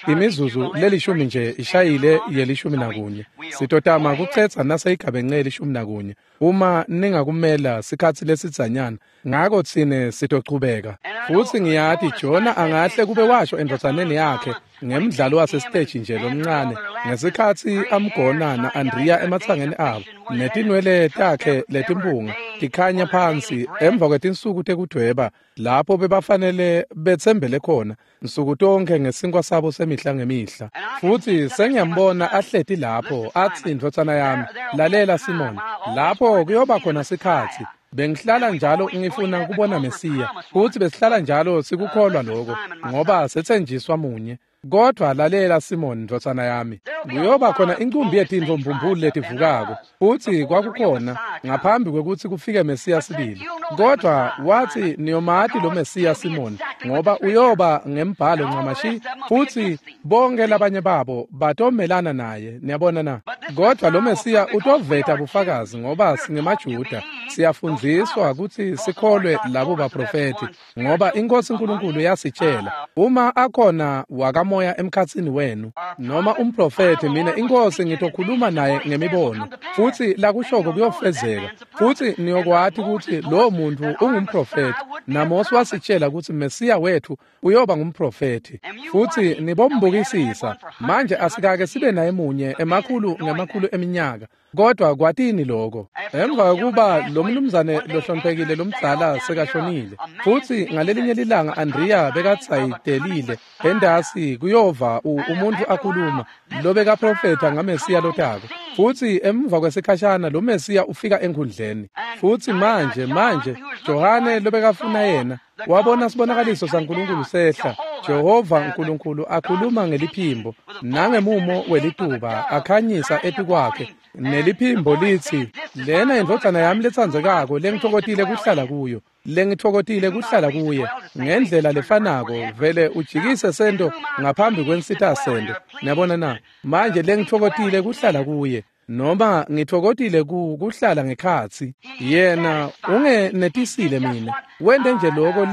imizuzu lelishumi nje ishayile ye-11. Sitotama kucedza naseyigabence ye-11. Uma ningakumela sikhatsi lesidzanyana, ngako tsine sitochubeka. Futsi ngiyati Jona angahle kube washo endvodzaneni yakhe ngemdlalo wasesiteji nje lomncane, ngesikhatsi amgona na-Andriya ematsangeni abo, netinwele takhe letimpunga tikhanya phansi emva kwetinsuku tekudweba, lapho bebafanele betsembele khona nsuku tonkhe ngesinkwa sabo semihla ngemihla. Futsi sengiyambona ahleti lapho athi, ndvodzana yami, lalela Simon, lapho kuyoba khona sikhatsi bengihlala njalo ngifuna kubona Mesiya, futsi besihlala njalo sikukholwa lokho ngoba setsenjiswa munye. Kodwa lalela Simon, ndvodzana yami, kuyoba khona incumbi yetintfo mbumbulu letivukako, futsi kwakukhona ngaphambi kwekutsi kufike Mesiya sibili. Kodwa wathi niyomati lo Mesiya Simon, ngoba uyoba ngembhalo ncamashi, futsi bonke labanye babo batomelana naye. Niyabona na? Kodwa lo Mesiya utoveta bufakazi, ngoba singemaJuda, siyafundziswa kutsi sikholwe labo baprofethi, ngoba iNkosi uNkulunkulu yasitshela uma akhona wakamoya. umoya emkhatsini wenu, noma umprofethi, mina iNkosi ngitokhuluma naye ngemibono, futhi lakushoko kuyofezeka, futhi niyokwati ukuthi lowo muntu ungumprofethi. NaMose wasitshela ukuthi Mesiya wethu uyoba ngumprofethi, futhi nibombukisisa. Manje asikake sibe naye munye emakhulu ngemakhulu eminyaka, kodwa kwatini lokho. Emva kokuba lo mnumzane lohloniphekile lomdzala sekashonile, futhi ngalelinye lilanga Andrea bekatsayitelile endasi kuyova umuntu akhuluma lobekaprofetha ngaMesiya lotako, futhi emva kwesikhashana lo Mesiya ufika enkundleni. Futhi manje Johane lobekafuna yena wabona sibonakaliso saNkulunkulu sehla, Jehova uNkulunkulu akhuluma ngeliphimbo nangemumo welituba akhanyisa etikwakhe, neliphimbo lithi, lena indvodzana yami letsandzekako lengitfokotile kuhlala kuyo, lengitfokotile kuhlala kuye. Ngendlela lefanako vele ujikise sento ngaphambi kwensitha sento. Niyabona na? Manje lengitfokotile kuhlala kuye, noma ngitfokotile kuhlala ngekhatsi yena, ungenetisile mina, wente nje lokho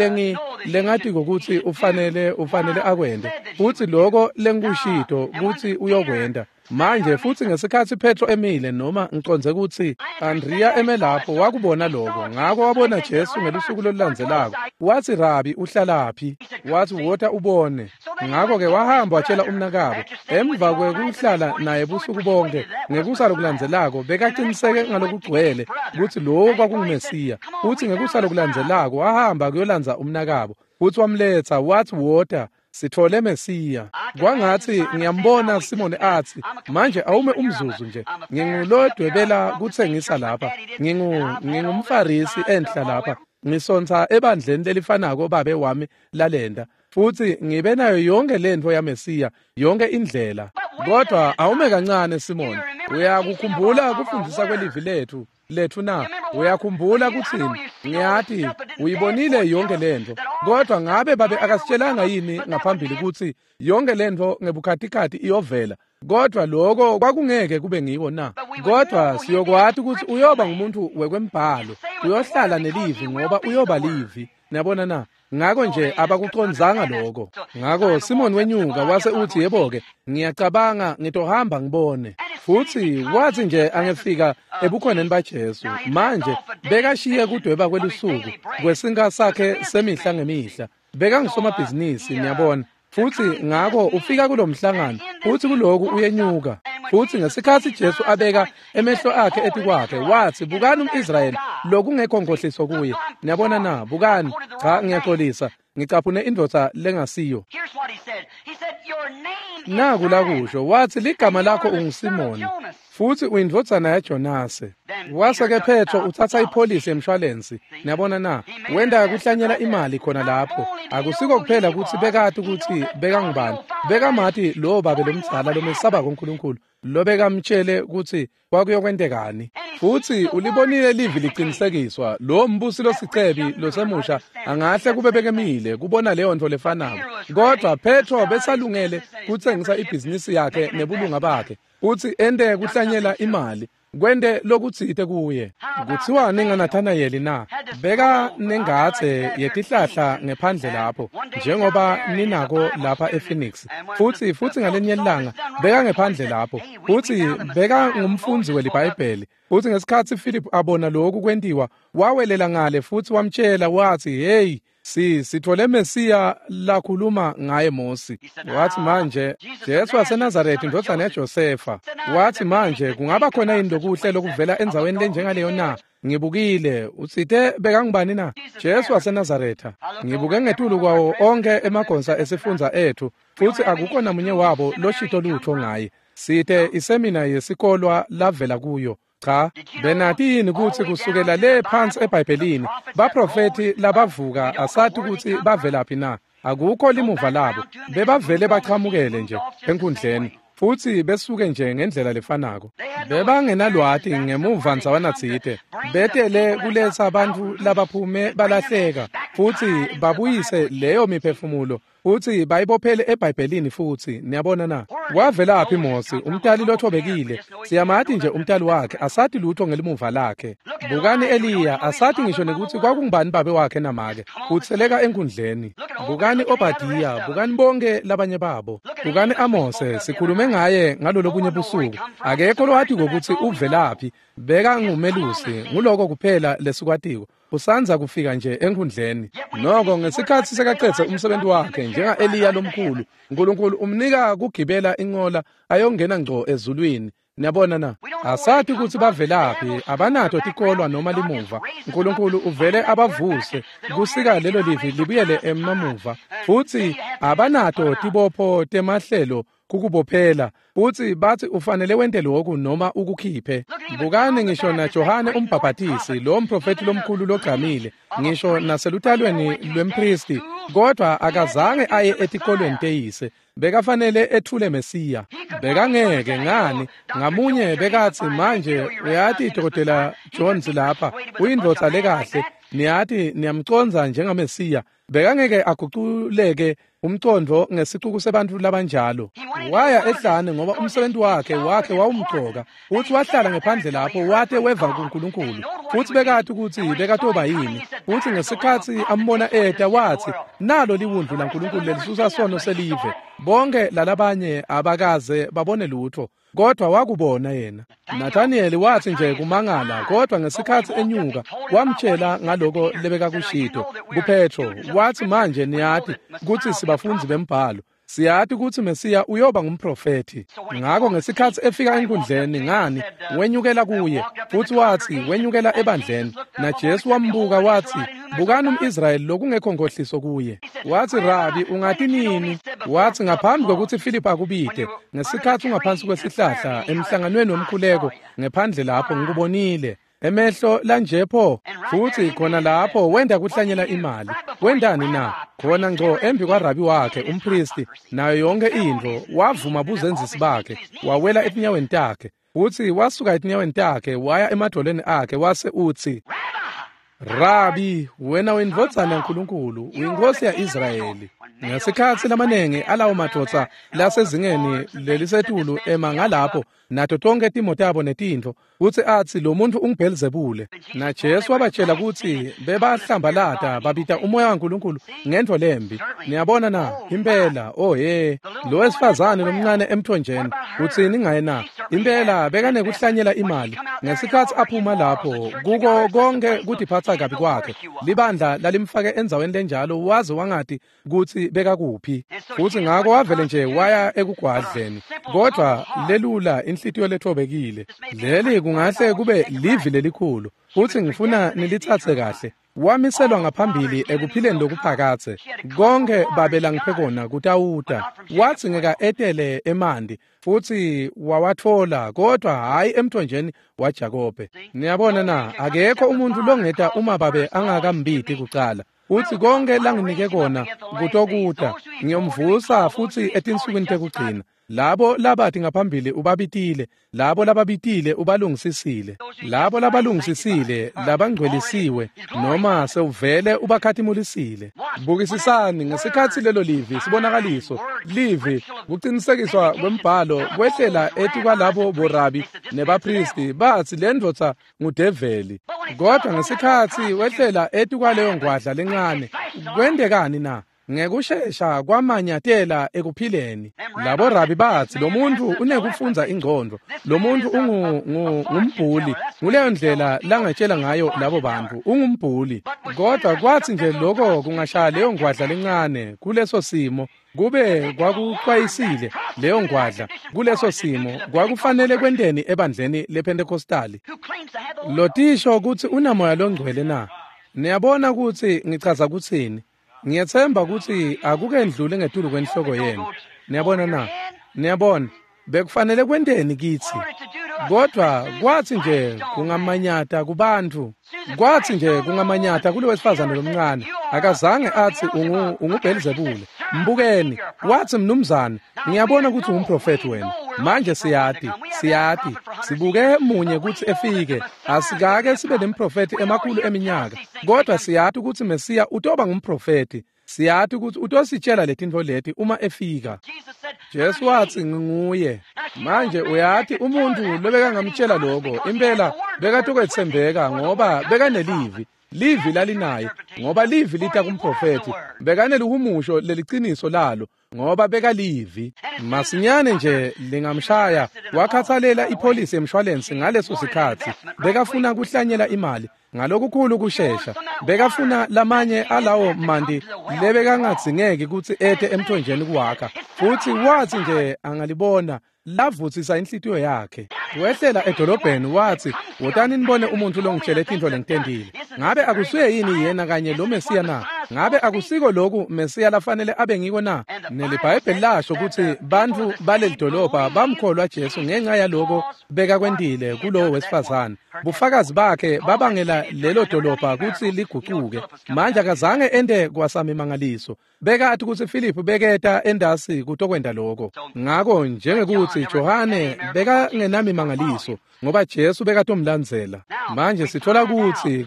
lengatiko ukuthi ufanele akwente, futhi lokho lengikushito ukuthi uyokwenta. Manje futhi ngesikhathi Petro emile, noma ngiconze ukuthi Andrea eme lapho, wakubona lokho, ngakho wabona Jesu ngelusuku lolulandzelako. Wathi, Rabi, uhlalaphi? Wathi, wota ubone. Ngakho-ke wahamba watshela umnakabo. Emva kwekuhlala naye busuku bonke, ngekusa lokulandzelako bekaqiniseke ngalokugcwele ukuthi lowo kwakunguMesiya. Futhi ngekusa lokulandzelako wahamba kuyolandza umnakabo, futhi wamletha, wathi, wota, sithole Mesiya. Kwangathi ngiyambona Simoni athi, manje awume umzuzu nje, ngingulodwebela kuthengisa lapha, ngingumFarisi enhla lapha, ngisontsa ebandleni lelifanako babe wami lalenda, futhi ngibe nayo yonke lentfo yaMesiya, yonke indlela. Kodwa awume kancane Simoni, uyakukhumbula kufundisa kwelivi lethu na? Uyakhumbula kuthini? Ngiyati uyibonile yonke lento, kodwa ngabe babe akasitshelanga yini ngaphambili ukuthi yonke lento ngebukhatikhathi iyovela? Kodwa lokho kwakungeke kube ngiko na? Kodwa siyokwati ukuthi uyoba ngumuntu wekwembhalo, uyohlala nelivi ngoba uyoba livi. Niyabona na? Ngakho nje abakucondzanga lokho. Ngakho Simon wenyuka wase uthi, yebo-ke, ngiyacabanga ngitohamba ngibone. Futhi wathi nje angefika ebukhoneni baJesu, manje bekashiye kudweba kwelusuku kwesinka sakhe semihla ngemihla. Bekangusomabhizinisi, niyabona. Futhi ngakho ufika kulomhlangano, futhi kuloku uyenyuka. Futhi ngesikhathi Jesu abeka emehlo akhe etikwakhe, wathi, bukani umIsrayeli lokungekho nkohliso kuye. Niyabona na? Bukani. Cha, ngiyaxolisa, ngicaphune indvodza lengasiyo. Naku lakusho, wathi, ligama lakho unguSimoni, futhi uyindvodzana yaJonase. Wase-ke Petro uthatha ipholisi yemshwalensi. Niyabona na? Wenda kuhlanyela imali khona lapho. Akusiko kuphela ukuthi bekati ukuthi bekangubani, bekamati lowo babe lomdzala lomesabako uNkulunkulu, lobekamtshele ukuthi kwakuyokwentekani. Futhi ulibonile livi liqinisekiswa, lo mbusi losicebi losemusha angahle kube bekemile kubona leyo nto lefanako. Kodwa Petro besalungele kutsengisa ibhizinisi yakhe nebulunga bakhe, futhi ente kuhlanyela imali, kwente lokutsite kuye. Kuthiwani ngaNathanayeli na? Beka nengadze yetihlahla ngephandle lapho, njengoba ninako lapha ePhoenix. Futhi ngalenye ilanga beka ngephandle lapho, futhi beka ngumfundzi weliBhayibheli. Futhi ngesikhathi Philip abona lokhu kwentiwa, wawelela ngale futhi wamtshela wathi, hey, sithole Mesiya lakhuluma ngaye Mosi. Wathi manje, Jesu waseNazaretha indvodzana yaJosefa. Wathi manje, kungaba khona yini lokuhle lokuvela endzaweni lenjengaleyo na? Ngibukile, utsite bekangubani na? Jesu waseNazaretha. Ngibuke ngetulu kwawo onke emagonsa esifundza ethu, futhi akukho namunye wabo loshito lutho ngaye. Site isemina yesikolwa lavela kuyo. Cha, benati yini ukuthi kusukela le phansi eBhayibhelini baprofethi labavuka asathi ukuthi bavelaphi na? Akukho limuva labo, bebavele bachamukele nje enkundleni, futhi besuke nje ngendlela lefanako. Bebangenalwati ngemuva ndzawana tsite, betele kuletsa abantu labaphume balahleka, futhi babuyise leyo miphefumulo Futsi bayibophele eBhayibhelini futsi, niyabona na? Wavelaphi Mosi, umtali lothobekile? Siyamati nje umtali wakhe, asati lutho ngelimuva lakhe. Bukani Eliya, asati ngisho nekutsi kwakungubani babe wakhe namake. Utseleka enkundleni. Bukani Obadiya, bukani bonke labanye babo. Bukani Amose, sikhulume ngaye ngalolobunye busuku. Akekho lowatiko kutsi uvelaphi, beka ngumelusi, nguloko kuphela lesikwatiko. Usandza kufika nje enkundleni. Noko ngesikhatsi sekacedze umsebenzi wakhe njenga Eliya lomkhulu, uNkulunkulu umnika kugibela inqola ayongena ngco ezulwini. Niyabona na? Asati kutsi bavelaphi, abanato tikolwa noma limuva. uNkulunkulu uvele abavuse kusika lelo livi libuyele emamuva. Futsi abanato tibopho temahlelo kukubophela. Futsi bathi ufanele wente lokhu noma ukukhiphe. Bukani ngisho naJohane umbhabhatisi, lo mprofeti lomkhulu logqamile, ngisho naselutalweni lwempristi, kodwa akazange aye etikolweni teyise. Bekafanele ethule Mesiya. Bekangeke ngani ngamunye bekathi manje uyati Dr. Jones lapha uyindvodza lekahle, niyati niyamcondza njengaMesiya. Bekangeke aguculeke umcondvo ngesicuku sebantfu labanjalo. Waya ehlane ngoba umsebenzi wakhe wawumcoka. Futsi wahlala ngephandle lapho wate weva kuNkulunkulu. Futsi bekati kutsi bekatoba yini. Futsi ngesikhatsi ambona eta wathi nalo liwundlu laNkulunkulu lelisusa sono selive. Bonke lalabanye abakaze babone lutho, kodwa wakubona yena. Nathaniel wathi nje kumangala, kodwa ngesikhatsi enyuka wamtshela ngaloko lebekakushito kuPetro. Wathi manje niyati kutsi sibafundzi bembhalo, siyati kutsi Mesiya uyoba ngumprofethi. Ngakho ngesikhatsi efika enkundleni, ngani wenyukela kuye, futsi wathi wenyukela ebandleni, naJesu wambuka wathi bukani umIsrayeli lokungekho nkohliso kuye. Wathi Rabi, ungati nini? Wathi ngaphambi kokuthi Philip akubite, ngesikhatsi ungaphansi kwesihlahla emhlanganweni womkhuleko ngephandle lapho ngikubonile. Emehlo lanjepho. Futhi khona lapho wenda kuhlanyela imali. Wendani na? Khona ngco embi kwarabi wakhe umpristi nayo yonke intfo, wavuma buzenzisi bakhe, wawela etinyaweni takhe. Futhi wasuka etinyaweni takhe waya emadolweni akhe wase utsi, Rabi, wena wendvodzana yaNkulunkulu, uyinkosi ya-Israyeli. Ngesikhatsi lamanengi alawo madvodza lasezingeni lelisetulu ema ngalapho nato tonke timo tabo netintfo, kutsi atsi lo muntfu unguBhelzebule. NaJesu wabatshela kutsi bebahlambalata babita umoya waNkulunkulu ngentfo lembi. Niyabona na? Impela, oh he, lo wesifazane lomncane emthonjeni, utsini ngaye na? Impela bekanekuhlanyela imali. Ngesikhatsi aphuma lapho kuko konke kutiphatsa kabi kwakhe, libandla lalimfake endzaweni lenjalo waze wangati kutsi bekakuphi. Futsi ngako wavele nje waya ekugwadleni. Kodwa lelula inhlitiyo lethobekile. Leli kungahle kube livi lelikhulu, futsi ngifuna nilitsatse kahle. Wamiselwa ngaphambili ekuphileni lokuphakatse. Konke babe langiphe kona kutawuta. Wathi ngeka etele emanti futsi wawatfola, kodwa hhayi emthonjeni waJakobe. Niyabona na? Akekho umuntu longeta uma babe angakambiti kucala. Futsi konke langinike kona kutokuta, ngiyomvusa futsi etinsukwini tekugcina. Labo labathi ngaphambili ubabitile, labo lababitile ubalungisisile, labo labalungisisile labangcwelisiwe noma sewuvele ubakhatimulisile. Bukisisani ngesikhatsi lelo livi sibonakaliso, livi kucinisekiswa kwembhalo kwehlela etikwalabo borabi nebapristi, batsi lendvodza ngudeveli. Kodwa ngesikhatsi wehlela etikwaleyo ngwadla lencane, kwentekani na? Ngekushesha kwamanyatela ekuphileni. Labo rabi batsi lo muntu unekufundza ingcondvo, lo muntu ungumbhuli. Nguleyo ndlela langatshela ngayo labo bantu, ungumbhuli. Kodwa kwatsi nje lokho kungashaya leyo ngwadla lencane kuleso simo, kube kwakuxwayisile leyo ngwadla kuleso simo, kwakufanele kwenteni ebandleni lePentecostali? Lotisho kutsi unamoya longcwele na? Niyabona kutsi ngichaza kutsini? Ngiyethemba kutsi akukendluli ngetulu kwenhloko yenu. Niyabona na? Niyabona, bekufanele kwenteni kitsi? Kodwa kwatsi nje kungamanyata kubantu, kwatsi nje kungamanyata kulo wesifazane lomncane. Akazange atsi unguBhelzebule. Mbukeni, watsi mnumzane, ngiyabona kutsi ungumprofethi wena. Manje siyati, sibuke munye kutsi efike. Asikake sibe nemprofethi emakhulu eminyaka, kodwa siyati kutsi Mesiya utoba ngumprofethi. Siyati ukuthi utositshela letintfo leti uma efika. Jesu watsi nginguye. Manje uyati umuntu lobekangamtshela lokho impela bekatokwetsembeka ngoba bekanelivi. Livi lalinaye ngoba livi lita kumprofethi. Bekanelihumusho leliciniso lalo ngoba bekalivi. Masinyane nje lingamshaya wakhathalela ipholisi yemshwalensi ngaleso sikhatsi. Bekafuna kuhlanyela imali ngalokukhulu kushesha. Bekafuna lamanye alawo mandi lebekangadzingeki kutsi ete emthonjeni kuwakha. Futsi watsi nje angalibona lavutsisa inhlitiyo yakhe. Wehlela edolobheni watsi, "Wotani nibone umuntu longitshele tintfo lengitentile. Ngabe akusuye yini yena kanye lo Mesiya na? Ngabe akusiko loku Mesiya lafanele abe ngiko na?" NeliBhayibheli lasho kutsi bantfu baleli dolobha bamkholwa Jesu ngenxa yaloko bekakwentile kulowo wesifazane. Bufakazi bakhe babangela lelo dolobha kutsi ligucuke. Manje akazange ente kwasamimangaliso. Bekati kutsi Philip beketa endasi kutokwenta lokho. Ngako njengekuthi Johane bekangenamimangaliso ngoba Jesu bekatomlandzela. Manje sithola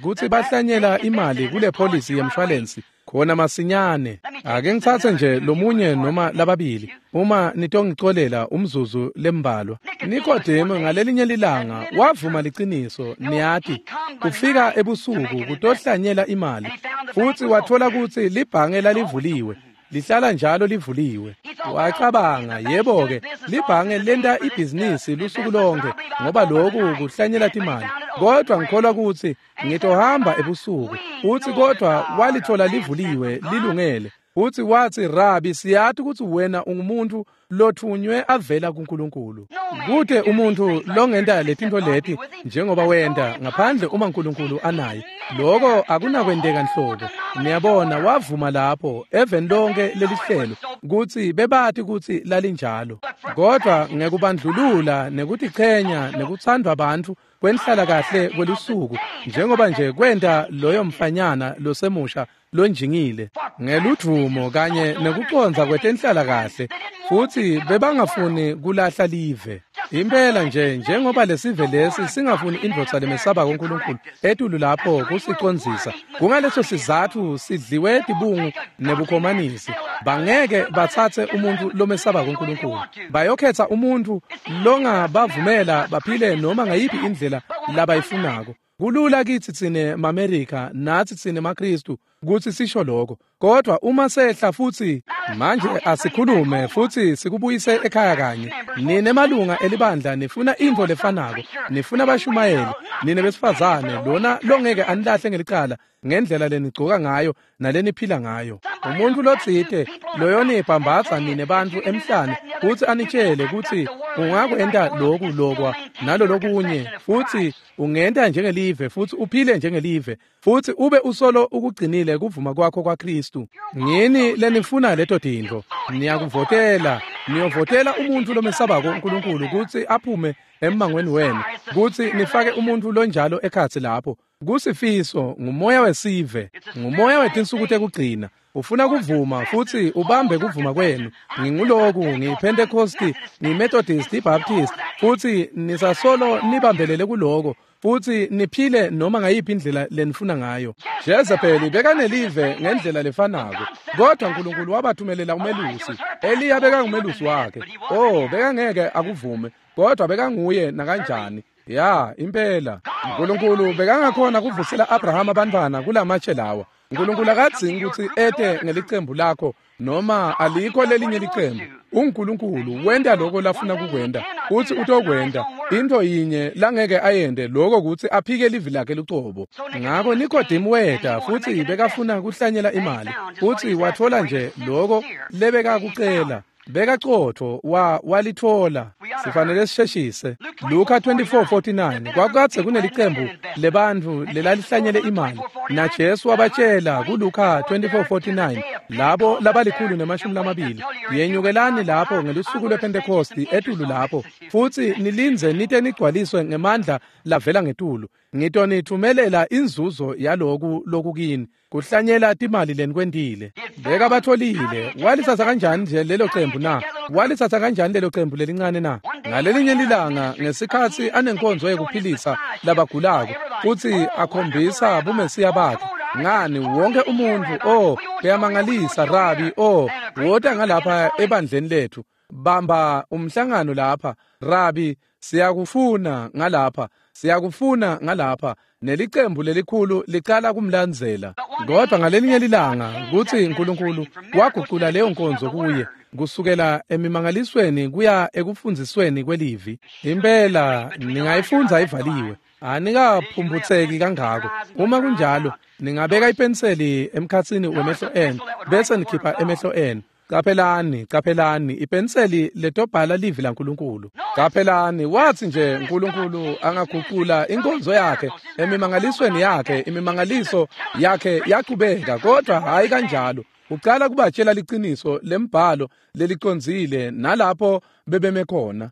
kutsi bahlanyela imali kule polisi yemshwalensi khona masinyane. Ake ngitsatse nje lomunye noma lababili uma nitongicolela umzuzu lembalwa. Nikodemu ngalelinye lilanga wavuma liciniso, niyati, kufika ebusuku kutohlanyela imali, futsi wathola kutsi libhange lalivuliwe. Lihlala njalo livuliwe. Wacabanga, yebo-ke, libhange lenta ibhizinisi lusuku lonke ngoba loku kuhlanyela timali. Kodwa ngikholwa kutsi ngitohamba ebusuku. Utsi kodwa walithola livuliwe lilungele. Utsi watsi, "Rabi, siyati kutsi wena ungumuntu lothunywe avela kuNkulunkulu. Kute umuntu longenta letintfo leti njengoba wenta ngaphandle uma uNkulunkulu anaye. Lokho akunakwenteka nhlobo." Niyabona, wavuma lapho eveni lonke lelihlelo kutsi bebati kutsi lalinjalo. Kodwa ngekubandlulula nekutichenya nekutsandvwa bantfu kwenhlala kahle kwelusuku njengoba nje kwenta loyo mfanyana losemusha lonjingile ngeludvumo kanye nekucondza kwetenhlala kahle, futsi bebangafuni kulahla live. Impela nje njengoba lesive lesi singafuni indvodza lemesabako uNkulunkulu etulu lapho kusicondzisa. Kungaleso sizatfu sidliwe tibungu nebukhomanisi. Bangeke batsatse umuntu lomesabako uNkulunkulu. Bayokhetha umuntu longabavumela baphile noma ngayiphi indlela labayifunako. Kulula kithi tsine maAmerika nathi tsine maKristu kutsi sisho lokho, kodwa uma sehla futsi manje asikhulume futsi sikubuyise ekhaya kanye. Nine malunga elibandla nifuna intfo lefanako, nifuna bashumayeli, nine besifazane lona longeke anilahle ngelicala ngendlela lenigcoka ngayo naleniphila ngayo. Umuntu lotsite loyonibhambatsa nine bantfu emhlane kutsi anitshele kutsi ungakwenta loku lokwa nalolokunye, futsi ungenta njengelive futsi uphile njengelive futsi ube usolo ukugcinile kuvuma kwakho kwaKristu. Ngini lenifuna leto tintfo. Niyakuvotela, niyovotela umuntu lomesabako uNkulunkulu kutsi aphume emmangweni wenu, kutsi nifake umuntu lonjalo ekhatsi lapho. Kusifiso ngumoya wesive, ngumoya wetinsuku tekugcina. Ufuna kuvuma futsi ubambe kuvuma kwenu. Nginguloku, ngiyiPentecosti, ngiyiMethodist, iBaptist, futsi nisasolo nibambelele kuloko futsi niphile noma ngayiphi indlela lenifuna ngayo. Jezebeli bekanelive ngendlela lefanako, kodwa uNkulunkulu wabathumelela umelusi. Eliya bekangumelusi wakhe. Oh, bekangeke akuvume, kodwa bekanguye nakanjani. Ya, impela. uNkulunkulu bekangakhona kuvusela Abraham abantwana kulamatshe lawa. uNkulunkulu akadzingi kutsi ete ngelicembu lakho noma alikho lelinye licembu. uNkulunkulu wenta lokho lafuna kukwenta, utsi utokwenta. Into yinye langeke ayente lokho kutsi aphike livi lakhe lucobo. Ngako Nikodemu weta futsi bekafuna kuhlanyela imali, futsi watfola nje lokho lebekakucela. Bekaqotho walithola. Sifanele sisheshise. Luka 24:49 kwakukadze kunelicembu lebantfu lelalihlanyele imali, na Jesu wabatshela kuLuka 24:49 labo labali-120, yenyukelani lapho ngelusuku lwePentecosti etulu lapho futsi nilindze nite nigcwaliswe ngemandla lavela ngetulu. Ngitonithumelela inzuzo yaloku lokukini kuhlanyela timali lenikwentile. Bekabatholile. Walisatsa kanjani nje lelo cembu na? Walisatsa kanjani lelo cembu lelincane na? Ngalelinye lilanga ngesikhatsi anenkonzo yekuphilisa labagulako futsi akhombisa bumesiya bakhe, Ngani wonke umuntfu, oh, kuyamangalisa Rabi, oh, wota ngalapha ebandleni lethu. Bamba umhlangano lapha, Rabi, siyakufuna ngalapha, siyakufuna ngalapha. Nelicembu lelikhulu licala kumlandzela. Kodwa ngalelinye lilanga kutsi uNkulunkulu wagucula leyo nkonzo kuye kusukela emimangalisweni kuya ekufundzisweni kwelivi. Impela ningayifundza ivaliwe, anikaphumphutseki kangako. Uma kunjalo, ningabeka ipenseli emkhatsini wemehlo enu bese nikhipha emehlo enu. Caphelani, caphelani, ipenseli letobhala livi laNkulunkulu. Caphelani, wathi nje uNkulunkulu angaguqula inkonzo yakhe emimangalisweni yakhe, imimangaliso yakhe yaqhubeka, kodwa hayi kanjalo. Ucala kubatshela liqiniso lembhalo lelicondzile nalapho bebeme khona.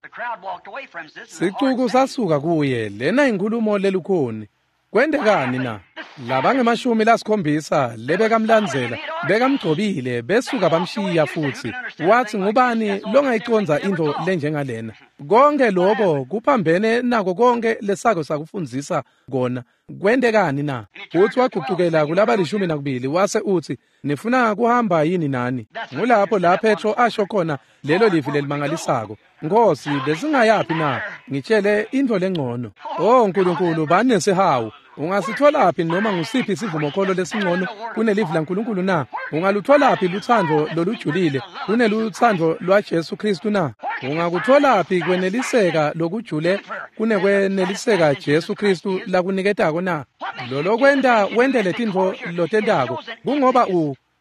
Sicuku sasuka kuye, lena inkhulumo lelukhuni. Kwentekani na? Labangemashumi lasikhombisa lebekamlandzela bekamgcobile besuka bamshiya futsi. Wathi ngubani longayiconza intfo lenjengalena? Konke lokho kuphambene nako konke lesako sakufundzisa kona. Kwentekani na? Futsi wagucukela kulaba 12 wase utsi, nifuna kuhamba yini nani? Ngulapho la Petro asho khona lelo livi lelimangalisako. Nkosi, besingayaphi na? Ngitshele intfo lengcono. Oh Nkulunkulu, banesihawu. Ungasitholaphi noma ngusiphi isivumokholo lesingcono kunelivi laNkulunkulu na? Ungalutholaphi lutsandvo lolujulile kunelutsandvo lwaJesu Kristu na? Ungakutholaphi kweneliseka lokujule kunekweneliseka Jesu Kristu lakuniketako na? Lolokwenta wente letintfo lotentako kungoba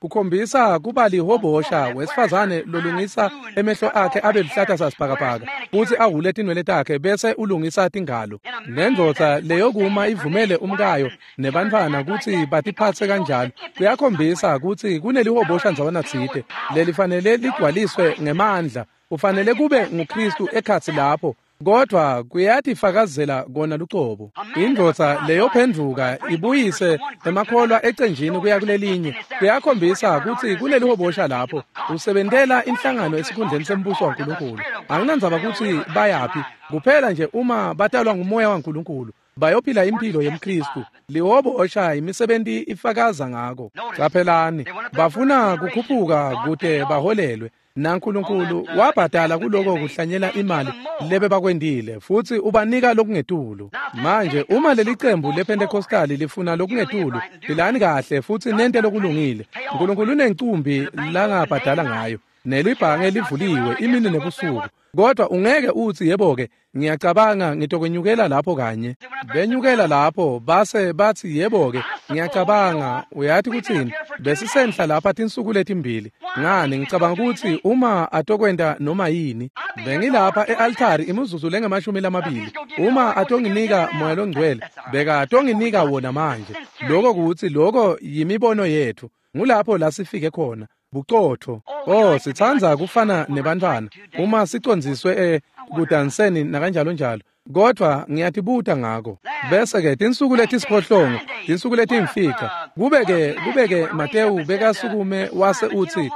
kukhombisa kuba lihobosha wesifazane lolungisa emehlo akhe abe luhlata sasibhakabhaka futsi ahhule tinwele takhe bese ulungisa tingalo. Nendvodza leyokuma ivumele umkayo nebantfwana kutsi batiphatse kanjalo kuyakhombisa kutsi kunelihobosha ndzawana tsite lelifanele ligcwaliswe ngemandla. Ufanele kube nguKristu ekhatsi lapho, kodwa kuyatifakazela kona lucobo. Indvodza leyophendvuka ibuyise emakholwa ecenjini kuya kulelinye kuyakhombisa kutsi kunelihobosha lapho. Usebentela inhlangano esikhundleni sembuso waNkulunkulu. Anginandzaba kutsi bayaphi, kuphela nje uma batalwa ngumoya waNkulunkulu bayophila impilo yemKristu. Lihobosha imisebenti ifakaza ngako. Caphelani, bafuna kukhuphuka kute baholelwe. NaNkulunkulu wabhadala kuloko kuhlanyela imali lebe bakwendile futsi ubanika lokungetulu. Manje uma lelicembu lePentecostali lifuna lokungetulu, philani kahle futsi nente lokulungile. Nkulunkulu unencumbi langabhadala ngayo, nelibhange livuliwe imini nebusuku. Kodwa ungeke utsi yebo-ke, ngiyacabanga ngitokwenyukela lapho kanye. Benyukela lapho base batsi yebo-ke, ngiyacabanga uyati kutsini, besisenhla lapha tinsuku letimbili. Ngani ngicabanga kutsi uma atokwenta noma yini, bengilapha e-altari imizuzu lengama-20. Uma atonginika moya longcwele, beka atonginika wona manje. Lokho kutsi lokho yimibono yethu. Ngulapho la sifike khona. Bucotfo. Oh, sitsandza kufana nebantfwana uma sicondziswe ekudanseni nakanjalo njalo. Kodwa ngiyatibuta ngako. Bese-ke tinsuku letisiphohlongo, tinsuku letimfica, kubeke Matewu bekasukume wase utsi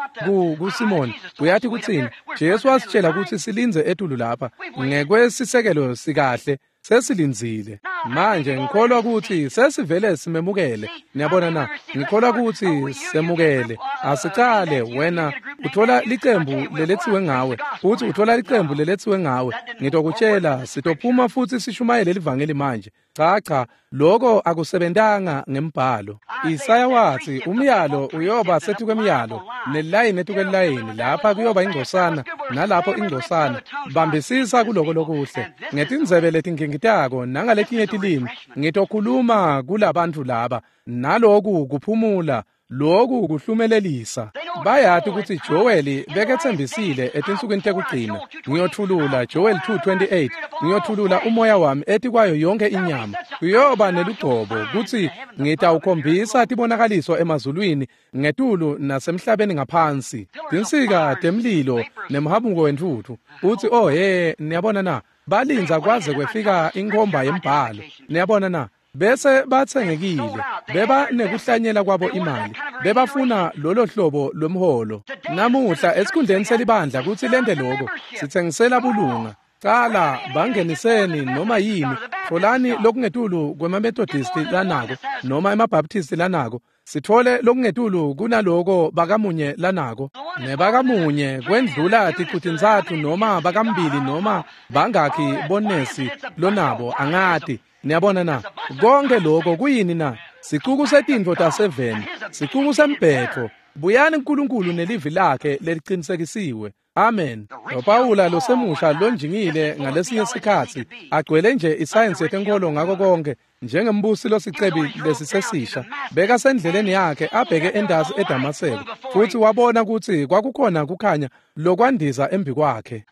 kuSimoni, uyati kutsini? Jesu wasitshela kutsi silindze etulu lapha ngekwesisekelo sikahle. Sesilindzile. Manje ngikholwa kutsi sesivele simemukele. Niyabona na? Ngikholwa kutsi semukele. Asicale wena uthola licembu leletsiwe ngawe, futsi uthola licembu leletsiwe ngawe. Ngitokutshela sitophuma futsi sishumayele livangeli manje. Cha cha, lokho akusebentanga ngembhalo. Isaya wathi umyalo uyoba setukwemiyalo, nelayini etukwelayini, lapha kuyoba ingcosana nalapho ingcosana. Bambisisa kuloko lokuhle. Ngetindzebe letingingitako nangaletinye tilimi ngitokhuluma kulabantu laba. Naloku kuphumula, loku kuhlumelelisa. Bayati kutsi Joel beketsembisile etinsukwini tekugcina. Ngiyotfulula Joel 2:28. Ngiyotfulula umoya wami etikwayo yonke inyama. Kuyoba nelugcobo kutsi ngitawukhombisa tibonakaliso emazulwini ngetulu nasemhlabeni ngaphansi. Tinsika temlilo nemhamuko wentfutfu. Utsi oh he, niyabona na? Balindza kwaze kwefika inkhomba yembhalo. Niyabona na? Bese batsengekile, beba nekuhlanyela kwabo imali, bebafuna lolo hlobo lwemholo. Namuhla esikhundleni selibandla kutsi lente loko, sitsengisela bulunga. Cala bangeniseni noma yini, tfolani lokungetulu kwemaMethodisti lanako noma emaBaptisti lanako. Sitfole lokungetulu kunaloko bakamunye lanako nebakamunye kwendlula ticutintsatfu noma bakambili noma bangakhi bonesi lonabo angati. Niyabona na? Konke lokho kuyini na? Sicuku setintfo taseveni, sicuku sembhetfo. Buyani uNkulunkulu nelivi lakhe lelicinisekisiwe. Amen. NoPawula losemusha lonjingile ngalesinye sikhatsi agcwele nje isayensi yetenkolo ngako konke njengembusi losicebi lesisesisha bekasendleleni yakhe abheke endasi eDamaseko futsi wabona kutsi kwakukhona kukhanya lokwandiza embi kwakhe.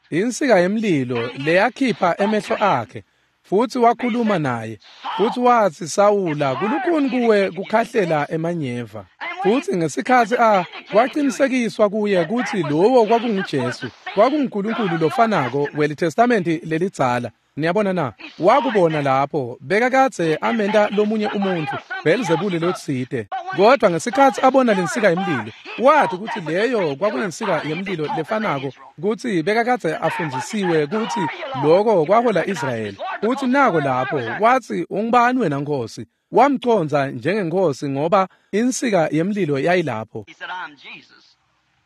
Insika yemlilo leyakhipha emehlo akhe futsi wakhuluma naye futsi watsi, Sawula, kulukhuni kuwe kukhahlela emanyeva. Futsi ngesikhatsi kwaqinisekiswa kuye kutsi lowo kwakunguJesu, kwakunguNkulunkulu lofanako weliTestamenti lelidzala. Niyabona na? Wakubona lapho bekakadze amenta lomunye umuntfu Belzebuli lotsite. Kodwa ngesikhatsi abona lensika yemlilo, wathi kutsi leyo kwakuyinsika yemlilo lefanako kutsi bekakadze afundzisiwe kutsi loko kwahola Israyeli. Utsi nako lapho watsi, ungubani wena Nkosi? Wamcondza njengeNkhosi ngoba insika yemlilo yayilapho.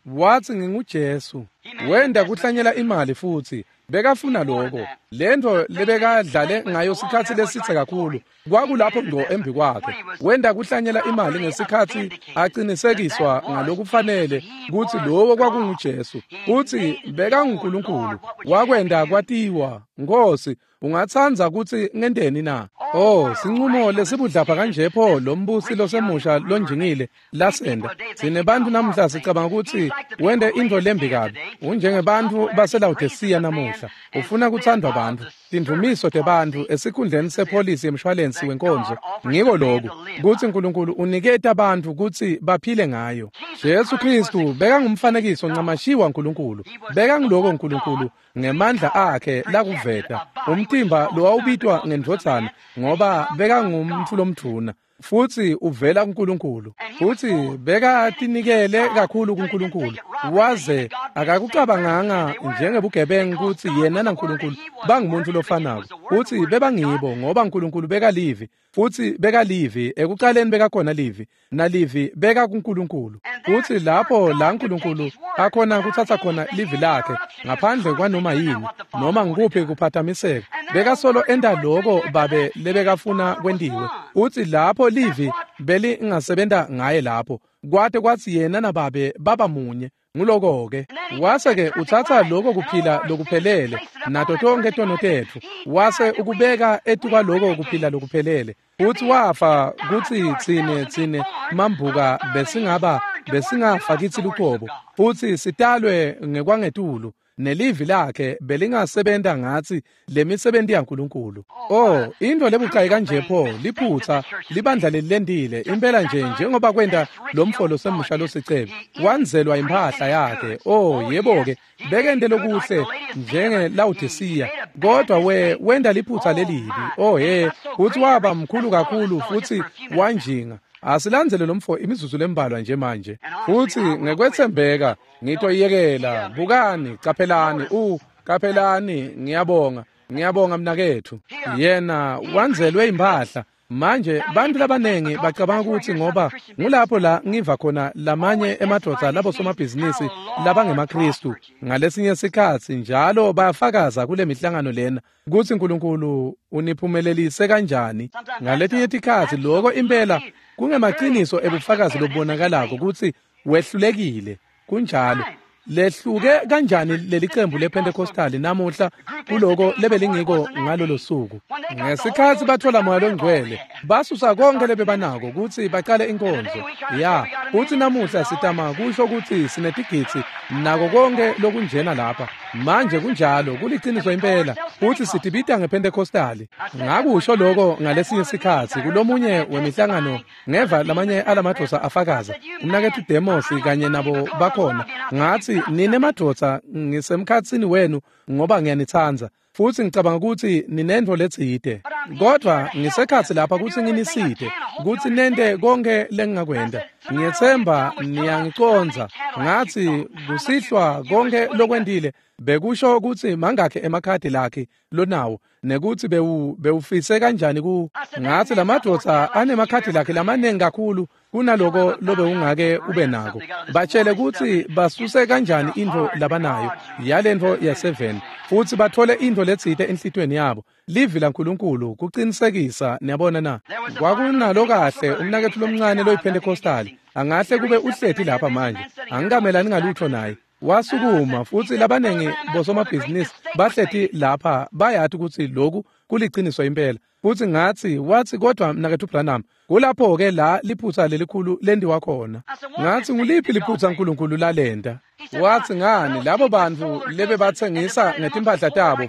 Watsi, nginguJesu. Wenda kuhlanyela imali futsi bekafuna lokho. Lento lebekadlale ngayo sikhatsi lesitse kakhulu kwakulapho ngco embi kwakhe. Wenda kuhlanyela imali ngesikhatsi aqinisekiswa ngalokufanele kutsi lowo kwakunguJesu, kutsi bekanguNkulunkulu. Wakwenda kwatiwa, Nkosi, ungatsandza kutsi ngenteni na? Oh, sinqumo lesibudlapha kanje pho lombusi losemusha lonjingile lasenda. Sinebantu namuhla sicabanga kutsi wende intfo lembi kabi. Unjengebantfu baseLawodisiya namuhla. Ufuna kuthandwa bantfu, tindvumiso tebantfu esikhundleni sepholisi yemshwalensi wenkonzo. Ngiko lokhu kutsi uNkulunkulu uniketa bantfu kutsi baphile ngayo. Jesu Kristu bekangumfanekiso ncamashiwa uNkulunkulu. Bekangiloko uNkulunkulu ngemandla akhe lakuveta. Umtimba lowawubitwa ngendvodzana ngoba bekangumntfu lomdvuna futsi uvela kuNkulunkulu. Futsi bekatinikele kakhulu kuNkulunkulu waze akakucabanganga njengebugebengu kutsi yena naNkulunkulu bangumuntu lofanako. Futsi bebangibo ngoba uNkulunkulu bekalivi futsi bekalivi ekucaleni bekakhona livi nalivi beka kuNkulunkulu. Futsi lapho la uNkulunkulu akhona kuthatha khona livi lakhe ngaphandle kwanoma yini noma ngikuphi kuphathamiseka bekasolo enta loko babe lebekafuna kwentiwe. Utsi lapho livi belingasebenta ngaye lapho kwate kwatsi yena nababe baba munye. Nguloko-ke wase-ke utsatsa loko kuphila lokuphelele nato tonke tono tetfu wase ukubeka etukwaloko kuphila lokuphelele. Futsi wafa kutsi tsine mambuka besingafa kitsi luqobo futsi sitalwe ngekwangetulu nelivi lakhe belingasebenta ngatsi lemisebenti yaNkulunkulu. Oh, into lebucayi kanje pho liphutsa libandla lelilendile impela nje njengoba kwenta lomfolo semusha losicebi wanzelwa imphahla yakhe. Oh, yebo-ke bekente lokuhle njengeLawodisiya kodwa wenda liphutsa lelibi. Oh he, futsi waba mkhulu kakhulu futsi wanjinga. Asilandzele lomfo imizuzu lembalwa nje manje. Futsi ngekwetsembeka ngitoyekela. Bukani, caphelani, caphelani, ngiyabonga. Ngiyabonga mnaketfu. Yena wanzelwe imphahla. Manje bantu labanengi bacabanga ukuthi ngoba ngulapho la ngiva khona lamanye emadvodza labo somabhizinisi labangemaKristu ngalesinye sikhatsi njalo bayafakaza kule mihlangano lena kutsi uNkulunkulu uniphumelelise kanjani. Ngaletinye tikhatsi lokho impela kungemaqiniso ebufakazi lobubonakalako kutsi wehlulekile. Kunjalo. Lehluke kanjani leli qembu lePentecostal namuhla kuloko lebelingiko ngalolo suku. Ngesikhatsi bathola Moya loNgcwele basusa konke lebebanako kutsi baqale inkonzo. Ya, futsi namuhla sitama kusho kutsi sinetigidzi nako konke lokunjena lapha. Manje kunjalo kuliciniso impela futsi sitibita ngePentecostal. Ngakusho lokho ngalesinye sikhatsi kulomunye wemihlangano ngeva lamanye alamadvodza afakaza umnaketfu Demos kanye nabo bakhona. Ngathi nine madvodza ngisemkhatsini wenu ngoba ngiyanitsandza. Futsi ngicabanga kutsi ninentfo letsite. Kodvwa ngisekhatsi lapha kutsi nginisite, kutsi nente konkhe lengingakwenta. Ngiyetsemba niyangicondza. Ngatsi kusihlwa konkhe lokwentile bekusho kutsi mangakhe emakhadi lakhe lonawo nekutsi bewufise kanjani ku. Ngatsi lamadvodza anemakhadi lakhe lamaningi kakhulu kunaloko lobewungake ube nako. Batshele kutsi basuse kanjani intfo labanayo yalentfo ya-7 futsi bathole intfo letsite enhlitiyweni yabo. Livi laNkulunkulu kucinisekisa, niyabona na. Kwakunalo kahle umnaketfu lomncane loyiPentecostal, angahle kube uhleti lapha manje, angikamelani ngalutho naye. Wasukuma futsi labanengi bosomabhizinisi bahleti lapha bayati kutsi loku kuliciniso impela. Futsi ngatsi, watsi kodwa mnaketfu Branham, kulapho-ke la liphutsa lelikhulu lendiwa khona. Ngatsi nguliphi liphutsa uNkulunkulu lalenta? Watsi ngani labo bantfu lebebatsengisa ngetimpahla tabo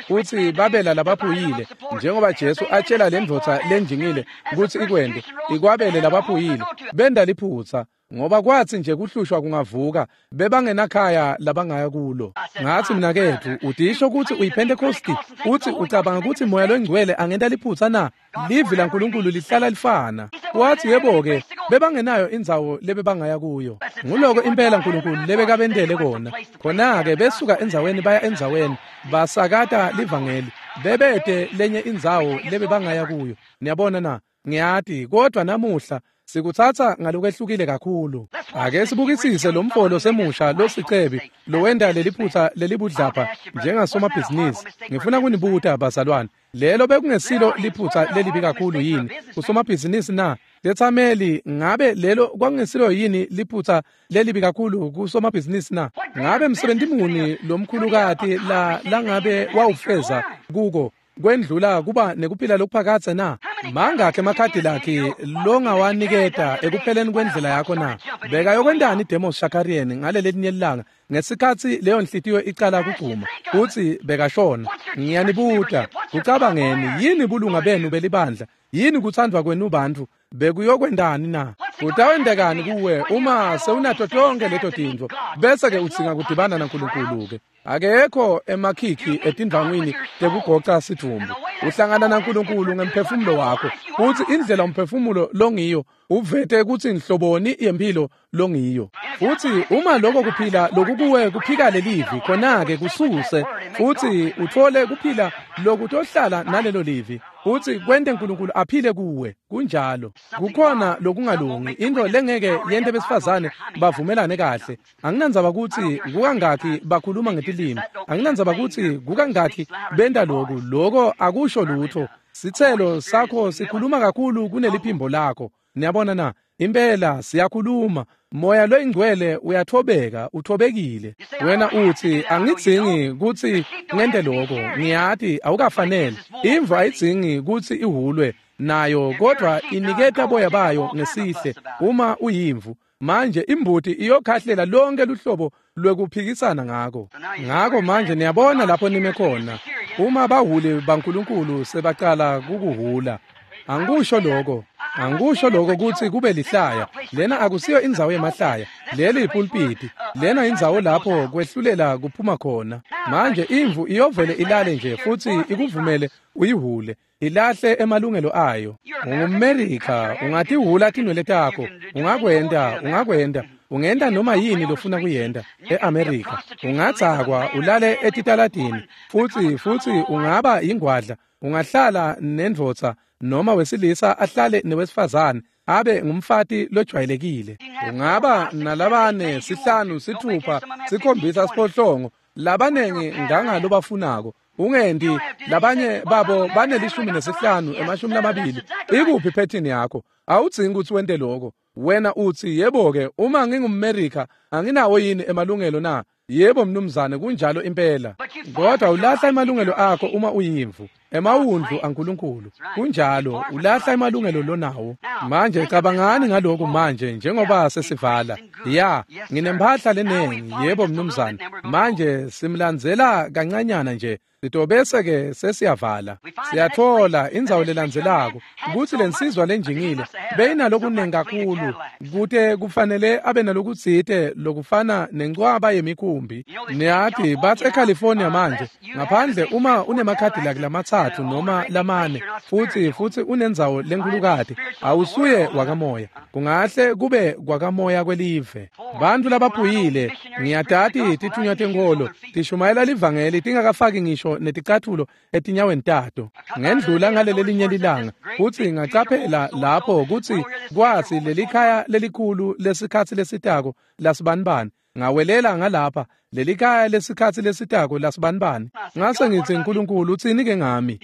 futsi babela labaphuyile, njengoba Jesu atshela lendvodza lenjingile kutsi ikwente, ikwabele labaphuyile, benda liphutsa. Ngoba kwatsi nje kuhlushwa kungavuka bebangenakhaya labangaya kulo. Ngatsi mnaketfu, utisho kutsi uyiPentecosti, utsi ucabanga kutsi Moya loNgcwele angenta liphutsa na? Livi laNkulunkulu lihlala lifana. Watsi yebo-ke, bebangenayo indzawo lebebangaya kuyo. Nguloko impela uNkulunkulu lebekabentele kona. Khona-ke besuka endzaweni baya endzaweni, basakata livangeli, bebete lenye indzawo lebebangaya kuyo. Niyabona na? Ngiyati, kodwa namuhla sikutsatsa ngalokwehlukile kakhulu. Ake sibukisise lo mfolo semusha losicebi lowenta leliphutsa lelibudlapha njengasomabhizinisi. Ngifuna kunibuta bazalwane, lelo bekungesilo liphutsa lelibi kakhulu yini kusomabhizinisi na? Tetsameli, ngabe lelo kwakungesilo yini liphutsa lelibi kakhulu kusomabhizinisi na? Ngabe msebenzi muni lomkhulukati la langabe wawufeza kuko kwendlula kuba nekuphila lokuphakadze na? Mangakhe emakhadi lakhe longawaniketa ekupheleni kwendlela yakho na? Beka yokwentani Demos Shakarian ngalelelinye ilanga ngesikhatsi leyo nhliziyo icala kugcuma kutsi bekashona? Ngiyanibuta, kucabangeni yini bulunga benu belibandla? Yini kuthandwa kwenu bantfu? Bekuyokwentani na? Kutawendekani kuwe uma sewunato tonke leto tintfo bese-ke udzinga kudibana naNkulunkulu-ke? Akekho emakhikhi etindvangwini tekugoca sidvumbu. Uhlangana naNkulunkulu ngemphefumulo wakho, futsi indlela umphefumulo longiyo uvete kutsi nhloboni yempilo longiyo. Futsi uma lokho kuphila lokukuwe kuphika lelivi, khona-ke kususe futsi utfole kuphila lokutohlala nalelo livi, futsi kwente uNkulunkulu aphile kuwe. Kunjalo. Kukhona lokungalungi, into lengeke yente besifazane bavumelane kahle. Anginandzaba kutsi kukangakhi bakhuluma ngetilimi, anginandzaba kutsi kukangakhi benta loku, loko akusho lutho. Sitselo sakho sikhuluma kakhulu kuneliphimbo lakho. Niyabona na? Impela siyakhuluma. Moya loyingcwele uyathobeka, uthobekile. Wena utsi angidzingi kutsi ngente loko, ngiyati awukafanele. Imvu ayidzingi kutsi ihulwe nayo, kodwa iniketa boya bayo ngesihle uma uyimvu. Manje imbuti iyokhahlela lonke luhlobo lwekuphikisana ngako. Ngako manje niyabona lapho nime khona. Uma bahuli baNkulunkulu sebacala kukuhula. Angikusho lokho, angikusho lokho kutsi kube lihlaya. Lena akusiyo indzawo yemahlaya, leli ipulpiti. Lena indzawo lapho kwehlulela kuphuma khona. Manje imvu iyovele ilale nje futsi ikuvumele uyihule, ilahle emalungelo ayo. UngumMerika, ungatihula tinwele takho, ungakwenta, ungakwenta. Ungenta noma yini lofuna kuyenta eAmerika. Ungadzakwa ulale etitaladini futsi ungaba ingwadla, ungahlala nendvodza noma wesilisa ahlale newesifazane abe ngumfati lojwayelekile. Ungaba nalabane, 5, 6, 7, 8 labanengi ngangalobafunako. Ungendi labanye babo banel15 20. Ikuphi phethini yakho? Awudzingi kutsi wente lokho. Wena utsi yebo-ke, uma ngingumMerika anginawo yini emalungelo na? Yebo mnumzane, kunjalo impela. Kodwa ulahla emalungelo akho uma uyimvu. Emawundlu aNkulunkulu. Kunjalo, ulahla emalungelo lonawo. Manje cabangani ngalokhu manje njengoba sesivala. Ya, nginemphahla lenengi, yebo mnumzane. Manje simlandzela kancanyana nje. Sitobese ke sesiyavala. Siyathola indzawo lelandzelako kutsi lensizwa lenjingile beyinalokunengi kakhulu kute kufanele abe nalokutsite lokufana nencwaba yemikhumbi. Niyati batsi eCalifornia manje ngaphandle uma unemakhadilaki lamatsatfu noma lamane futsi unendzawo lenkhulukati awusuye wakamoya. Kungahle kube kwakamoya kwelive. Bantfu labaphuyile ngiyatati tithunywa tenkholo tishumayela livangeli tingakafaki ngisho neticatfulo etinyaweni tato. Ngendlula ngaleli linye lilanga futsi ngacaphela lapho kutsi kwatsi lelikhaya lelikhulu lesikhatsi lesitako lasibanibani. Ngawelela ngalapha lelikhaya lesikhatsi lesitako lasibanibani. Ngase ngitsi Nkulunkulu utsini ke ngami?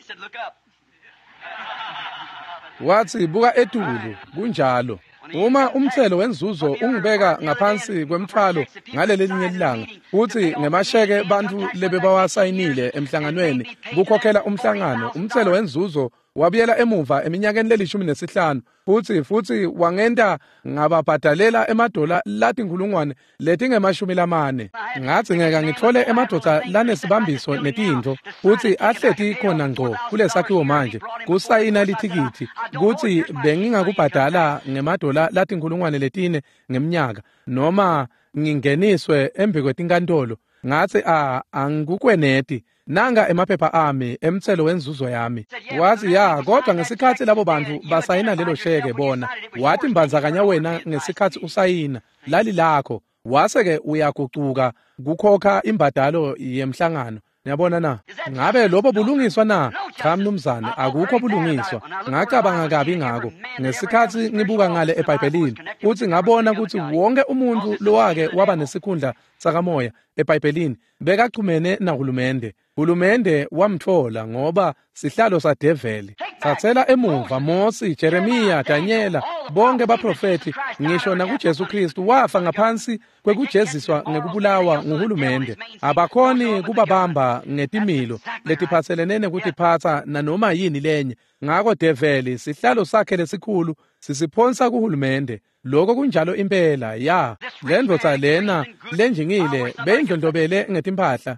Watsi buka etulu. Kunjalo. Uma umtselo wenzuzo ungibeka ngaphansi kwemthwalo ngaleli linye lilanga futsi ngemasheke bantfu lebebawasayinile emhlanganweni kukhokhela umhlangano, umtselo wenzuzo wabuyela emuva eminyakeni le-15 futsi wangenta ngababhadalela emadola latinkhulungwane letinge-40. Ngatsi ngeke ngithole emadvodza lanesibambiso netintfo futsi ahleti khona ngco kulesakhiwo manje kusayina lithikithi kutsi bengingakubhadala ngemadola latinkhulungwane 4 ngemnyaka noma ngingeniswe embi kwetinkantolo. Ngatsi angikukweneti. Nanga emaphepha ami emtselo wenzuzo yami. Watsi ya, kodwa ngesikhatsi labo bantfu basayina lelo sheke bona wathi mbandzakanya wena ngesikhatsi usayina lali lakho wase-ke uyagucuka kukhokha imbadalo yemhlangano. Niyabona na? Ngabe lobo bulungiswa na? Cha mnumzane, akukho bulungiswa. Ngacabanga kabi ngako ngesikhatsi ngibuka ngale eBhayibhelini futsi ngabona kutsi wonke umuntfu lowake waba nesikhundla sakamoya eBhayibhelini bekachumene nahulumende. Hulumende wamtfola ngoba sihlalo sadeveli. Tsatsela emuva Mosi, Jeremiya, Danyela, bonke baprofethi ngisho nakuJesu Kristu wafa ngaphansi kwekujeziswa ngekubulawa nguhulumende. Abakhoni kubabamba ngetimilo letiphatselene nekutiphatsa nanoma yini lenye. Ngako develi sihlalo sakhe lesikhulu sisiphonsa kuhulumende. Lokho kunjalo impela. Ya, lendvodza lena lenjingile beyindlondlobele ngetimphahla.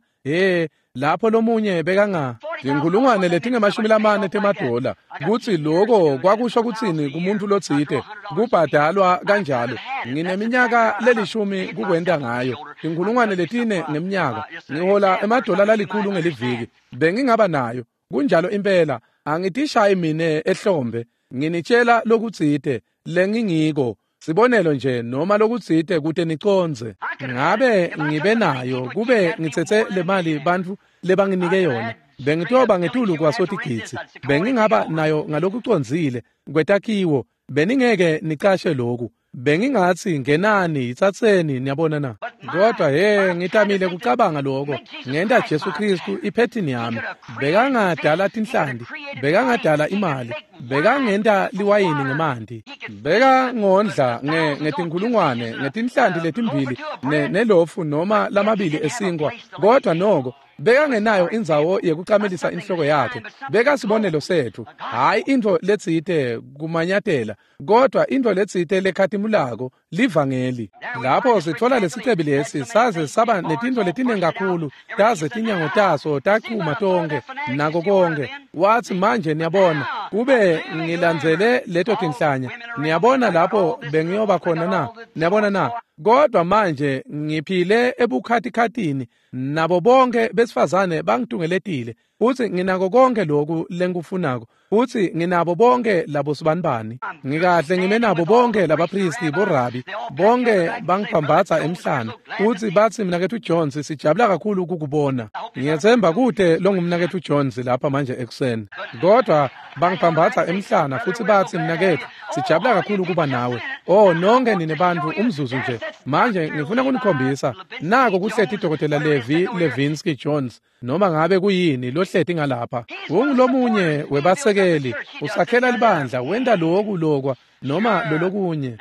Lapho lomunye bekanga tinkhulungwane letinge-40 temadola kutsi lokho kwakusho kutsini kumuntu lotsite kubhadalwa kanjalo. Ngineminyaka lelishumi kukwenta ngayo tinkhulungwane 4 ngemnyaka. Ngihola emadola lalikhulu ngeliviki. Bengingaba nayo. Kunjalo impela. Angitishayi mine ehlombe. Nginitshela lokutsite lengingiko. Sibonelo nje noma lokutsite kute nicondze. Ngabe ngibe nayo kube ngitsetse le mali bantfu lebanginike yona bengitoba ngetulu kwasotigidzi. Bengingaba nayo ngalokucondzile kwetakhiwo. Beningeke nicashe loku. Bengingatsi ngenani itsatseni. Niyabona na? Kodwa ngitamile kucabanga lokho. Ngenta Jesu Kristu iphethini yami. Bekangadala tinhlanti, bekangadala imali, bekangenta liwayini ngemanti, bekangondla ngetinkhulungwane ngetinhlanti letimbili nelofu noma lamabili esinkwa. Kodwa noko bekangenayo indzawo yekucamelisa inhloko yakhe. Bekasibonelo setfu, hhayi intfo letsite kumanyatela, kodwa intfo letsite lekhatimulako, livangeli. Lapho sitfola lesicebi lesi saze saba netintfo letinengi kakhulu taze tinyango taso tachuma tonkhe nako konke. Watsi manje niyabona kube ngilandzele leto tinhlanya, niyabona lapho bengiyoba khona na? Niyabona na? Kodwa manje ngiphile ebukhatikhatini nabo bonke besifazane bangitungeletile futsi nginako konke lokhu lengikufunako futsi nginabo bonke labo sibanibani. Ngikahle ngime nabo bonke labapristi borabi bonke bangiphambatsa emhlana futsi batsi mnaketfu Jones sijabula kakhulu kukubona. Ngiyethemba kude longumnaketfu Jones lapha manje ekuseni. Kodwa bangiphambatsa emhlana futsi batsi mnaketfu sijabula kakhulu kuba nawe. Oh nonke nine bantfu umzuzu nje. Manje ngifuna kunikhombisa nako kuhleti Dr. Levi Levinsky Jones noma ngabe kuyini lohleti ngalapha. Ungulomunye webasekeli, usakhela libandla, wenta loku lokwa noma lolokunye.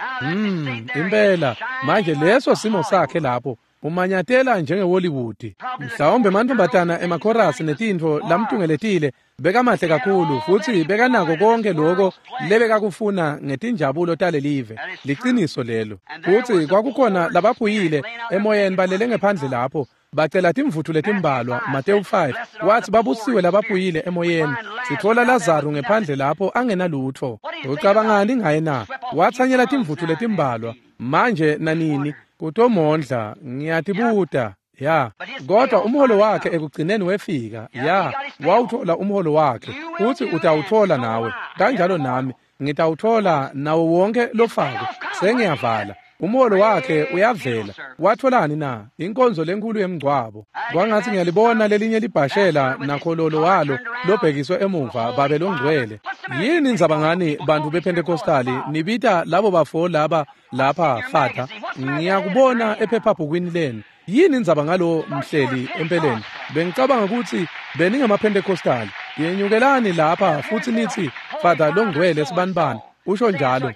Impela manje leso simo sakhe lapho. Umanyatela njengeHollywood. Mhlawumbe mantfombatana emakhorasi netintfo lamtungeletile bekamahle kakhulu futsi bekanako konke lokho lebekakufuna ngetinjabulo talelive. Liciniso lelo. Futsi kwakukhona labaphuyile emoyeni balele ngephandle lapho bacela timvutfu letimbalwa. Mateyu 5 wathi babusiwe labaphuyile emoyeni. Sitfola Lazaru ngephandle lapho angenalutfo. Ucabangani ngaye na? Watsanyela timvutfu letimbalwa manje nanini kutomondla. Ngiyatibuta ya, kodwa umholo wakhe ekugcineni wefika. Ya, wawuthola umholo wakhe futsi utawuthola nawe kanjalo nami ngitawuthola nawo wonke lofako. Sengiyavala. Umholo wakhe uyavela. Watholani na? Inkonzo lenkulu yemngcwabo. Kwangathi ngiyalibona lelinye libhashela nakhololo walo lobhekiswe emuva babe longcwele. Yini indzaba ngani bantu bePentecostali nibita labo bafo laba lapha fatha? Ngiyakubona ephephabhukwini lenu. Yini indzaba ngalo mhleli empeleni? Bengicabanga ukuthi beningamaPentecostali. Yenyukelani lapha futhi nithi Father longcwele sibanibani usho njalo.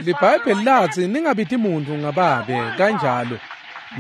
LiBhayibheli lathi ningabiti muntu ngababe kanjalo.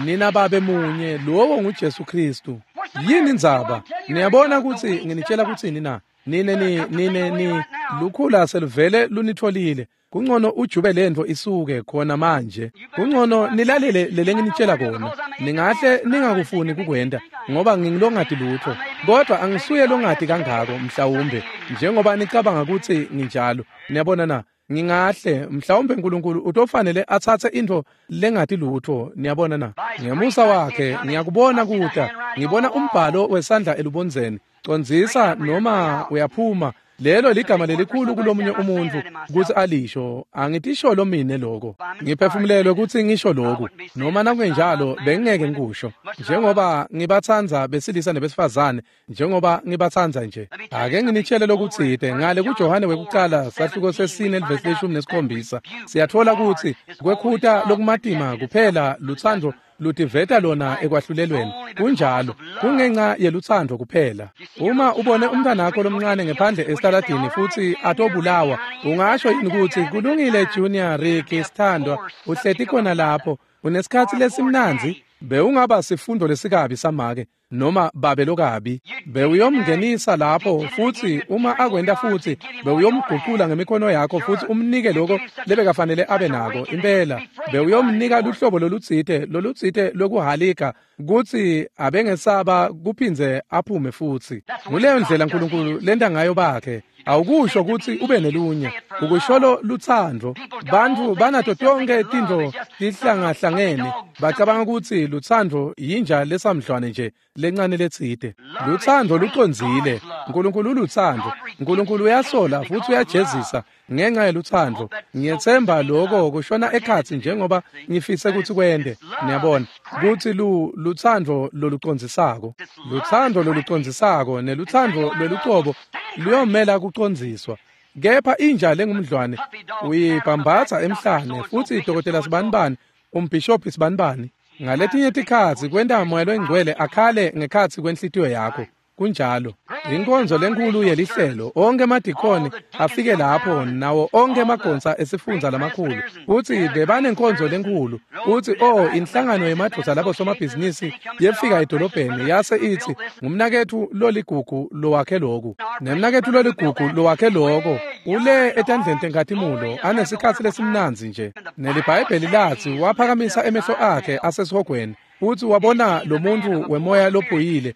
Nina babe munye, lowo nguJesu Kristu. Yini indzaba? Niyabona ukuthi nginitshela kuthini na? Nine ni lukhula seluvele lunitholile. Kungcono ujube lento isuke khona manje. Kungcono nilalele lele nginitshela kona. Ningahle ningakufuni kukwenda ngoba ngingilongati lutho. Kodwa angisuye longati kangako mhlawumbe njengoba nicabanga ukuthi nginjalo. Niyabona na? Ngingahle mhlawumbe uNkulunkulu utofanele atsatse into lengati lutho. Niyabona na? Ngemusa wakhe ngiyakubona kuta. Ngibona umbhalo wesandla elubondzeni. Condzisa noma uyaphuma. Lelo ligama lelikhulu kulomunye umuntu kutsi alisho. Angitisholo mine lokho. Ngiphefumulelwe kutsi ngisho lokhu. Noma nakungenjalo bengingeke ngikusho. Njengoba ngibatsandza besilisa nebesifazane, njengoba ngibatsandza nje. Ake nginitshele lokutsite ngale kuJohane wekucala sahluko 4 verse 17. Siyathola kutsi kwekhuta lokumatima kuphela lutsandvo lutiveta lona ekwahlulelweni. Kunjalo, kungenxa yelutsandvo kuphela. Uma ubone umntanakho lomncane ngephandle esitaladini futsi atobulawa, ungasho yini kutsi kulungile Junior Rick sithandwa uhleti khona lapho unesikhatsi lesimnandzi? Bewungaba sifundo lesikabi samake noma babe lokabi. Bewuyomngenisa lapho futsi uma akwenta futsi bewuyomguqula ngemikhono yakho futsi umnike lokho lebekafanele abe nako impela. Bewuyomnika luhlobo lolutsite lokuhalika kutsi abengesaba kuphindze aphume futsi. Nguleyo ndlela uNkulunkulu lenta ngayo bakhe. Awukusho kutsi ube nelunye, ukusholo lutsandvo. Bantfu banato tonke tintfo tihlangahlangene, bacabanga kutsi lutsandvo yinja lesamdlwane nje lencane letsite. Lutsandvo lucondzile. uNkulunkulu ulutsandvo. uNkulunkulu uyasola futsi uyajezisa ngenxa yelutsandvo. Ngiyetsemba lokho kushona ekhatsi njengoba ngifise kutsi kwende. Niyabona kutsi lutsandvo lolucondzisako. Lutsandvo lolucondzisako nelutsandvo lwelucobo luyomela kucondziswa. Kepha inja lengumdlwane uyibhambatsa emhlane futsi dokotela sibanibani, umbhishobhi sibanibani. Ngaletinye tikhatsi kwenta moya longcwele akhale ngekhatsi kwenhlitiyo yakho. Kunjalo. Inkonzo lenkulu yelihlelo, onke emadikoni afike lapho nawo onke emagonsa esifundza lamakhulu. Futsi bebanenkonzo lenkulu. Utsi inhlangano yemadvodza labo somabhizinisi yefika edolobheni yase itsi ngumnaketfu loligugu lowakhe loku. Nemnaketfu loligugu lowakhe loko ule etandleni tenkhatimulo anesikhatsi lesimnandzi nje. NeliBhayibheli latsi waphakamisa emehlo akhe asesihogweni. Futsi wabona lo muntu wemoya lophuyile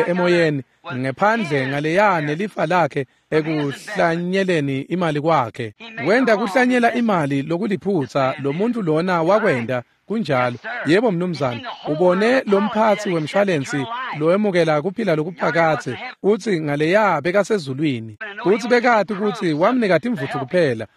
emoyeni ngephandle ngaleya nelifa lakhe ekuhlanyeleni imali kwakhe. Wenda kuhlanyela imali lokuliphutsa lo muntu lona wakwenda. Kunjalo. Yebo mnumzane, ubone lomphatsi wemshwalensi lowemukela kuphila lokuphakadze utsi ngaleya bekasezulwini. Utsi bekati kutsi wamnika timvutfu kuphela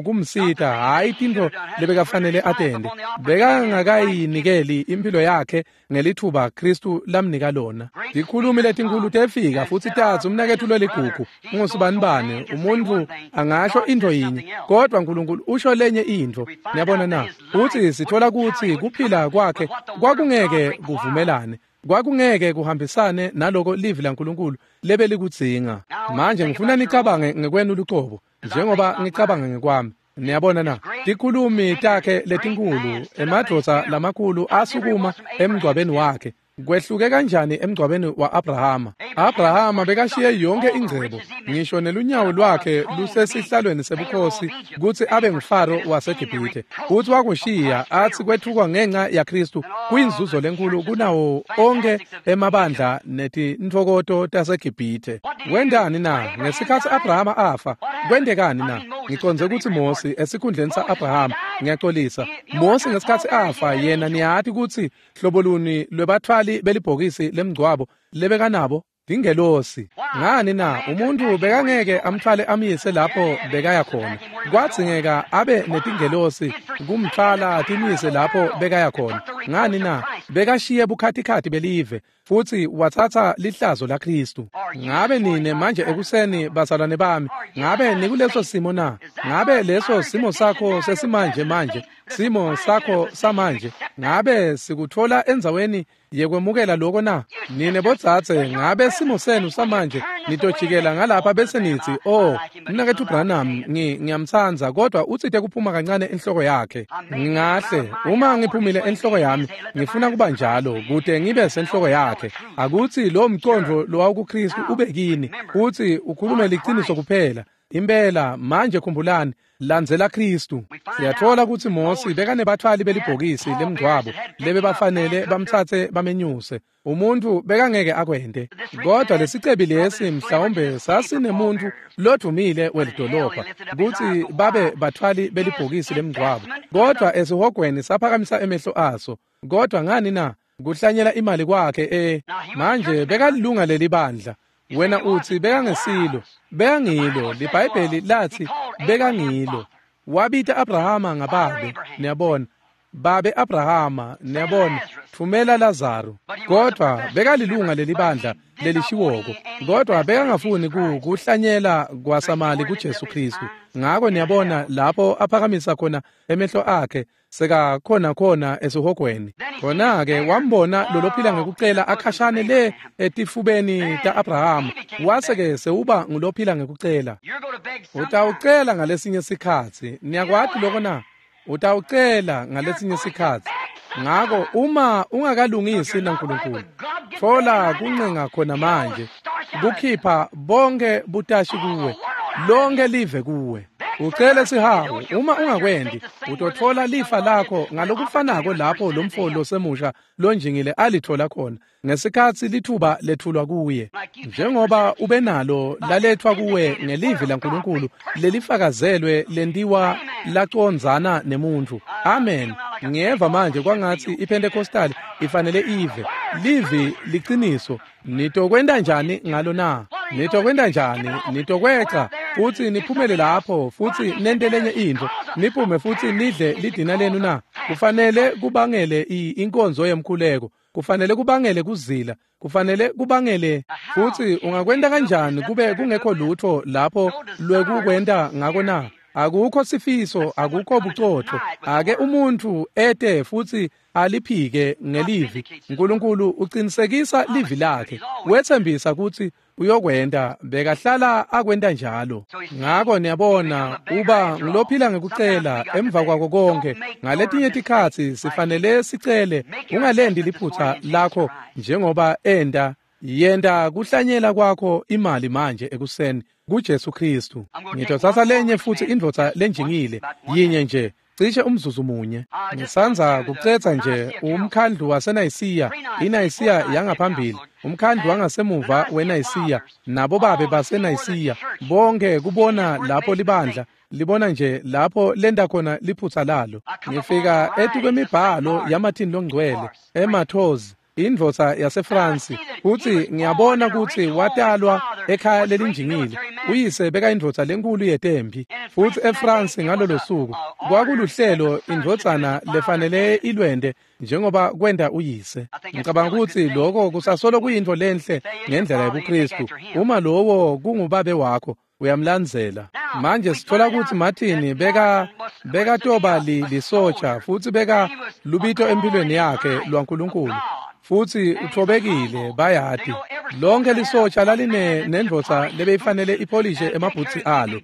kumsita, hhayi tintfo lebekafanele atende. Bekangakayinikeli impilo yakhe ngelithuba Kristu lamnika lona. Tikhulumi letinkulu tefika futsi tatsi umnaketfu loligugu ungusibanibani, umuntfu angasho intfo yinye kodwa uNkulunkulu usho lenye intfo. Niyabona na? Utsi sithola kutsi kuphila kwakhe kwakungeke kuvumelane, kwakungeke kuhambisane naloko livi laNkulunkulu lebelikudzinga. Manje ngifuna nicabange ngekwenu lucobo njengoba ngicabanga ngekwami. Niyabona na, tikhulumi takhe letinkulu, emadvodza lamakhulu asukuma emngcwabeni wakhe. Kwehluke kanjani emngcwabeni wa-Abrahama? Abrahama bekashiye yonke ingcebo, ngisho nelunyawo lwakhe lusesihlalweni sebukhosi kutsi abe nguFaro waseGibhithe. Futsi wakushiya atsi kwetfukwa ngenca yaKhristu kuyinzuzo lenkulu kunawo onkhe emabandla netintfokoto taseGibhithe. Wentani na? Ngesikhatsi Abrahama afa, kwentekani na? Ngicondze kutsi Mosi esikhundleni sa-Abrahama, ngiyaxolisa. Mosi ngesikhatsi afa, yena niyati kutsi hlobo luni lwebatfwali belibhokisi lemngcwabo lebekanabo? Tingelosi. Ngani na? Umuntu bekangeke amtfwale amyise lapho bekaya khona. Kwadzingeka abe netingelosi kumtfwala timyise lapho bekaya khona. Ngani na? Bekashiye bukhatikhati belive futsi watsatsa lihlazo laKhristu. Ngabe nine manje ekuseni bazalwane bami, ngabe nikuleso simo na? Ngabe leso simo sakho sesimanje manje, simo sakho samanje, ngabe sikutfola endzaweni yekwemukela loko na? Nine bodzadze, ngabe simo senu samanje nitojikela ngalapha bese nitsi, oh, mnaketfu Branham, ngiyamtsandza, kodwa utsite kuphuma kancane enhloko yakhe. Ngahle, uma ngiphumile enhloko yami, ngifuna kuba njalo, kute ngibe senhloko yakhe. Akutsi lo mcondvo lowawukuKhristu ube kini, futsi ukhulume liciniso kuphela. Impela, manje khumbulani, landzela Khristu. Siyatfola kutsi Mosi bekanebatfwali belibhokisi lemngcwabo lebebafanele bamtsatse bamenyuse. Umuntu bekangeke akwente. Kodwa lesicebi lesi mhlawumbe sasinemuntu lodvumile welidolobha kutsi babe batfwali belibhokisi lemngcwabo. Kodwa esihogweni saphakamisa emehlo aso. Kodwa ngani na? Kuhlanyela imali kwakhe manje bekalilunga lelibandla. Wena utsi bekangesilo, bekangilo. LiBhayibheli lathi bekangilo. Wabita Abrahama ngababe, niyabona. Babe Abrahama, niyabona, thumela Lazaro. Kodwa bekalilunga lelibandla lelishiwoko, kodwa bekangafuni kuhlanyela kwasamali kuJesu Khristu. Ngako niyabona lapho aphakamisa khona emehlo akhe sekakhona khona esihogweni. Khona-ke wambona lolophila ngekucela akhashane le etifubeni ta-Abrahama, wase-ke sewuba ngulophila ngekucela. Utawucela ngalesinye sikhatsi. Niyakwati loko na? Utawucela ngalesinye sikhatsi. Ngako uma ungakalungisi naNkulunkulu, tfola kuncenga khona manje, kukhipha bonke butashi kuwe, lonke live kuwe. Ucele sihawu, uma ungakwendi, utotfola lifa lakho ngalokufanako lapho lomfo losemusha lonjingile alitfola khona ngesikhatsi lithuba lethulwa kuye. Njengoba ube nalo lalethwa kuwe ngelivi laNkulunkulu lelifakazelwe lentiwa lacondzana nemuntfu. Amen. Ngiyeva manje kwangatsi iPentecostal ifanele ive. Livi liciniso. Nitokwenta njani ngalo na? Nitokwenta njani? Nitokweca futsi niphumele lapho futsi nente lenye intfo, niphume futsi nidle lidina lenu na? Kufanele kubangele inkonzo yemkhuleko, kufanele kubangele kuzila, kufanele kubangele. Futsi ungakwenta kanjani kube kungekho lutho lapho lwekukwenta ngako na? Akukho sifiso, akukho bucotfo. Ake umuntu ete futsi aliphike ngelivi. Nkulunkulu uqinisekisa livi lakhe, wetsembisa kutsi uyokwenta, bekahlala akwenta njalo. Ngako niyabona, uba ngulophila ngekucela emva kwako konke. Ngaletinye tikhatsi sifanele sicele, ungalendi liphutsa lakho njengoba enta. Yenta kuhlanyela kwakho imali manje ekuseni kuJesu Khristu. Ngitotsatsa lenye futsi indvodza lenjingile, yinye nje, cishe umzuzu munye. Ngisandza kucetsa nje umkhandlu waseNayisiya, iNayisiya yangaphambili, umkhandlu wangasemuva weNayisiya, nabo babe baseNayisiya, bonke kubona lapho libandla libona nje lapho lenta khona liphutsa lalo. Ngifika etukwemibhalo yaMartin Longcwele, eMathozi, indvodza yaseFrance, futsi ngiyabona kutsi watalwa ekhaya lelinjingile. Uyise bekayindvodza lenkulu yetempi, futsi eFrance ngalolo suku kwakuluhlelo indvodzana lefanele ilwente njengoba kwenta uyise. Ngicabanga kutsi lokho kusasolo kuyintfo lenhle ngendlela yebuKhristu. Uma lowo kungubabe wakho, uyamlandzela. Manje sitfola kutsi Martin bekatoba lisotsha futsi beka lubito empilweni yakhe lwaNkulunkulu, futsi uthobekile, bayati. Lonke lisotsha laline nendvodza lebeyifanele ipolishe emabhutsi alo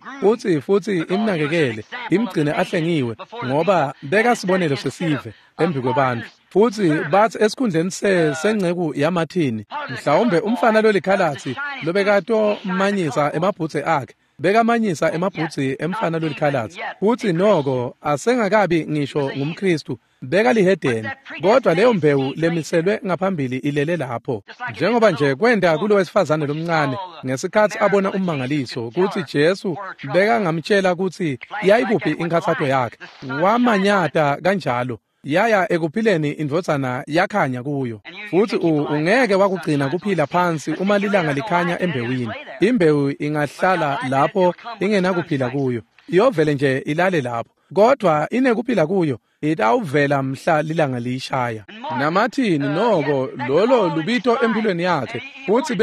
futsi imnakekele, imgcine ahlengiwe, ngoba bekasibonelo sesive embi kwebantfu. Futsi bathi esikhundleni senceku yaMathini, mhlawumbe umfana lolikhalatsi lobekatomanyisa emabhutsi akhe, bekamanyisa emabhutsi emfana lolikhalatsi. Futsi noko asengakabi ngisho ngumKhristu, bekalihedeni, kodwa leyo mbewu lemiselwe ngaphambili ilele lapho. Njengoba nje kwenta kulowesifazane lomncane ngesikhatsi abona ummangaliso kutsi Jesu bekangamtshela kutsi yayikuphi inkhatsato yakhe, wamanyata kanjalo yaya ekuphileni indvodzana yakhanya kuyo. Futsi ungeke wakugcina kuphila phansi uma lilanga likhanya embewini. Imbewu ingahlala lapho ingenakuphila kuyo, iyovele nje ilale lapho, kodwa inekuphila kuyo itawuvela mhla lilanga liyishaya. NaMathini noko lolo lubito empilweni yakhe, futsi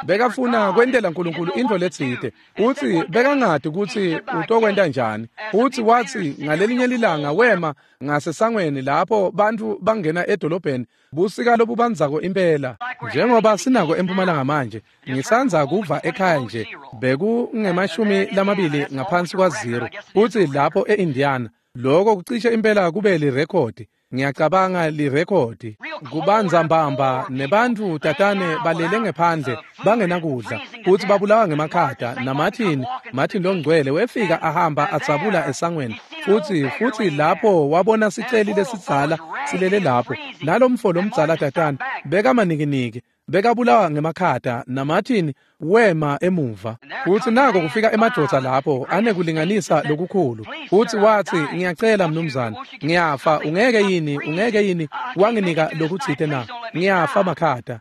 bekafuna kwentela uNkulunkulu into letsite, futsi bekangadi kutsi utokwenta njani. Futsi wathi ngalelinye lilanga wema ngasesangweni lapho bantfu bangena edolobheni busika lobubandzako impela, njengoba sinako eMpumalanga manje. Ngisandza kuva ekhaya nje bekunge-20 ngaphansi kwa-0, futsi lapho e-Indiana lokho kucishe impela kube lirekhodi. Ngiyacabanga lirekhodi kubanza mbamba, nebantfu tatane balele ngephandle bangenakudla, futsi babulawa ngemakhata. NaMartin, Martin longcwele wefika ahamba atsabula esangweni, futsi lapho wabona siceli lesidzala silele lapho, nalomfo lomdzala tatane bekamanikiniki, bekabulawa ngemakhata. NaMartin wema emuva, futsi nako kufika emadvodza lapho anekulinganisa lokukhulu, futsi watsi, ngiyacela mnumzane, ngiyafa, ungeke yini wanginika lokutsite na? Ngiyafa makhata,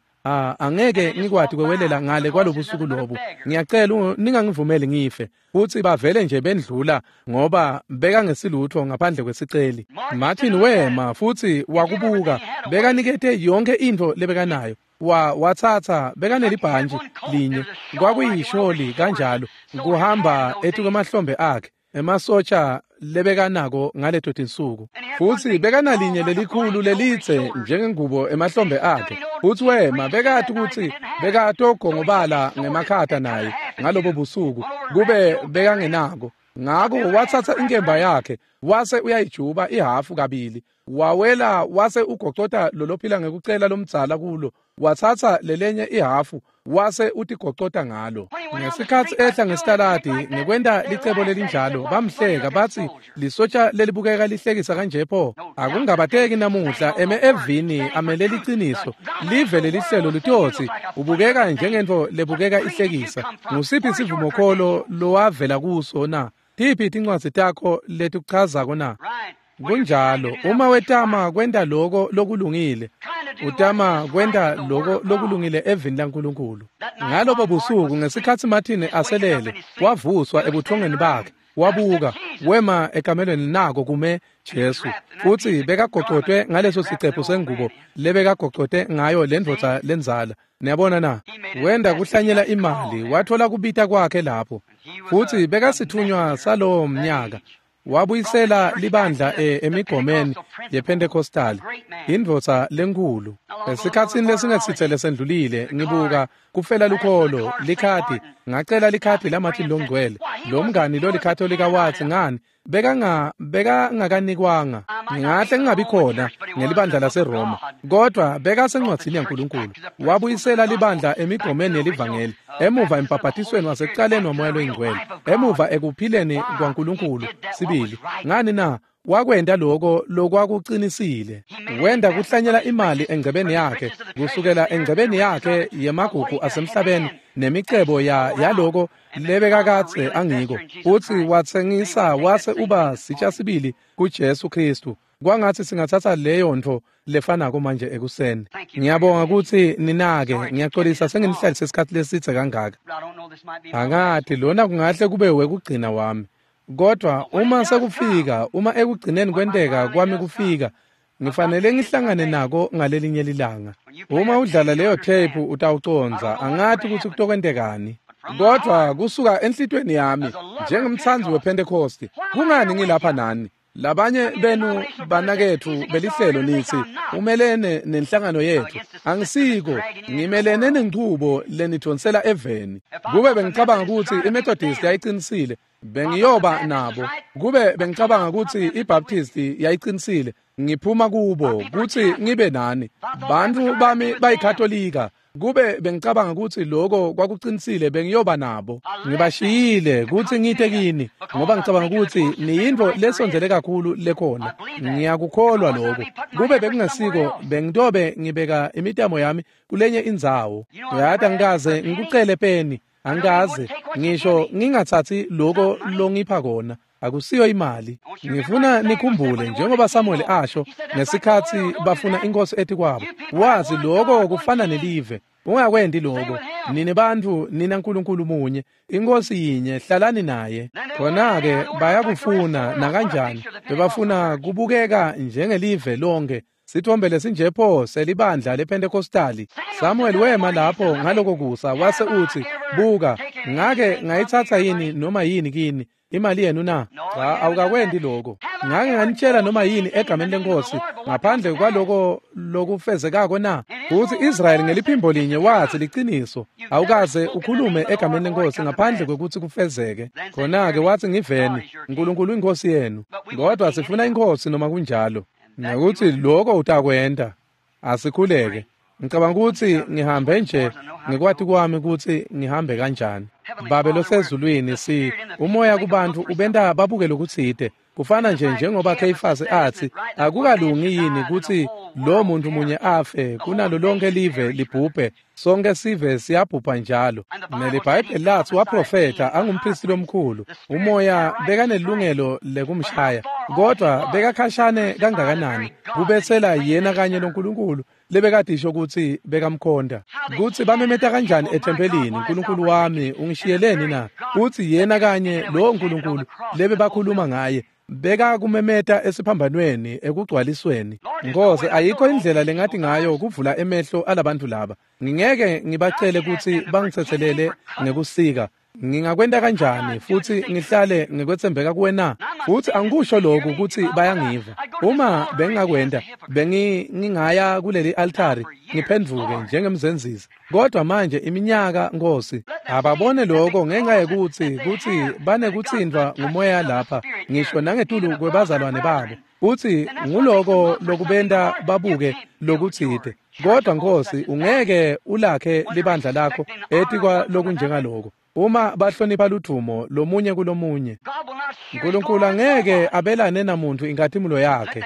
angeke ngikwati kwewelela ngale kwalobusuku lobu, ngiyacela ningangivumeli ngife. Futsi bavele nje bendlula, ngoba bekangesilutho ngaphandle kwesiceli. Martin wema futsi wakubuka, bekanikete yonke intfo lebekanayo. Watsatsa bekanelibhantji linye, kwakuyisholi kanjalo, kuhamba etukwemahlombe akhe emasotsha lebekanako ngaleto tinsuku. Futsi bekanalinye lelikhulu lelitse njengengubo emahlombe akhe, futsi wema bekati kutsi bekatogongobala ngemakhata naye ngalobo busuku kube bekangenako. Ngako watsatsa inkemba yakhe wase uyayijuba ihafu kabili, wawela wase ugocota lolophila ngekucela lomdzala kulo, watsatsa lelenye ihafu wase utigocota ngalo. Ngesikhatsi ehla ngesitaladi ngekwenta licebo lelinjalo, bamhleka batsi, lisotsha lelibukeka lihlekisa kanje pho? Akungabateki namuhla eme evini amele liciniso, live lelihlelo litotsi ubukeka njengentfo lebukeka ihlekisa. Ngusiphi sivumokholo lowavela kuso na? Tiphi tincwadzi takho letikuchazako na? Kunjalo, uma wetama kwenta loko lokulungile, utama kwenta loko lokulungile evini laNkulunkulu. Ngalobo busuku ngesikhatsi Martin aselele, wavuswa ebuthongweni bakhe, wabuka, wema ekamelweni nako kume Jesu, futsi bekagocotwe ngaleso sicephu sengubo lebekagocote ngayo lendvodza lendzala. Niyabona na? Wenda kuhlanyela imali, wathola kubita kwakhe lapho, futsi bekasithunywa salowo mnyaka. Wabuyisela libandla emigomeni yePentecostal, indvodza lenkulu. Esikhatsini lesingesitse lesendlulile ngibuka kufela lukholo likhadi, ngacela likhadi laMartin longcwele. Lo mngani lolikatolika watsi, ngani bekangakanikwanga, ngingahle ngingabi khona ngelibandla laseRoma, kodwa bekasencwadzini yaNkulunkulu. Wabuyisela libandla emigomeni yelivangeli, emuva embhabhatisweni wasekucaleni waMoya loyiNgcwele, emuva ekuphileni kwaNkulunkulu sibili. Ngani na? Wakwenta loko lokwakucinisile. Wenda kuhlanyela imali engcebeni yakhe, kusukela engcebeni yakhe yemagugu asemhlabeni nemicebo yaloko lebekakadze angiko, futsi watsengisa wase uba sitsha sibili kuJesu Khristu. Kwangatsi singatsatsa leyo ntfo lefanako manje ekuseni. Ngiyabonga kutsi ninake, ngiyaxolisa senginihlalise isikhatsi lesidze kangaka. Angati lona kungahle kube wekugcina wami, kodwa uma sekufika, uma ekugcineni kwenteka kwami kufika, ngifanele ngihlangane nako ngalelinye lilanga. Uma udlala leyo tape utawucondza, angati kutsi kutokwentekani. Kodwa kusuka enhlitweni yami njengemtsandzi wePentecost, kungani ngilapha nani? Labanye benu banaketfu belihlelo nithi umelene nenhlangano yethu. Angisiko, ngimelene nenchubo lenidvonsela eveni. Kube bengicabanga kutsi iMethodist yayicinisile, bengiyoba nabo. Kube bengicabanga kutsi iBaptist yayicinisile, ngiphuma kubo kutsi ngibe nani. Bantfu bami bayikhatolika. Kube bengicabanga kutsi lokho kwakucinisile, bengiyoba nabo. Ngibashiyile kutsi ngite kini, ngoba ngicabanga kutsi niyintfo lesondzele kakhulu lekhona. Ngiyakukholwa lokho. Kube bekungesiko, bengitobe ngibeka imitamo yami kulenye indzawo. Uyati, angikaze ngikucele peni, angikaze ngisho ngingatsatsi lokho longipha kona. Akusiyo imali. Ngifuna nikhumbule njengoba Samuel asho ngesikhatsi bafuna inkosi etikwabo. Wazi lokho kufana nelive. Ungakwendi lokho. Nini bantfu nina nkulunkulu munye, inkosi yinye, hlalani naye. Khona-ke bayakufuna nakanjani. Bebafuna kubukeka njengelive lonke. Sithombe lesinje pho selibandla lePentecostali. Samuel wema lapho ngaloko kusa wase utsi, buka, ngake ngayitsatsa yini noma yini kini imali yenu na? Cha, awukakwendi lokho. Ngake nganitshela noma yini egameni lenkosi ngaphandle kwaloko lokufezekako na? Futhi Israel ngeliphimbo linye wathi liciniso, awukaze ukhulume egameni lenkosi ngaphandle kwekutsi kufezeke. Khona-ke wathi ngiveni, uNkulunkulu inkosi yenu. Kodwa sifuna inkosi noma kunjalo. Ngekuthi lokho utakwenta. Asikhuleke. Ngicabanga ukuthi ngihambe nje ngikwati kwami ukuthi ngihambe kanjani. Babe losezulwini, si umoya kubantu ubenta babuke lokutsite. Kufana nje njengoba Kheyifasi athi akukalungi yini ukuthi lo muntu munye afe kunalo lonke live libhubhe, sonke sive siyabhubha njalo. NeliBhayibheli lathi waprofetha angumpristi lomkhulu, umoya bekanelungelo lekumshaya, kodwa bekakhashane kangakanani kubetsela yena kanye noNkulunkulu lebekadisho ukuthi bekamkhonda. Kutsi bamemeta kanjani ethempelini, uNkulunkulu wami ungishiyeleni na? Uthi yena kanye lowo nkulunkulu lebebakhuluma ngaye beka kumemeta esiphambanweni ekugcwalisweni. Nkosi, ayikho indlela lengathi ngayo kuvula emehlo alabantu laba. Ngingeke ngibacele kutsi bangitsetselele ngekusika. Ngingakwenta kanjani futhi ngihlale ngikwetsembeka kuwe na? Futhi angikusho lokhu ukuthi bayangiva. Uma bengingakwenta, bengingaya kuleli altari ngiphendvuke njengemzenzisi. Kodwa manje iminyaka, Nkosi, ababone lokho ngenxa yekutsi kutsi banekutsintfwa ngumoya lapha, ngisho nangetulu kwebazalwane babo. Uthi nguloko lokubenta babuke lokutsite. Kodwa Nkosi, ungeke ulakhe libandla lakho etikwa lokunjengaloko. Uma bahlonipha ludvumo lomunye kulomunye, uNkulunkulu angeke abelane namuntu inkhatimulo yakhe.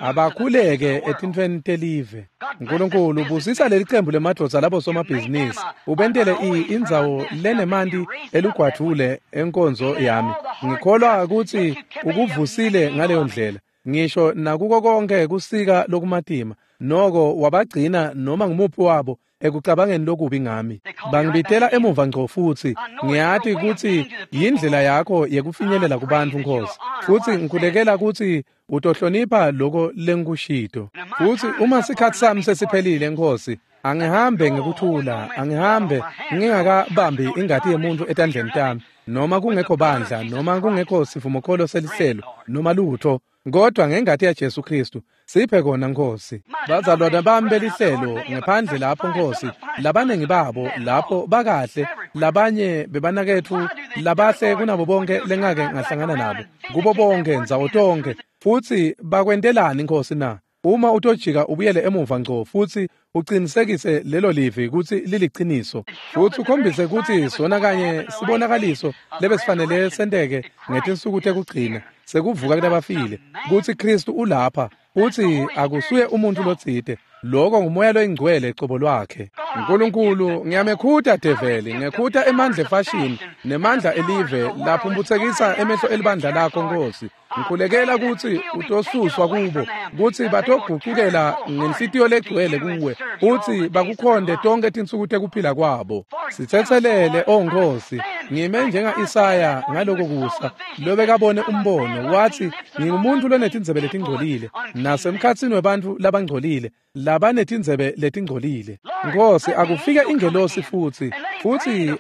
Abakhuleke etintfweni telive. uNkulunkulu busisa leli qembu lemadvodza labo somabhizinisi, ubentele indzawo lenemanti elugwadvule enkonzo yami. Ngikholwa ukuthi ukuvusile ngaleyo ndlela, ngisho nakuko konke kusika lokumatima, noko wabagcina noma ngumuphi wabo ekucabangeni lokubi ngami. Bangibitela emuva ngco futhi ngiyati kutsi yindlela yakho yekufinyelela kubantfu, Nkosi. Futhi ngikhulekela kutsi utohlonipha lokho lengikushito. Futhi uma sikhatsi sami sesiphelile, Nkosi, angihambe ngekuthula, angihambe ngingakabambi ingati yemuntu etandleni tami, noma kungekho bandla, noma kungekho sivumokholo selihlelo, noma lutho, kodwa ngengati yaJesu Kristu. Siphe kona, Nkosi. Bazalwane bami belihlelo ngephandle lapho, Nkosi, labaningi babo lapho bakahle, labanye bebanaketfu labahle kunabo bonke lengake ngahlangana nabo, kubo bonke ndzawo tonke. Futhi bakwentelani, Nkosi na? Uma utojika ubuyele emuva ngco futhi uqinisekise lelo livi kutsi liliqiniso, futhi ukhombise kutsi sona kanye sibonakaliso lebesifanele senteke ngetinsuku tekugcina sekuvuka kulabafile, kutsi Kristu ulapha, uthi akusuye umuntu lotsite, lokho ngumoya loyingcwele cobo lwakhe. uNkulunkulu, ngiyamekhuta develi, ngekhuta emandla efashini nemandla elive laphumputsekisa emehlo elibandla lakho, Nkosi. Ngikhulekela kutsi utosuswa kubo, kutsi batogucukela ngenhlitiyo legcwele kuwe, utsi bakukhonde tonke tinsuku tekuphila kwabo. Sitsetselele, o Nkosi. Ngime njenga-Isaya ngaloko kusa, lobekabone umbono, wathi, ngingumuntu lonetindzebe letingcolile, nasemkhatsini webantfu labangcolile, labanetindzebe letingcolile. Nkosi, akufike ingelosi futsi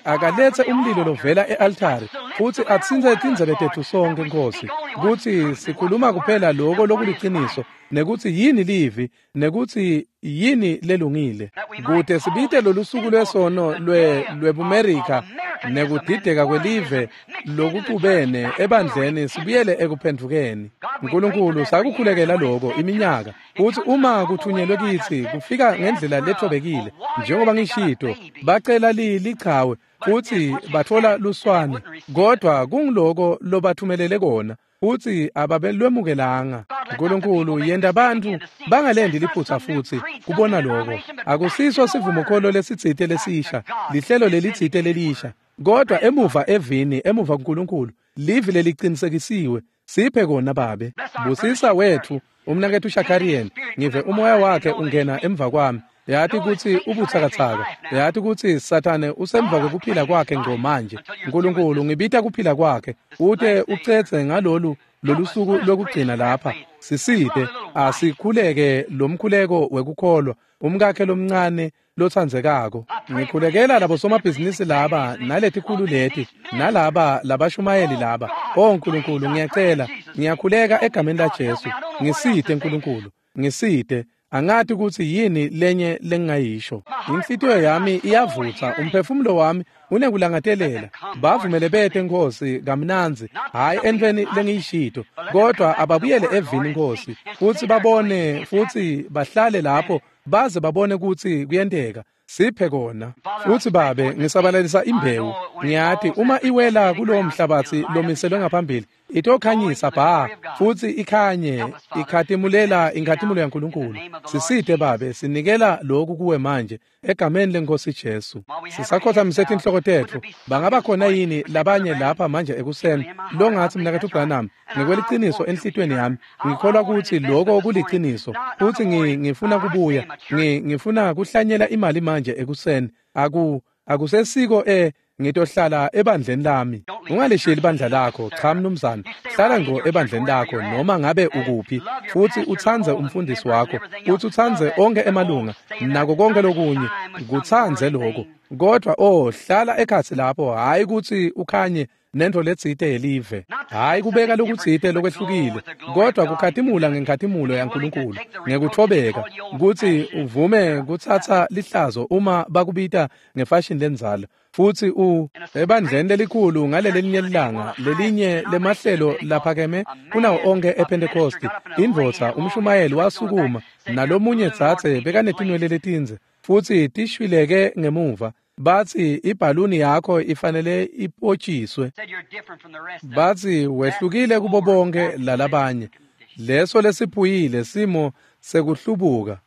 akaletse umlilo lovela e-altari, futsi atsintse tindzebe tetfu sonke, Nkosi, kutsi sikhuluma kuphela loko lokuliciniso, nekutsi yini livi, nekutsi yini lelungile, kute sibite lolusuku lwesono lwebuMerika nekudideka kwelive lokucubene ebandleni sibuyele ekuphendvukeni. Nkulunkulu, sakukhulekela loko iminyaka, futsi uma kuthunyelwe kitsi kufika ngendlela lethobekile, njengoba ngishito, bacela lichawe futsi batfola luswane, kodwa kungiloko lobathumelele kona, futsi ababelwemukelanga. Nkulunkulu, yenta bantfu bangalendi liphutsa futsi kubona loko. Akusiso sivumokholo lesitsite lesisha, lihlelo lelitsite lelisha, kodwa emuva evini, emuva kuNkulunkulu, livi lelicinisekisiwe. Siphe kona Babe. Busisa wetfu umnaketfu Shakarian, ngive umoya wakhe ungena emva kwami. Yati kutsi ubutsakatsaka, yati kutsi Sathane usemva kwekuphila kwakhe ngco manje. Nkulunkulu, ngibita kuphila kwakhe, ute ucedze ngalolu lolusuku lokugcina lapha. Sisite, asikhuleke lomkhuleko wekukholwa, umkakhe lomncane lotsandzekako. Ngikhulekela labo somabhizinisi laba naletikhulu leti nalaba labashumayeli laba. Oh Nkulunkulu, ngiyacela, ngiyakhuleka egameni laJesu. Ngisite Nkulunkulu, ngisite. Angati kutsi yini lenye lengingayisho. Inhlitiyo yami iyavutsa, umphefumulo wami unekulangatelela. Bavumele bete Nkosi kamnandzi, hhayi entweni lengiyishito, kodwa ababuyele evini Nkosi, futsi babone futsi bahlale lapho baze babone kutsi kuyenteka. Siphe kona. Futsi Babe, ngisabalalisa imbewu. Ngiyati uma iwela kulowo mhlabatsi lomiselwe ngaphambili, itokhanyisa bha, futsi ikhanye, ikhatimulela inkhatimulo yaNkulunkulu. Sisite Babe, sinikela lokhu kuwe manje, egameni leNkosi Jesu. Sisakhothamise tinhloko tetfu. Bangaba khona yini labanye lapha manje ekuseni longatsi mnaketfu Branham, ngekweliciniso enhlitiyweni yami, ngikholwa kutsi loko kuliciniso, futsi ngifuna kubuya, ngifuna kuhlanyela imali manje ekuseni. Akusesiko ngitohlala ebandleni lami. Ungalisheli ibandla lakho, cha mnumzane. Hlala ngco ebandleni lakho noma ngabe ukuphi, futsi utsandze umfundisi wakho, futsi utsandze onke emalunga, nako konke lokunye, kutsandze lokho. Kodwa hlala ekhatsi lapho, hhayi kutsi ukhanye nento letsite yelive, hhayi kubeka lokutsite lokwehlukile, kodwa kukhatimula ngenkhatimulo yaNkulunkulu, ngekuthobeka, kutsi uvume kutsatsa lihlazo uma bakubita ngefashini lendzala. Futsi ebandleni lelikhulu ngalelelinye lilanga, lelinye lemahlelo laphakeme kunawo onke ePentecost, indvodza umshumayeli wasukuma, nalomunye dzadze bekanetinwele letindze, futsi tishwileke ngemuva. Batsi ibhaluni yakho ifanele ipotshiswe. Batsi wehlukile kubo bonke lalabanye. Leso lesiphuyile simo sekuhlubuka.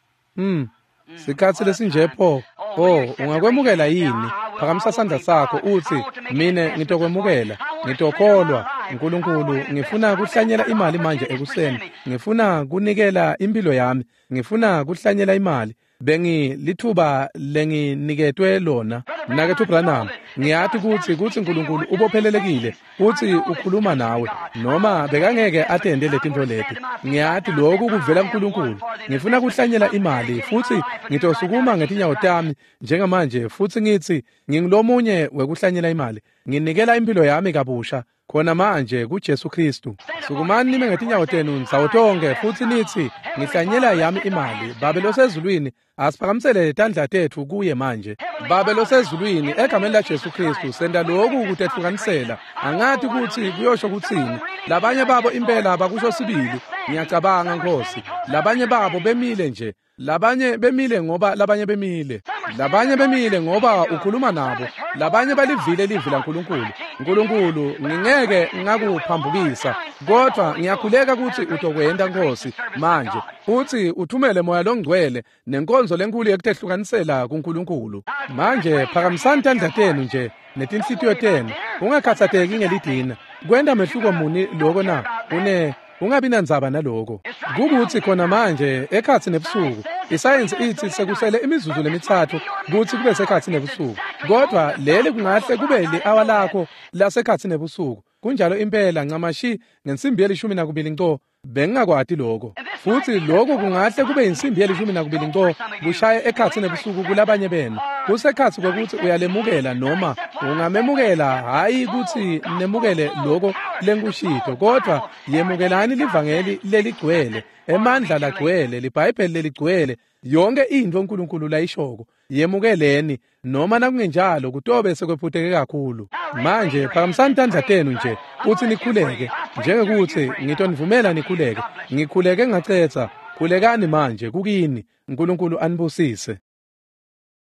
Sikhatsi lesinje pho. Oh, ungakwemukela yini? Phakamisa sandla sakho utsi, mine ngitokwemukela, ngitokholwa. Nkulunkulu, ngifuna kuhlanyela imali manje ekuseni. Ngifuna kunikela impilo yami. Ngifuna kuhlanyela imali. Bengilithuba lenginiketwe lona. Mnaketfu Branham, ngiyati kutsi Nkulunkulu ubophelelekile kutsi ukhuluma nawe, noma bekangeke atende letintfo leti. Ngiyati lokhu kuvela kuNkulunkulu. Ngifuna kuhlanyela imali futsi ngitosukuma ngetinyawo tami njengamanje futsi ngitsi ngingulomunye wekuhlanyela imali. Nginikela impilo yami kabusha khona manje kuJesu Kristu. Sukumani nime ngetinyawo tenu ndzawo tonke futsi nitsi, ngihlanyela yami imali. Babe losezulwini, asiphakamisele tandla tetfu kuye manje. Babe losezulwini, egameni laJesu Kristu, senta lokhu kutehlukanisela. Angati kutsi kuyosho kutsini. Labanye babo impela bakusho sibili. Ngiyacabanga Nkosi. Labanye babo bemile nje. Labanye bemile ngoba labanye bemile. Labanye bemile ngoba ukhuluma nabo. Labanye balivile livi laNkulunkulu. Nkulunkulu, ngingeke ngakuphambukisa, kodwa ngiyakhuleka kutsi utokwenta Nkosi manje, futsi uthumele Moya loNgcwele nenkonzo lenkulu yekutehlukanisela kuNkulunkulu. Manje phakamisani tandla tenu nje netinhlitiyo tenu. Ungakhatsateki ngelidina. Kwenta mehluko muni loko na? Ungabi nandzaba naloko. Kukutsi khona manje ekhatsi nebusuku, isayensi itsi sekusele imizuzu lemitsatfu kutsi kube sekhatsi nebusuku. Kodvwa leli kungahle kube li-awa lakho lasekhatsi nebusuku. Kunjalo impela ncamashi ngensimbi ye-12 nco. Bengingakwati lokho. Futsi lokhu kungahle kube insimbi ye-12 nco kushaye ekhatsi nebusuku kulabanye benu. Kusekhatsi kwekutsi uyalemukela noma ungamemukela, hhayi kutsi nemukele lokho lengikushito, kodvwa yemukelani livangeli leligcwele, emandla lagcwele, liBhayibheli leligcwele, yonke intfo uNkulunkulu layishoko. Yemukeleni, noma nakungenjalo kutobe sekwephuteke kakhulu. Manje phakamisani tandla tenu nje kutsi nikhuleke, njengekutsi ngitonivumela nikhuleke. Ngikhuleke ngacetha. Khulekani manje kukini. uNkulunkulu anibusise.